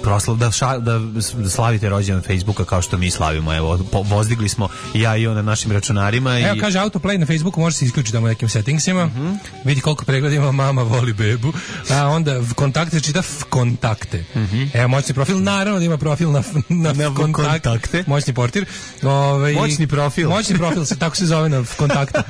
proslav, da, ša, da, da slavite rođendan Facebooka kao što mi slavimo. Evo, po, vozdigli smo ja i on na našim računarima. Evo, i... kaže, autoplay na Facebooku može se isključiti tamo nekim settingsima. Mm-hmm. Vidi koliko pregleda ima mama voli bebu. A onda kontakte čita f kontakte. Mm-hmm. Evo, moćni profil, naravno da ima profil na, na, na kontakte. kontakte. Moćni portir. Ove, moćni profil. Moćni profil, se, tako se zove na kontakte.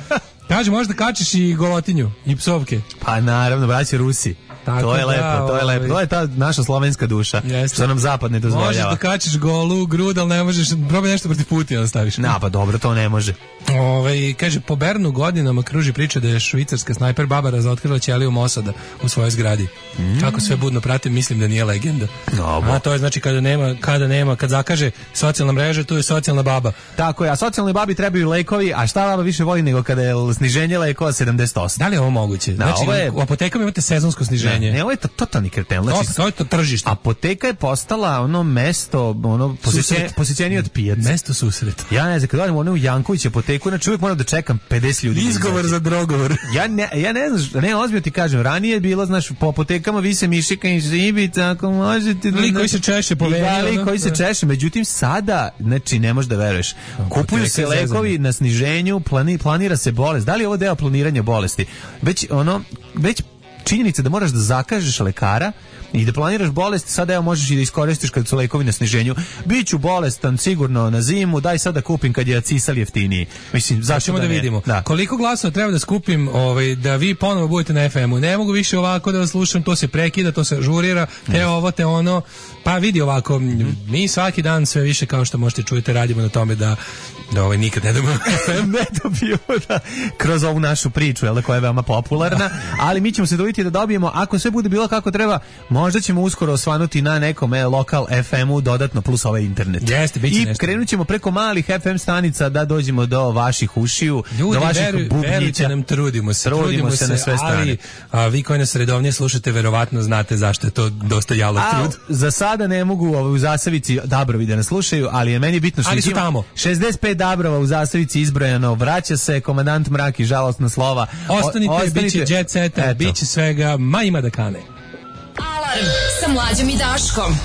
Kaže, možda kačiš i golotinju i psovke. Pa naravno, braći Rusi. Tako to je da, lepo, to je lepo. To je ta naša slovenska duša, jeste. Što nam zapad ne dozvoljava. Možeš da kačiš golu grud, ali ne možeš, probaj nešto protiv Putina da staviš. Na, pa dobro, to ne može. Ove, kaže, po Bernu godinama kruži priča da je švicarska snajper baba razotkrila ćeliju Mosada u svojoj zgradi. Mm. Kako sve budno pratim, mislim da nije legenda. No, a to je znači kada nema, kada nema, kad zakaže socijalna mreža, tu je socijalna baba. Tako je, a socijalnoj babi trebaju lekovi, a šta baba više voli nego kada je sniženje lekova sedamdeset osam. Da li je ovo moguće? Da, znači, ovo je... u apotekama imate sezonsko sniženje. Ne, ne, ovo je to, totalni kretel. Znači, to, to je to tržište. Apoteka je postala ono mesto, ono posjećenije posjećenije od pijace. Mesto susreta. Ja ne znam, kad odem ono u Janković apoteku, znači uvijek moram da čekam pedeset ljudi. Izgovor za drogovor. Ja ne, ja ne znam, ne ozbiljno ti kažem, ranije je bilo, znaš, po apotekama vise mišika i žibica, ako možete. Lik koji se češe povedio. Lik koji se češe, međutim sada, znači ne možeš da veruješ. Kupuju se lekovi na sniženju, plani, planira se bolest. Da li je ovo deo planiranja bolesti? Već ono, već činjenica da moraš da zakažeš lekara i da planiraš bolest, sada evo možeš i da iskoristiš kad su lekovi na sniženju. Biću bolestan sigurno na zimu, daj sad da kupim kad je cisal jeftiniji. Mislim, zašto da, da vidimo. Da. Koliko glasova treba da skupim ovaj, da vi ponovo budete na ef emu? Ne mogu više ovako da vas slušam, to se prekida, to se ažurira, te ovo, te ono. Pa vidi ovako, mm-hmm. mi svaki dan sve više, kao što možete čujete, radimo na tome da da ovaj nikad ne dobijemo ef em, ne dobijemo da, kroz ovu našu priču, jel da, koja je veoma popularna, ali mi ćemo se dobiti da dobijemo, ako sve bude bilo kako treba, možda ćemo uskoro osvanuti na nekom e, lokal ef emu dodatno plus ovaj internet. Jeste, biće i nešto. Krenut ćemo preko malih ef em stanica da dođemo do vaših ušiju, ljudi, do vaših veruj, bubnjića. Verujte nam, trudimo se, trudimo, trudimo se, se na sve strane. Ali a, vi koji nas redovnije slušate, verovatno znate zašto je to dosta jalov trud. Za sada ne mogu ovaj, u Zasavici Dabrovi da nas slušaju, ali je meni bitno što ali su tamo. šezdeset pet Dabrova u Zasavici izbrojano, vraća se komandant Mrak i žalostna slova. Ostanite, o, ostanite. Biće jet seta, biće svega, ma ima da kane. Alarm sa Mlađom i Daškom.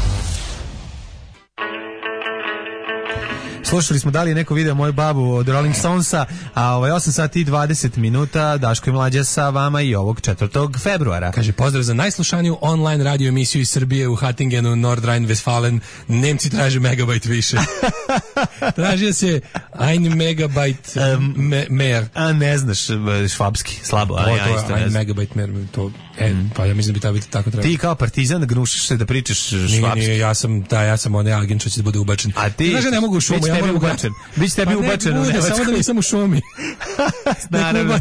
Slušali smo da li je neko video moju babu od Rolling Stonesa, a ovaj osam sati i dvadeset minuta, Daško i Mlađa sa vama i ovog četvrtog februara. Kaže, pozdrav za najslušaniju online radio emisiju iz Srbije u Hattingenu, Nordrhein-Westfalen. Nemci traže megabajt više. Tražio se ein megabajt me, mer. A ne znaš švabski, slabo. A ja isto ein megabajt mer, to, e, mm. pa ja mislim da bi to tako trebalo. Ti kao partizan gnušiš se da pričaš švabski. Nije, nije, ja sam, da, ja sam onaj agent što će da bude ubačen. A ti? Znaš, ne mogu u šumu, ja moram ubačen. Biće tebi pa ubačeno. Ne bude, samo da nisam u šumi. Naravno.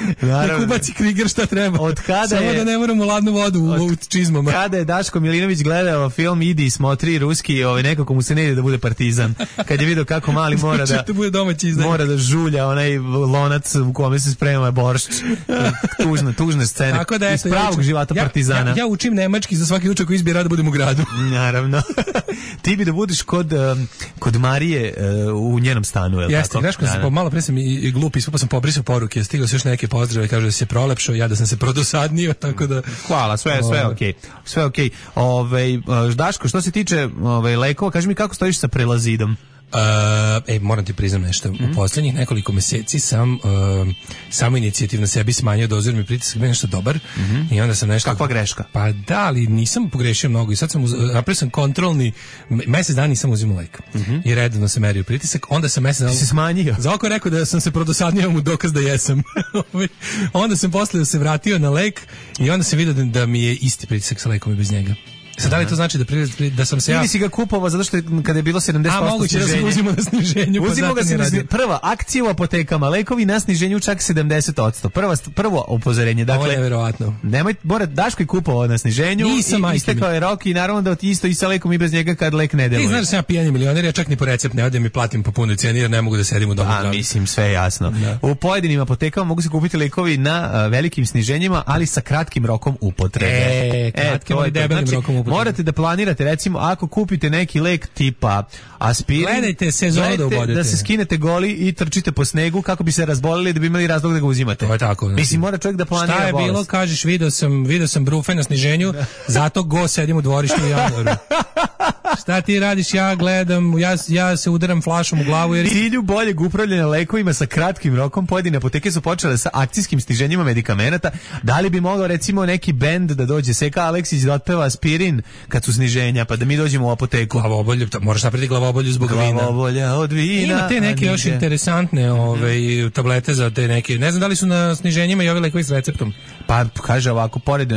Nek naravno. ubaci Kriger šta treba. Od kada samo je, da ne moramo ladnu vodu u, u čizmama. Kada je Daško Milinović gledao film Idi i smotri ruski, ovaj, nekako mu se ne ide da bude partizan. Kad je vidio kako mali mora da, mora da žulja onaj lonac u kome se sprema boršč. Tužne, tužne scene. Tako da, iz pravog ja života ja, partizana. Ja, ja učim nemački za svaki učak koji izbira da budem u gradu. Naravno. Ti bi da budeš kod, um, kod Marije uh, u njenom stanu, je li jeste, tako? Jeste, znaš, po, malo pre sam i, i glup, ispao sam pobrisao poruke, stigao se još neke pozdrave, kaže da se prolepšao, ja da sam se prodosadnio, tako da... Hvala, sve, sve je okej. Sve je okej. Ove, Daško, što se tiče ove, lekova, kaži mi kako stojiš sa prelazidom? Uh, e, moram ti priznam nešto. Mm-hmm. U posljednjih nekoliko meseci sam uh, samo inicijativno sebi smanjio dozu, jer mi pritisak bio nešto dobar. Mm-hmm. I onda sam nešto... Kakva greška? Pa da, ali nisam pogrešio mnogo. I sad sam, uz... napravio sam kontrolni, mesec dana nisam uzimao lek. Mm-hmm. I redno sam merio pritisak. Onda sam mesec dana... Ti si smanjio? Za oko rekao da sam se prodosadnio mu dokaz da jesam. Onda sam posle se vratio na lek i onda sam vidio da, da mi je isti pritisak sa lekom i bez njega. Sad da li to znači da pri, da sam se ja... Ili si ga kupovao zato što je, kada je bilo sedamdeset posto a, moguće sniženje. Da se uzimo na sniženju. Uzimo ga se na sniženju. Prva akcija u apotekama, lekovi na sniženju čak sedamdeset posto. Prva, prvo upozorenje. Dakle, ovo je nevjerovatno. Nemoj, mora, Daško je kupovao na sniženju. Nisam, i istekao je rok i naravno da isto i sa lekom i bez njega kad lek ne deluje. Ti znaš da sam ja pijani milioner, ja čak ni po recept ne odem i platim po punoj cijeni jer ne mogu da sedim u domu. A, mislim, sve je jasno. Da. U pojedinim apotekama mogu se kupiti lekovi na uh, velikim sniženjima, ali sa kratkim rokom upotrebe. E, kratkim, ali debelim rokom upotrebe. morate da planirate, recimo, ako kupite neki lek tipa aspirin, gledajte sezonu da ubodete. Da se skinete goli i trčite po snegu kako bi se razbolili da bi imali razlog da ga uzimate. To je tako. Znači, mislim, mora čovjek da planira bolest. Šta je bilo, kažeš, video sam, video sam brufe na sniženju, zato go sedim u dvorištu u januaru. Šta ti radiš, ja gledam, ja, ja se udaram flašom u glavu. Jer... Cilju boljeg upravljanja lekovima sa kratkim rokom pojedine apoteke su počele sa akcijskim sniženjima medikamenata. Da li bi mogao recimo neki bend da dođe, Seka Aleksić da otpeva aspirin kad su sniženja, pa da mi dođemo u apoteku? Glavobolju, moraš napraviti glavobolju zbog vina. Glavobolja od vina. Ima te neke još interesantne ove, tablete za te neke, ne znam da li su na sniženjima i ovi lekovi s receptom. Pa kaže ovako, pored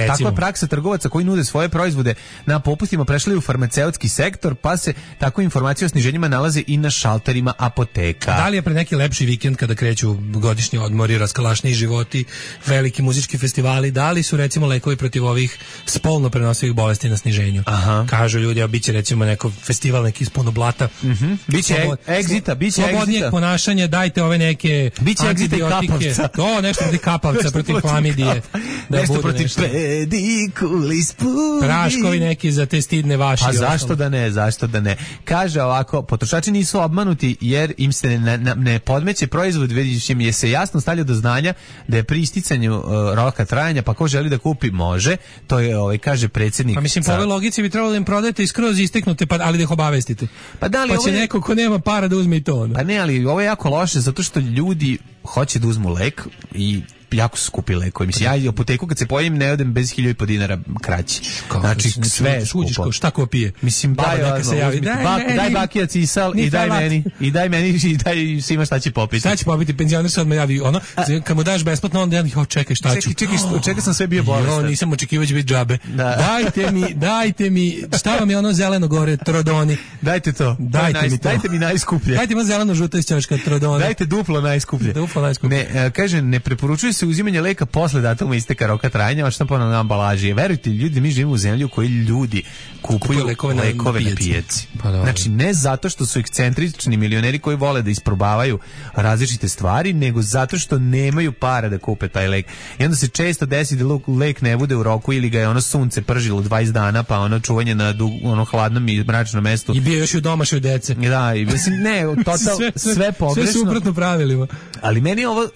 takva praksa trgovaca koji nude svoje proizvode na popustima prešli u farmaceutski sektor, pa se tako informacije o sniženjima nalaze i na šalterima apoteka. Da li je pre neki lepši vikend kada kreću godišnji odmori, raskalašniji životi, veliki muzički festivali, da li su recimo lekovi protiv ovih spolno prenosivih bolesti na sniženju? Aha. Kažu ljudi, a biće recimo neko festival neki iz puno blata. Mhm. Biće egzita, biće slobodnijeg ponašanja, dajte ove neke biće antibiotike. To nešto protiv kapavca, protiv hlamidije. Da nešto protiv nešto. Pedikulis pudi. Praškovi neki za te stidne vaši. A zašto da ne, zašto da ne? Kaže ovako, potrošači nisu obmanuti jer im se ne, ne, ne podmeće proizvod, već im je se jasno stavlja do znanja da je pri isticanju uh, roka trajanja, pa ko želi da kupi može. To je, ovaj, kaže predsjednik. Pa mislim, po ovoj logici bi trebalo da im prodajete iskroz isteknute, pa, ali da ih obavestite. Pa, da li pa će je... neko ko nema para da uzme i to. Ne? Pa ne, ali ovo je jako loše zato što ljudi hoće da uzmu lek i jako su skupi lekovi. Mislim, ja i apoteku kad se pojim ne odem bez hiljadu i po dinara kraći. Znači, sve je skupo. Šta ko pije? Mislim, baba daj, neka se javi. Daj, bak, ne, daj bakija cisal i daj lat. meni. I daj meni i daj svima šta će popiti. Šta će popiti? Penzioner se odmah javi. Ono, kad mu daš besplatno, onda ja ho, čekaj, šta ću? Čekaj, čekaj, čekaj sam sve bio bolestan. Jo, nisam očekivao će biti džabe. Da. Dajte mi, dajte mi, šta vam je ono zeleno gore, trodoni? Dajte to. Dajte naj, mi to. Dajte mi najskuplje. Dajte mi zeleno žuto iz ćoška, trodoni. Dajte duplo najskuplje. Duplo najskuplje. Ne, kaže, ne preporučuje se uzimanje leka posle datuma isteka roka trajanja, a štampano na ambalaži. Verujte, ljudi, mi živimo u zemlji u kojoj ljudi kupuju, kupuju lekove, na, lekove na pijaci. Pa znači, ne zato što su ekscentrični milioneri koji vole da isprobavaju različite stvari, nego zato što nemaju para da kupe taj lek. I onda se često desi da lek ne bude u roku ili ga je ono sunce pržilo dvadeset dana, pa ono čuvanje na dug, ono hladnom i mračnom mestu. I bio još u domašoj dece. Da, i mislim, ne, total, sve, sve, sve pogrešno. Sve suprotno pravilima. Ali meni ovo,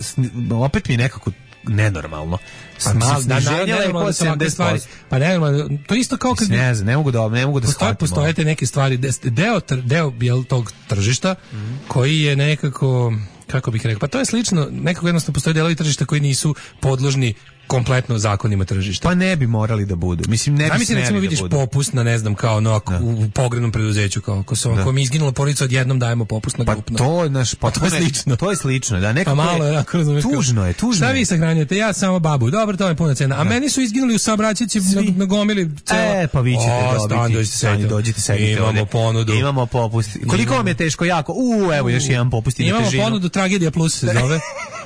opet mi je nekako nenormalno. Pa sniženje lekova sedamdeset posto. Pa nenormalno, to isto kao kad ne znam, ne mogu da ne mogu da shvatim. Postoje te neke stvari, deo deo jel tog tržišta mm. koji je nekako, kako bih rekao, pa to je slično, nekako jednostavno postoje delovi tržišta koji nisu podložni kompletno zakonima tržišta. Pa ne bi morali da budu. Mislim, ne bi smeli da budu. Recimo vidiš popust na, ne znam, kao no, u pogrednom preduzeću, kao ako se ako mi izginula porodica, odjednom dajemo popust na grupno. Pa to, naš, pa to je slično. To je slično, da, nekako pa malo, je, tužno je, tužno Šta vi sahranjujete? Ja samo babu. Dobro, to je puna cena. A da. Meni su izginuli u saobraćajci na, na gomili cela. E, pa vi ćete o, dobiti. Stan, dođite, sedite. Imamo ponudu. Imamo popust. Koliko vam je teško? Jako. U, evo, još jedan popust i na težinu. Imamo ponudu, Tragedija plus se zove.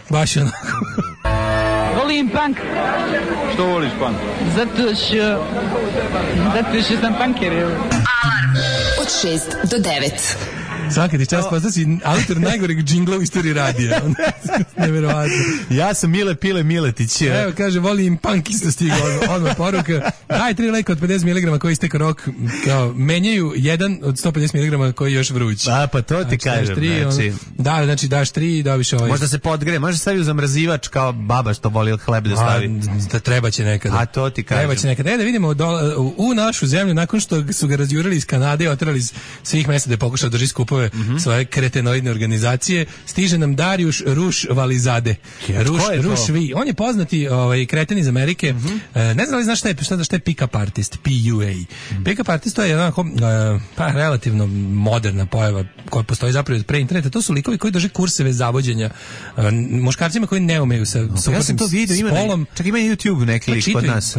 Baš onako. Volim punk. Što voliš punk? Zato što... Zato što sam punker. Alarm od šest do devet. Svaki ti čas postao si autor najgoreg džingla u istoriji radija. Neverovatno. Ja sam Mile Pile Miletić. Evo, kaže, volim punk, isto stigao odmah poruka. Daj tri leka od pedeset miligrama koji isteka rok, kao, menjaju jedan od sto pedeset miligrama koji je još vruć. A, pa to ti znači, kažem. Tri, znači. On, da, znači daš tri i dobiš ovaj. Možda se podgre, možda stavi u zamrzivač kao baba što voli hleb da stavi. A, da treba će nekada. A to ti kažem. Treba će nekada. E, da vidimo do, u, u našu zemlju, nakon što su ga razjurili iz Kanade i oterali iz svih mesta da je pokušao drži skupove mm-hmm. svoje kretenoidne organizacije, stiže nam Darijuš Ruš Valizade. Ja, Ruš, Ruš Vi. On je poznati ovaj, kreten iz Amerike. Mm-hmm. E, ne znam li znaš šta je, šta, šta je pick-up artist, P U A. Mm-hmm. Pick-up artist to je onako, e, pa, relativno moderna pojava koja postoji zapravo pre interneta. To su likovi koji drže kurseve zavođenja e, muškarcima koji ne umeju sa no, ja sam to vidio, ima ne, čak ima YouTube neki lik kod nas.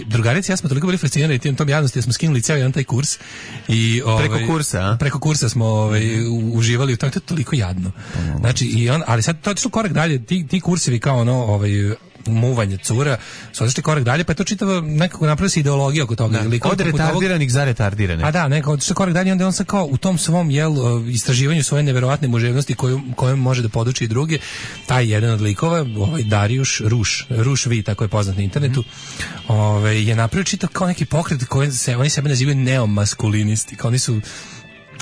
Drugarici, ja smo toliko bili fascinirani tim tom javnosti, ja smo skinuli ceo jedan taj kurs. I, ovaj, preko kursa, a? Preko kursa smo ovaj, uživali u tom, to je toliko jadno. Znači, i on, ali sad to je otišlo korak dalje, ti, ti kursevi kao ono, ovaj, muvanja cura, su otišli korak dalje, pa je to čitava nekako napravila se ideologija oko toga. Da, od retardiranih za retardirane. A da, nekako otišli korak dalje, onda on sad kao u tom svom jel, istraživanju svoje neverovatne muževnosti koju, kojom može da poduči i druge, taj jedan od likova, ovaj Darijuš Ruš, Ruš Vi, tako je poznat na internetu, mm. ovaj, je napravio čitav kao neki pokret koji se, oni sebe nazivaju neomaskulinisti, kao oni su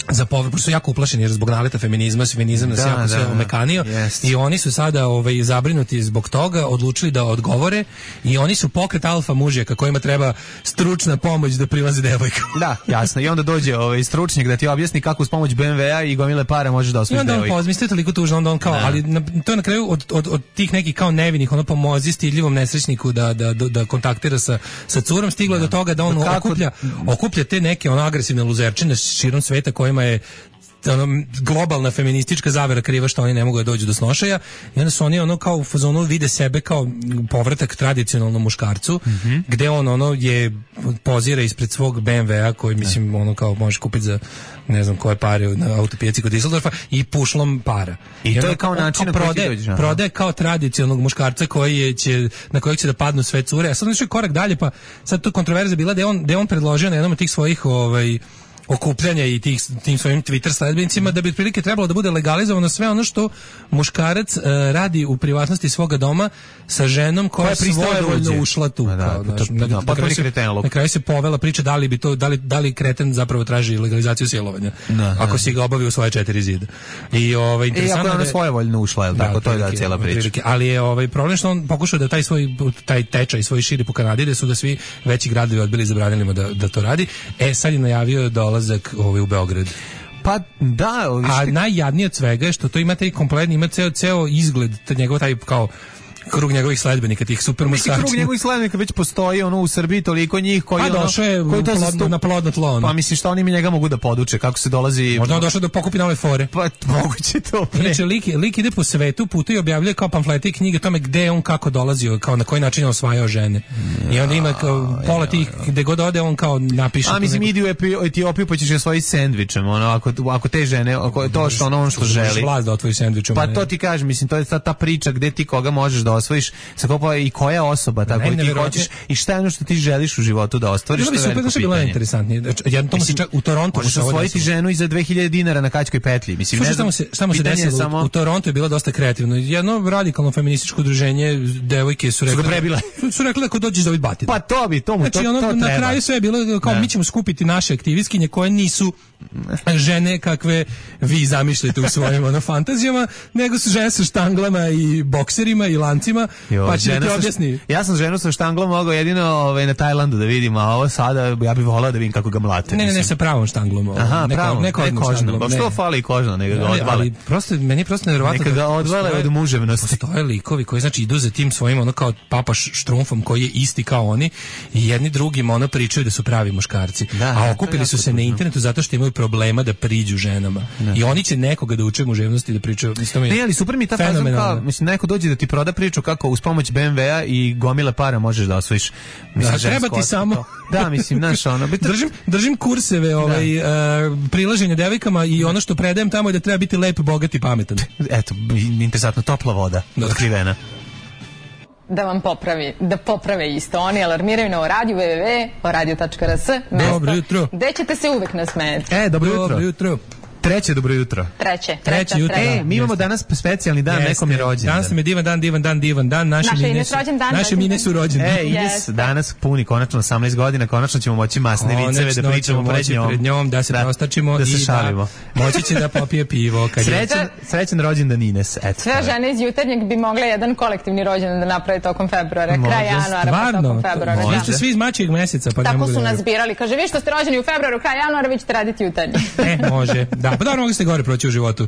za povod, pošto su jako uplašeni jer zbog naleta feminizma, feminizam nas da, jako da, sve omekanio yes. i oni su sada ovaj, zabrinuti zbog toga, odlučili da odgovore i oni su pokret alfa mužjaka kojima treba stručna pomoć da prilaze devojkama. Da, jasno. I onda dođe ovaj stručnjak da ti objasni kako uz pomoć be em ve a i gomile pare možeš da osvojiš devojku. I onda on pozmisli toliko tužno, onda on kao, da. ali na, to je na kraju od, od, od tih nekih kao nevinih, ono pomozi stidljivom nesrećniku da, da, da, da kontaktira sa, sa curom, stiglo da. do toga da on da okuplja, okuplja te neke ono agresivne luzerčine širom sveta kojima je ono, globalna feministička zavera kriva što oni ne mogu da dođu do snošaja i onda su oni ono kao u fazonu vide sebe kao povratak tradicionalnom muškarcu mm-hmm. gde on ono je pozira ispred svog be em ve a koji mislim ono kao možeš kupiti za ne znam koje pare na autopijaci kod Düsseldorfa i pušlom para. I, I to je kao način na koji ti dođeš. Prodaje kao tradicionalnog muškarca koji je, će, na kojeg će da padnu sve cure. A sad on je korak dalje pa sad tu kontroverza bila da je on, da je on predložio na jednom od tih svojih ovaj okupljanja i tih, tim svojim Twitter sledbenicima da bi otprilike trebalo da bude legalizovano sve ono što muškarac uh, radi u privatnosti svoga doma sa ženom koja, koja je svojevoljno ušla tu. Da, kao, da, na, da, na, kraju se, na kraju se povela priča da li bi to da li, da li kreten zapravo traži legalizaciju silovanja da, ako da. si ga obavi u svoje četiri zida. I ovaj interesantno je ona svojevoljno ušla, je l' tako, da, to je da cijela priča. Prilike, ali je ovaj problem što on pokušao da taj svoj taj tečaj svoj širi po Kanadi da su da svi veći gradovi odbili zabranili mu da da to radi. E sad je najavio dolazak ovaj u Beograd. Pa da, a najjadnije od svega je što to ima taj kompletni, ima ceo ceo izgled, njegov taj kao krug njegovih sledbenika, tih super muškarčina. Krug njegovih sledbenika već postoji ono u Srbiji toliko njih koji pa, došao je koji to plodno, na plodno tlo. Ono. Pa mislim što oni mi njega mogu da poduče kako se dolazi. Možda on došao da pokupi nove fore. Pa moguće to. Znači lik, lik ide po svetu, putuje i objavljuje kao pamflete i knjige tome gde je on kako dolazio, kao na koji način je osvajao žene. Ja, I onda ima kao pola tih gde god ode on kao napiše. A mislim idi u Etiopiju pa ćeš je svojim sendvičem, ono ako ako te žene, ako to što ono što želi. Vlast da otvori sendvičom. Pa to ti kažem, mislim to je ta, ta priča gde ti koga možeš da osvojiš. Sa pa i koja osoba tako i ti hoćeš i šta je ono što ti želiš u životu da ostvariš, što je veliko pitanje. Bilo interesantnije. Jedan to se čak u Torontu možeš osvojiti ženu i za dve hiljade dinara na kačkoj petlji. Mislim ne znam. Šta mu se desilo samo... u Torontu je bilo dosta kreativno. Jedno radikalno feminističko udruženje devojke su rekle prebile. Su rekle ako dođeš da vidbati. Pa to bi, to mu znači, to, ono, to na treba. kraju sve je bilo kao ne. Mi ćemo skupiti naše aktivistkinje koje nisu žene kakve vi zamišljate u svojim ono fantazijama, nego su žene sa štanglama i bokserima i lancima, jo, pa će ti objasni. Ja sam ženu sa štanglom mogao jedino ovaj, na Tajlandu da vidim, a ovo sada ja bih volao da vidim kako ga mlate. Ne, ne, ne, sa pravom štanglom. Ovo. Aha, neko, pravom, neko ne kožnom. Pa što fali kožno, neka ga odvale. Ali prosto, meni je prosto nevjerovatno. Neka ga odvale od muževnosti. Postoje likovi koji znači idu za tim svojim ono kao papa štrumfom koji je isti kao oni i jedni drugima ono pričaju da su pravi muškarci. Da, a okupili su se na internetu zato što imaju problema da priđu ženama. Da. I oni će nekoga da uče muževnosti da pričaju. Ne, ali super mi ta faza kao, mislim, neko dođe da ti proda priču kako uz pomoć be em ve a i gomile para možeš da osvojiš. Mislim, da, treba ti samo. To. Da, mislim, znaš, ono. držim, držim kurseve ovaj, uh, prilaženja devojkama i ono što predajem tamo je da treba biti lep, bogat i pametan. Eto, interesantno, topla voda, da. Otkrivena. Da vam popravi, da poprave isto. Oni alarmiraju na radio www tačka o radio tačka r s. Dobro jutro. Gde ćete se uvek nasmejati. E, dobro jutro. Dobro jutro. Treće dobro jutro. Treće. Treće jutro. E, mi imamo danas specijalni dan, yes, nekom je rođendan. Danas nam je divan dan, divan dan, divan dan. Naše mine su, naše mine su rođene. E, Ines, yes. Danas puni konačno osamnaest godina, konačno ćemo moći masne viceve da pričamo pred njom. Pred njom, da se da, prostačimo da se i šalimo. Da moći će da popije pivo. Kad srećan, je... srećan rođendan Ines. Eto, sve žene iz Jutarnjeg bi mogle jedan kolektivni rođendan da naprave tokom februara, kraj januara, pa tokom februara. Vi ste svi iz mačijeg meseca, pa tako su nas birali. Kaže, vi što ste rođeni u februaru, kraj januara, vi ćete raditi Jutarnji. E, može. Da, pa dobro, mogli ste gore proći u životu.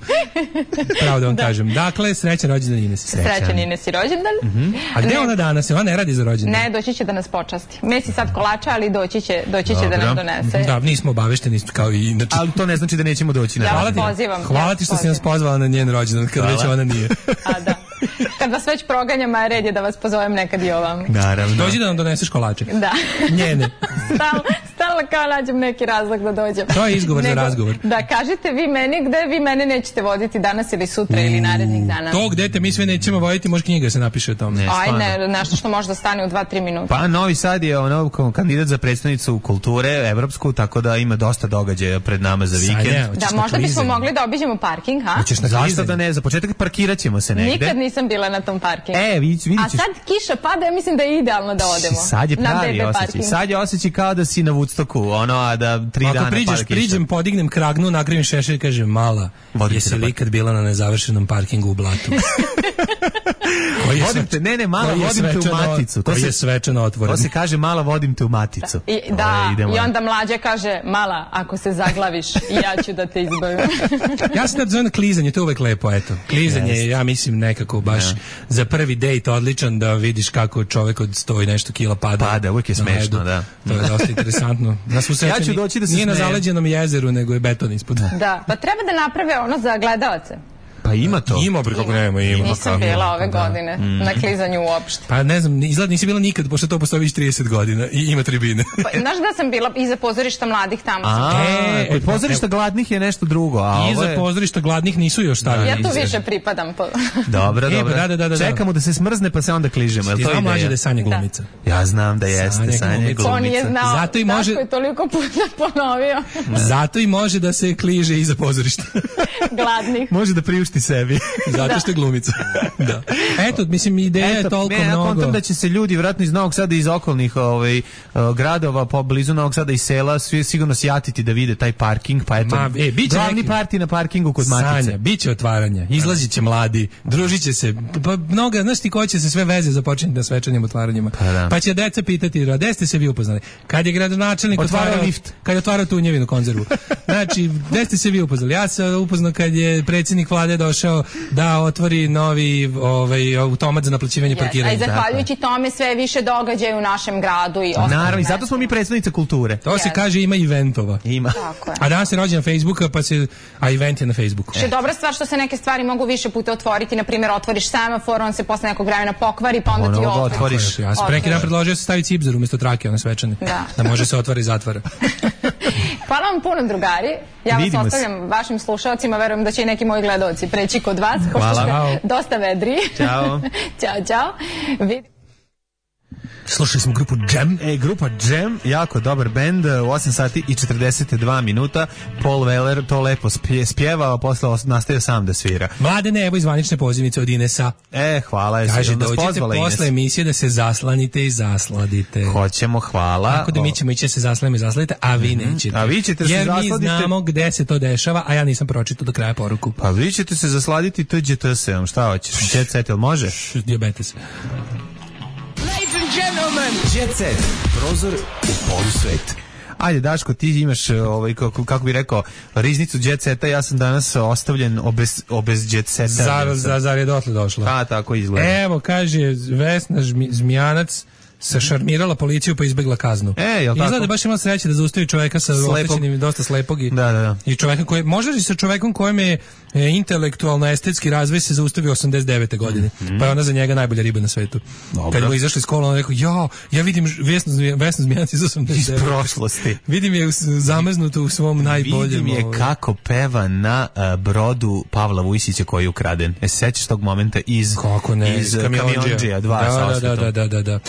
Pravo da vam da. kažem. Dakle, srećan rođendan Ines. Srećan Ines i rođendan. Mm-hmm. A gde ne, ona danas? Ona ne radi za rođendan. Ne, doći će da nas počasti. Mesi sad kolača, ali doći će, doći će da nam donese. Da, nismo obavešteni kao i inače. Ali to ne znači da nećemo doći na ja rođendan. Hvala ti, pozivam, hvala ti što si nas pozvala na njen rođendan, kad već ona nije. A da. Kad vas već proganjam, a red je da vas pozovem nekad i ovam. Naravno. Dođi da nam doneseš kolače. Da. Njene. Stalno, stalno pokušavala kao nađem neki razlog da dođem. To je izgovor Nego, za razgovor. Da, kažete vi meni gde vi mene nećete voditi danas ili sutra ili narednih dana. To gde te mi sve nećemo voditi, može knjiga se napiše o tome. Ne, Aj ne, nešto što može da stane u dva tri minuta. Pa Novi Sad je ono kandidat za predstavnicu kulture evropsku, tako da ima dosta događaja pred nama za vikend. Sanja, da, možda bismo mogli da obiđemo parking, ha? Zašto da ne? Za početak parkiraćemo se negde. Nikad nisam bila na tom parkingu. E, vidit ćeš. A sad kiša pada, ja mislim da je idealno da odemo. Sad je pravi osjećaj. Sad je osjećaj kao da si na Woodstocku, ono, a da tri Ako dana pada kiša. Ako priđeš, priđem, podignem kragnu, nakrivim šešelj i kažem, mala, jesi li ikad bila na nezavršenom parkingu u Blatu? Vodim te, ne, ne, mala, vodim te u maticu. To je svečano otvoreno. To se kaže, mala, vodim te u maticu. I, da, Ove, i onda mlađa kaže, mala, ako se zaglaviš, ja ću da te izbavim. Ja se tad zovem klizanje, to je uvek lepo, eto. Klizanje je, ja mislim, nekako baš yeah. za prvi dejt odličan, da vidiš kako čovek od sto i nešto kila pada. Pada, uvijek je smešno, da. To je dosta interesantno. Na svu sreću, ja ću doći da se nije na zaleđenom jezeru, nego je beton ispod. Da, pa treba da naprave ono za gledalce. Pa ima to. Ima, bre, kako nema, ima. Nisam bila ove godine da. na klizanju uopšte. Pa ne znam, izgleda nisi bila nikad, pošto to postoji već trideset godina i ima tribine. Pa, znaš da sam bila iza pozorišta mladih tamo. A, e, kod pozorišta gladnih je nešto drugo. A iza je... pozorišta gladnih nisu još stavili. Ja tu više pripadam. Po... Dobro, e, dobro. Da, da, da, da. Čekamo da se smrzne pa se onda kližemo. Ti znam mlađe da je Sanja glumica. Da. Ja znam da jeste Sanja glumica. On je znao, zato i može... Daško je toliko puta ponovio. Zato i može da se kliže iza pozorišta. Gladnih. Može da priušti sebi. Zato što je glumica. Da. Eto, mislim, ideja Eto, je toliko ne, mnogo. Ja kontam da će se ljudi vjerojatno iz Novog Sada, iz okolnih ovaj, uh, gradova, po blizu Novog Sada i sela, svi sigurno sjatiti da vide taj parking, pa eto, Ma, e, glavni neki... parti na parkingu kod Matice. Sanja, bit će otvaranja, izlazit će mladi, družit će se, pa mnoga, znaš ti ko će se sve veze započeti na svečanim otvaranjima. Pa, da. Pa će deca pitati, gde ste se vi upoznali? Kad je gradonačelnik otvarao lift, kad je otvarao tunjevinu konzervu. Znači, gde ste se vi upoznali? Ja sam upoznao kad je predsjednik vlade došao da otvori novi ovaj automat za naplaćivanje yes. parkiranja. A i zahvaljujući tome sve više događaja u našem gradu i ostalo. Naravno, i zato smo mi predstavnice kulture. To yes. se kaže ima eventova. Ima. Tako je. A danas se rođe na Facebooku, pa se a event je na Facebooku. Što je dobra stvar što se neke stvari mogu više puta otvoriti, na primjer otvoriš semafor, on se posle nekog vremena pokvari, pa onda ono ti otvoriš. Ja sam preki dan predložio da se stavi cipzar umjesto trake, one svečane. Da. Da može se otvara i zatvara. Hvala vam puno, drugari. Ja vas Vidimo ostavljam se. vašim slušalcima, verujem da će i neki moji gledaoci preći kod vas. Hvala. Dosta vedri. Ćao. Ćao, čao. Vid... Slušali smo grupu Jam. E, grupa Jam, jako dobar bend, u osam sati i četrdeset dva minuta. Paul Weller to lepo spjeva, a posle nastavio sam da svira. Mladene, evo izvanične pozivnice od Inesa. E, hvala. Kaže, dođite posle emisije da se zaslanite i zasladite. Hoćemo, hvala. Tako da mi ćemo ići da se zaslanimo i zasladite, a vi mm-hmm. nećete. A vi ćete Jer se zasladite. Jer mi znamo gde se to dešava, a ja nisam pročitao do kraja poruku. Pa vi ćete se zasladiti T G T S-om, šta hoćeš? Jet Set, jel može? Diabetes. Gentlemen, Jet Set, prozor u polusvet. Ajde, Daško, ti imaš, ovaj, kako, kako bi rekao, riznicu Jet Seta, ja sam danas ostavljen obez, obez Jet Seta. Zar, zar, zar je dotle došlo? A, tako izgleda. Evo, kaže, Vesna Zmijanac se šarmirala policiju pa izbegla kaznu. E, jel tako? Izgleda baš ima sreće da zaustavi čoveka sa oštećenim dosta slepog i, da, da, da. i čoveka koji, možda i sa čovekom kojem je e, intelektualno estetski razvoj se zaustavio osamdeset devete godine. Mm-hmm. Pa je ona za njega najbolja riba na svetu. Dobro. Kad mu izašli iz kola, on rekao, ja, ja vidim Vesnu Zmijanac iz osamdeset devete. Iz prošlosti. Vidim je zamrznuto u svom najboljem. Vidim je ovaj. kako peva na uh, brodu Pavla Vujsića koji je ukraden. E, sećaš tog momenta iz, kako ne, iz Kamionđija dva da, sa osvetom. Da, da, da, da.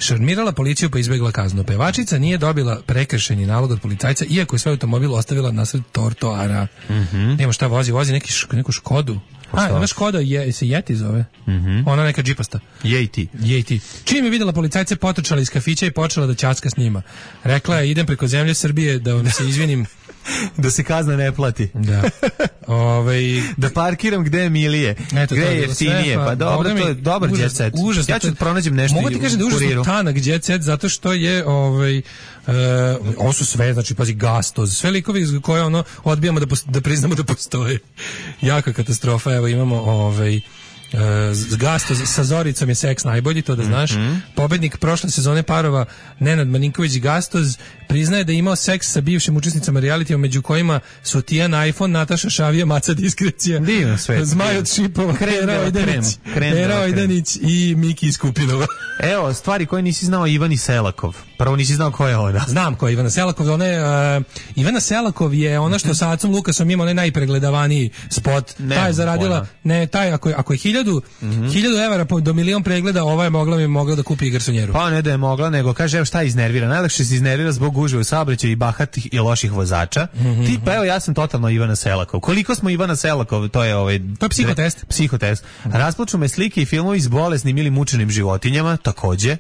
Šarmirala policiju pa izbegla kaznu. Pevačica nije dobila prekršajni nalog od policajca, iako je svoj automobil ostavila nasred trotoara. Mm-hmm. Nema šta vozi, vozi neki š, neku Škodu. A, ima Škoda, je, se Yeti zove. Mm-hmm. Ona neka džipasta. Yeti. Yeti. Čim je videla policajce, potrčala iz kafića i počela da ćacka s njima. Rekla je, idem preko zemlje Srbije da vam se izvinim. Da se kazna ne plati. Da. Ovaj da parkiram gde je milije. Eto, gde je jeftinije. Pa, pa dobro, mi, to je dobar jet set. Užasno, ja ću pronađem nešto. Mogu ti kažem da je užasno tanak jet set zato što je ovaj uh, ovo su sve, znači pazi Gastoz, sve likovi koje ono odbijamo da, da priznamo da postoje. Jaka katastrofa, evo imamo ovaj Uh, Gasto sa Zoricom je seks najbolji, to da znaš. Mm-hmm. Pobednik prošle sezone parova Nenad Marinković i Gastoz priznaje da je imao seks sa bivšim učesnicama realitija, među kojima su Tijana iPhone, Nataša Šavija, Maca Diskrecija, Zmaj od Šipova, Hera Ojdanić, Hera Ojdanić i Miki iz Kupinova. Evo, stvari koje nisi znao, Ivani Selakov. Prvo nisi znao ko je ona. Znam ko je Ivana Selakov. Ona je, uh, Ivana Selakov je ona što sa Acom Lukasom ima onaj najpregledavaniji spot. Ne, ta je zaradila, pojma. ne, taj, ako je, ako je hiljadu, mm-hmm. hiljadu evara po, do milion pregleda, ova je mogla, mi mogla da kupi garsonjeru. Pa ne da je mogla, nego kaže, evo šta iznervira. Najlakše se iznervira zbog gužve u saobraćaju i bahatih i loših vozača. Mm-hmm. Ti, pa evo, ja sam totalno Ivana Selakov. Koliko smo Ivana Selakov, to je ovaj... To je psihotest. Psihotest. Mm-hmm. Rasplaču me slike i filmovi s bolesnim ili mučenim životinjama, takođe.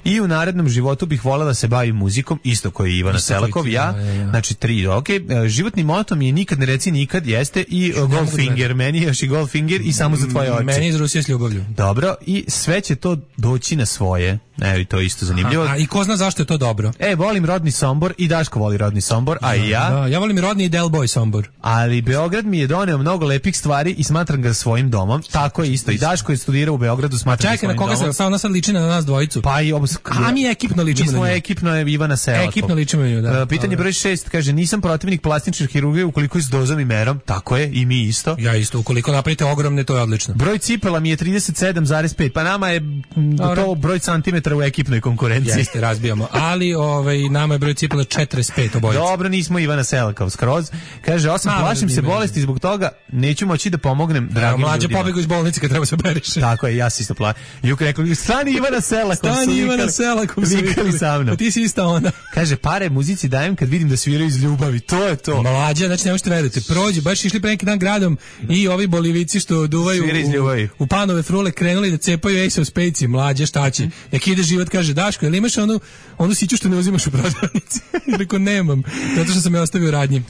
I u narednom životu bih voljela da se bavim muzikom, isto koji je Ivana Selakov, ja, ja, ja. Znači tri, ok. Životni moto mi je nikad ne reci nikad, jeste i Goldfinger, meni je još i Goldfinger i samo za tvoje oči. Meni iz Rusije s ljubavlju. Dobro, i sve će to doći na svoje. Evo i to je isto zanimljivo. A, a i ko zna zašto je to dobro? E, volim rodni Sombor i Daško voli rodni Sombor, a i ja. Da, ja volim i rodni i Del Boy Sombor. Ali Beograd mi je doneo mnogo lepih stvari i smatram ga svojim domom. Tako je isto. I Daško je studirao u Beogradu, smatram ga svojim domom. Čekaj, na koga se ona sad liči na nas dvojicu? Pa i obos... A mi ekipno ličimo na nju. Mi smo ekipno je Ivana Selakov. Ekipno ličimo na nju, da. Pitanje broj šest, kaže, nisam protivnik plastične hirurgije ukoliko je s dozom i merom. Tako je, i mi isto. Ja isto, ukoliko napravite ogromne, to je odlično. Broj cipela mi je trideset sedam zarez pet, pa nama je to broj centimetara u ekipnoj konkurenciji. Jeste, razbijamo. Ali ovaj, nama je broj cipela četrdeset pet obojica. Dobro, nismo Ivana Selakov skroz. Kaže, osam, plašim se bolesti zbog toga, neću moći da pomognem dragim ljudima. Mlađe pobegu iz bolnice kad treba se beriše. Tako je, ja si isto plašim. Juka rekao, stani Ivana Selakov. Stani Ivana Selakov. Vikali sa mnom. Ti si ista ona. Kaže, pare muzici dajem kad vidim da sviraju iz ljubavi. To je to. Mlađe, znači ne možete verujete. Prođe, baš išli pre neki dan gradom i ovi Bolivici što duvaju u, u panove frule krenuli da cepaju Ace of Spades. Mlađe, šta će? Nek ide život, kaže, Daško, jel imaš onu, onu siću što ne uzimaš u prodavnici? Rekao, nemam, zato što sam je ostavio radnji.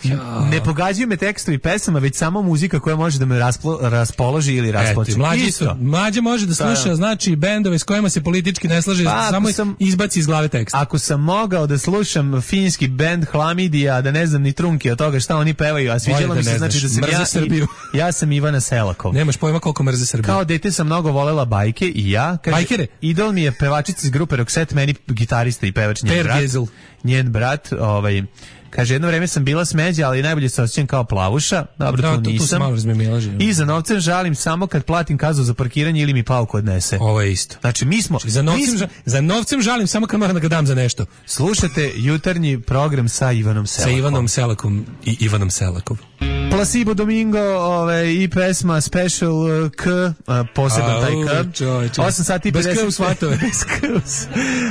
Ne pogađaju me tekstovi pesama, već samo muzika koja može da me rasplo, raspoloži ili rasplači. Mlađe, mlađe može da sluša, da. Znači, bendove s kojima se politički ne slaže, pa, samo sam, izbaci iz glave tekst. Ako sam mogao da slušam finski bend Hlamidija, da ne znam ni trunke od toga šta oni pevaju, a sviđalo mi se, znači da sam ja, Srbiju. I, ja sam Ivana Selakov. Nemaš pojma koliko mrze Srbiju. Kao dete sam mnogo volela bajke i ja. Kaže, bajkere? Idol mi je pevačica iz grupe Roxette, meni gitarista i pevač njen brat. Gezel. Njen brat, ovaj... Kaže, jedno vreme sam bila smeđa, ali najbolje se osjećam kao plavuša. Dobro, da, tu nisam. Tu I za novcem žalim samo kad platim kaznu za parkiranje ili mi pauku odnese. Ovo je isto. Znači, mi smo... Znači, za, novcem, mi smo, za novcem žalim samo kad moram da ga dam za nešto. Slušate jutarnji program sa Ivanom Selakom. Sa Ivanom Selakom i Ivanom Selakov. Placebo Domingo, ove, i pesma Special K, poseban taj K. osam sati i pedeset. Bez K u svatove.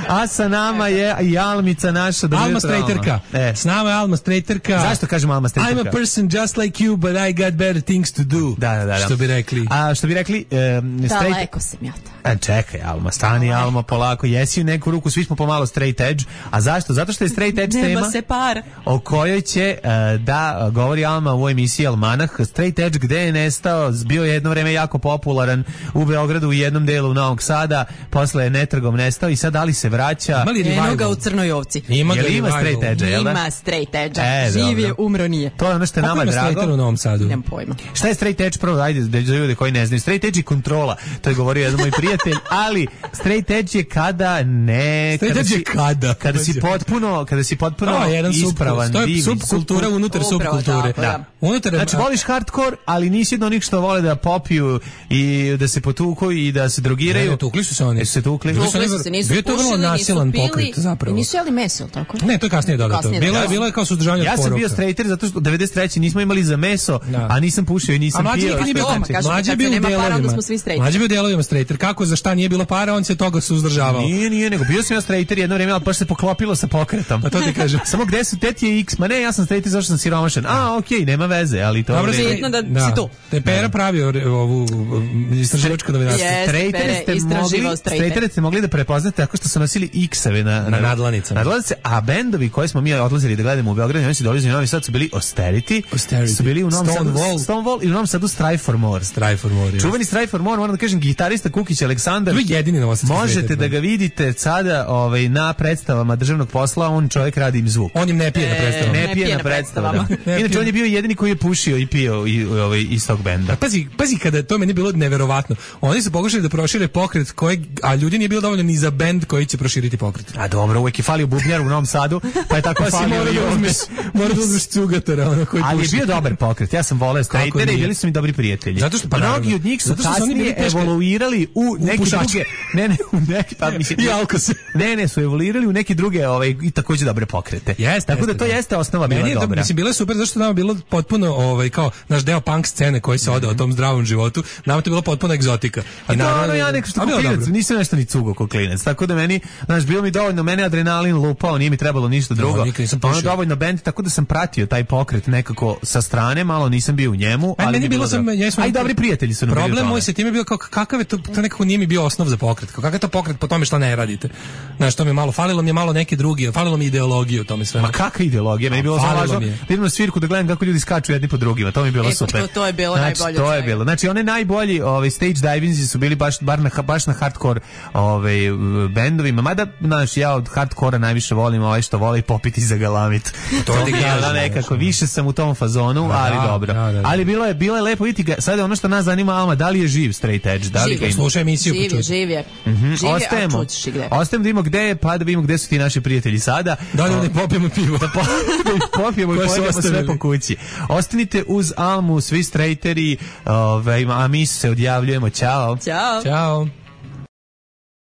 A sa nama je i Almica naša. Alma Strejterka. E. S nama je Alma Strejterka. Zašto kažemo Alma Strejterka? I'm a person just like you, but I got better things to do. Da, da, da. Što bi rekli. A što bi rekli... Um, Daleko sam ja to. E, čekaj, Alma, stani, Alma, polako. Jesi u neku ruku, svi smo pomalo straight edge. A zašto? Zato što je straight edge tema... Nema se par. O kojoj će uh, da govori Alma u ovoj emisiji Almanah. Straight edge gde je nestao, bio je jedno vreme jako popularan u Beogradu, u jednom delu Novog Sada, posle je netragom nestao i sad da li se vraća? Eno ga u Crnoj Ovci. Ima ga, ima straight edge, jel da? Ima straight edge. E, živ je, umro nije. To je ono što je nama drago. U Novom Sadu? Nemam pojma. Šta je straight edge? Prvo, ajde, da ljude koji ne znaju. Straight edge je kontrola. To je govorio jedan moj prijatelj, ali straight edge je kada ne... Straight edge je kada? Kada si potpuno, kada si potpuno ispravan, divni. To je subkultura unutar subkulture. Unutar, znači, voliš hardcore, ali nisi od onih što vole da popiju i da se potuku i da se drogiraju. Ne, tukli su se oni. Se tukli. Tukli su se, nisu bio to vrlo nasilan pokret, zapravo. I nisu jeli meso, tako? Ne, to je kasnije dodato. Bilo je, bilo je kao suzdržavanje od poroka. Ja sam bio straighter zato što devedeset treće nismo imali za meso, da. A nisam pušio i nisam a pio. Mlađe je bio u delovima. Mlađe je bio u delovima straighter. Kako, za šta nije bilo para, on se toga suzdržavao. Nije, nije, nego bio sam ja straighter jedno vreme, ali baš se poklopilo sa pokretom. A to ti kažem. Samo gde su teti je X, ma ne, ja sam straighter zašto sam siromašan. A, okej, okay, nema veze, ali to dobro, je da, da si tu. Te Pera pravio ovu istraživačku novinarstvo. Straightere ste mogli da prepoznate tako što su nosili X-eve na, na, na nadlanicama. Nadlanice, a bendovi koje smo mi odlazili da gledamo u Beogradu, oni su dolazili u Novi Sad, su bili Austerity, Austerity. Su bili u Novom Sadu, Stonewall. Stonewall i u Novom Sadu Strive for More. Strive for More. Čuveni Strive for More, moram da kažem, gitarista Kukić Aleksandar. To je jedini novosadski. Možete da ga vidite sada ovaj, na predstavama državnog posla, on čovjek radi im zvuk. On im ne pije na predstavama. Ne pije na predstavama. Inače, on je bio jedini koji je pušio i pio i, ovaj, iz tog benda. Pazi, pazi kada to meni bilo neverovatno. Oni su pokušali da prošire pokret, kojeg, a ljudi nije bilo dovoljno ni za bend koji će proširiti pokret. A dobro, uvek je falio bubnjar u Novom Sadu, pa je tako pa falio i ovdje. Mora da uzmeš cugatara, ono koji ali puši. je bio dobar pokret, ja sam voleo straightere i bili su mi dobri prijatelji. Zato što, pa mnogi od njih su kasnije evoluirali u neke druge, ne, ne, u neke, pa mislim, i alkose. Ne, ne, su evoluirali u neke druge, ovaj, i takođe dobre pokrete. Jeste, tako jeste, da to da. jeste osnova bila meni je, dobra. Mislim, bilo je super, zašto nama bilo potpuno, ovaj, kao, naš deo punk scene koji se ode o tom zdravom životu, nama to bilo potpuno egzotika. I naravno, ja neko što klinac, nisam nešto ni cugo ko klinac, tako da meni, znaš, bilo mi dovoljno, mene adrenalin lupao, nije mi trebalo ništa drugo. No, ono dovoljno bend, tako da sam pratio taj pokret nekako sa strane, malo nisam bio u njemu, ali meni bilo sam, ja aj dobri prijatelji su nam bili. Problem moj sa time je bio kao kakav je to, to nekako nije mi bio osnov za pokret. Kakav je to pokret po tome što ne radite. Znaš, to mi je malo falilo, mi je malo neke drugi, falilo mi ideologije u tome sve. Ma kakva ideologija? Meni je bilo samo važno da idem na svirku da gledam kako ljudi skaču jedni po drugima. To mi je bilo e, super. To, to je bilo znači, najbolje. To je bilo. Znači one najbolji, ovaj stage divingsi su bili baš bar na baš na hardcore, ovaj bendovima. Mada znaš, ja od hardkora najviše volim ovaj što voli popiti za galamit. To je da nekako više sam u tom fazonu, da, ali dobro. Da, da, da. Ali bilo je bilo je lepo vidjeti ga. Sad je ono što nas zanima, Alma, da li je živ Straight Edge, da li živ, ga slušaj emisiju živ, počuti. Živ je. Mm-hmm. Živ je, ostajemo. a čućeš i gde. Ostajemo da vidimo gde je, pa da vidimo gde su ti naši prijatelji sada. Da li ne popijemo pivo? Da popijemo i pojedemo sve po kući. Ostanite uz Almu, svi strejteri, ovaj, a mi se odjavljujemo. Ćao. Ćao. Ćao.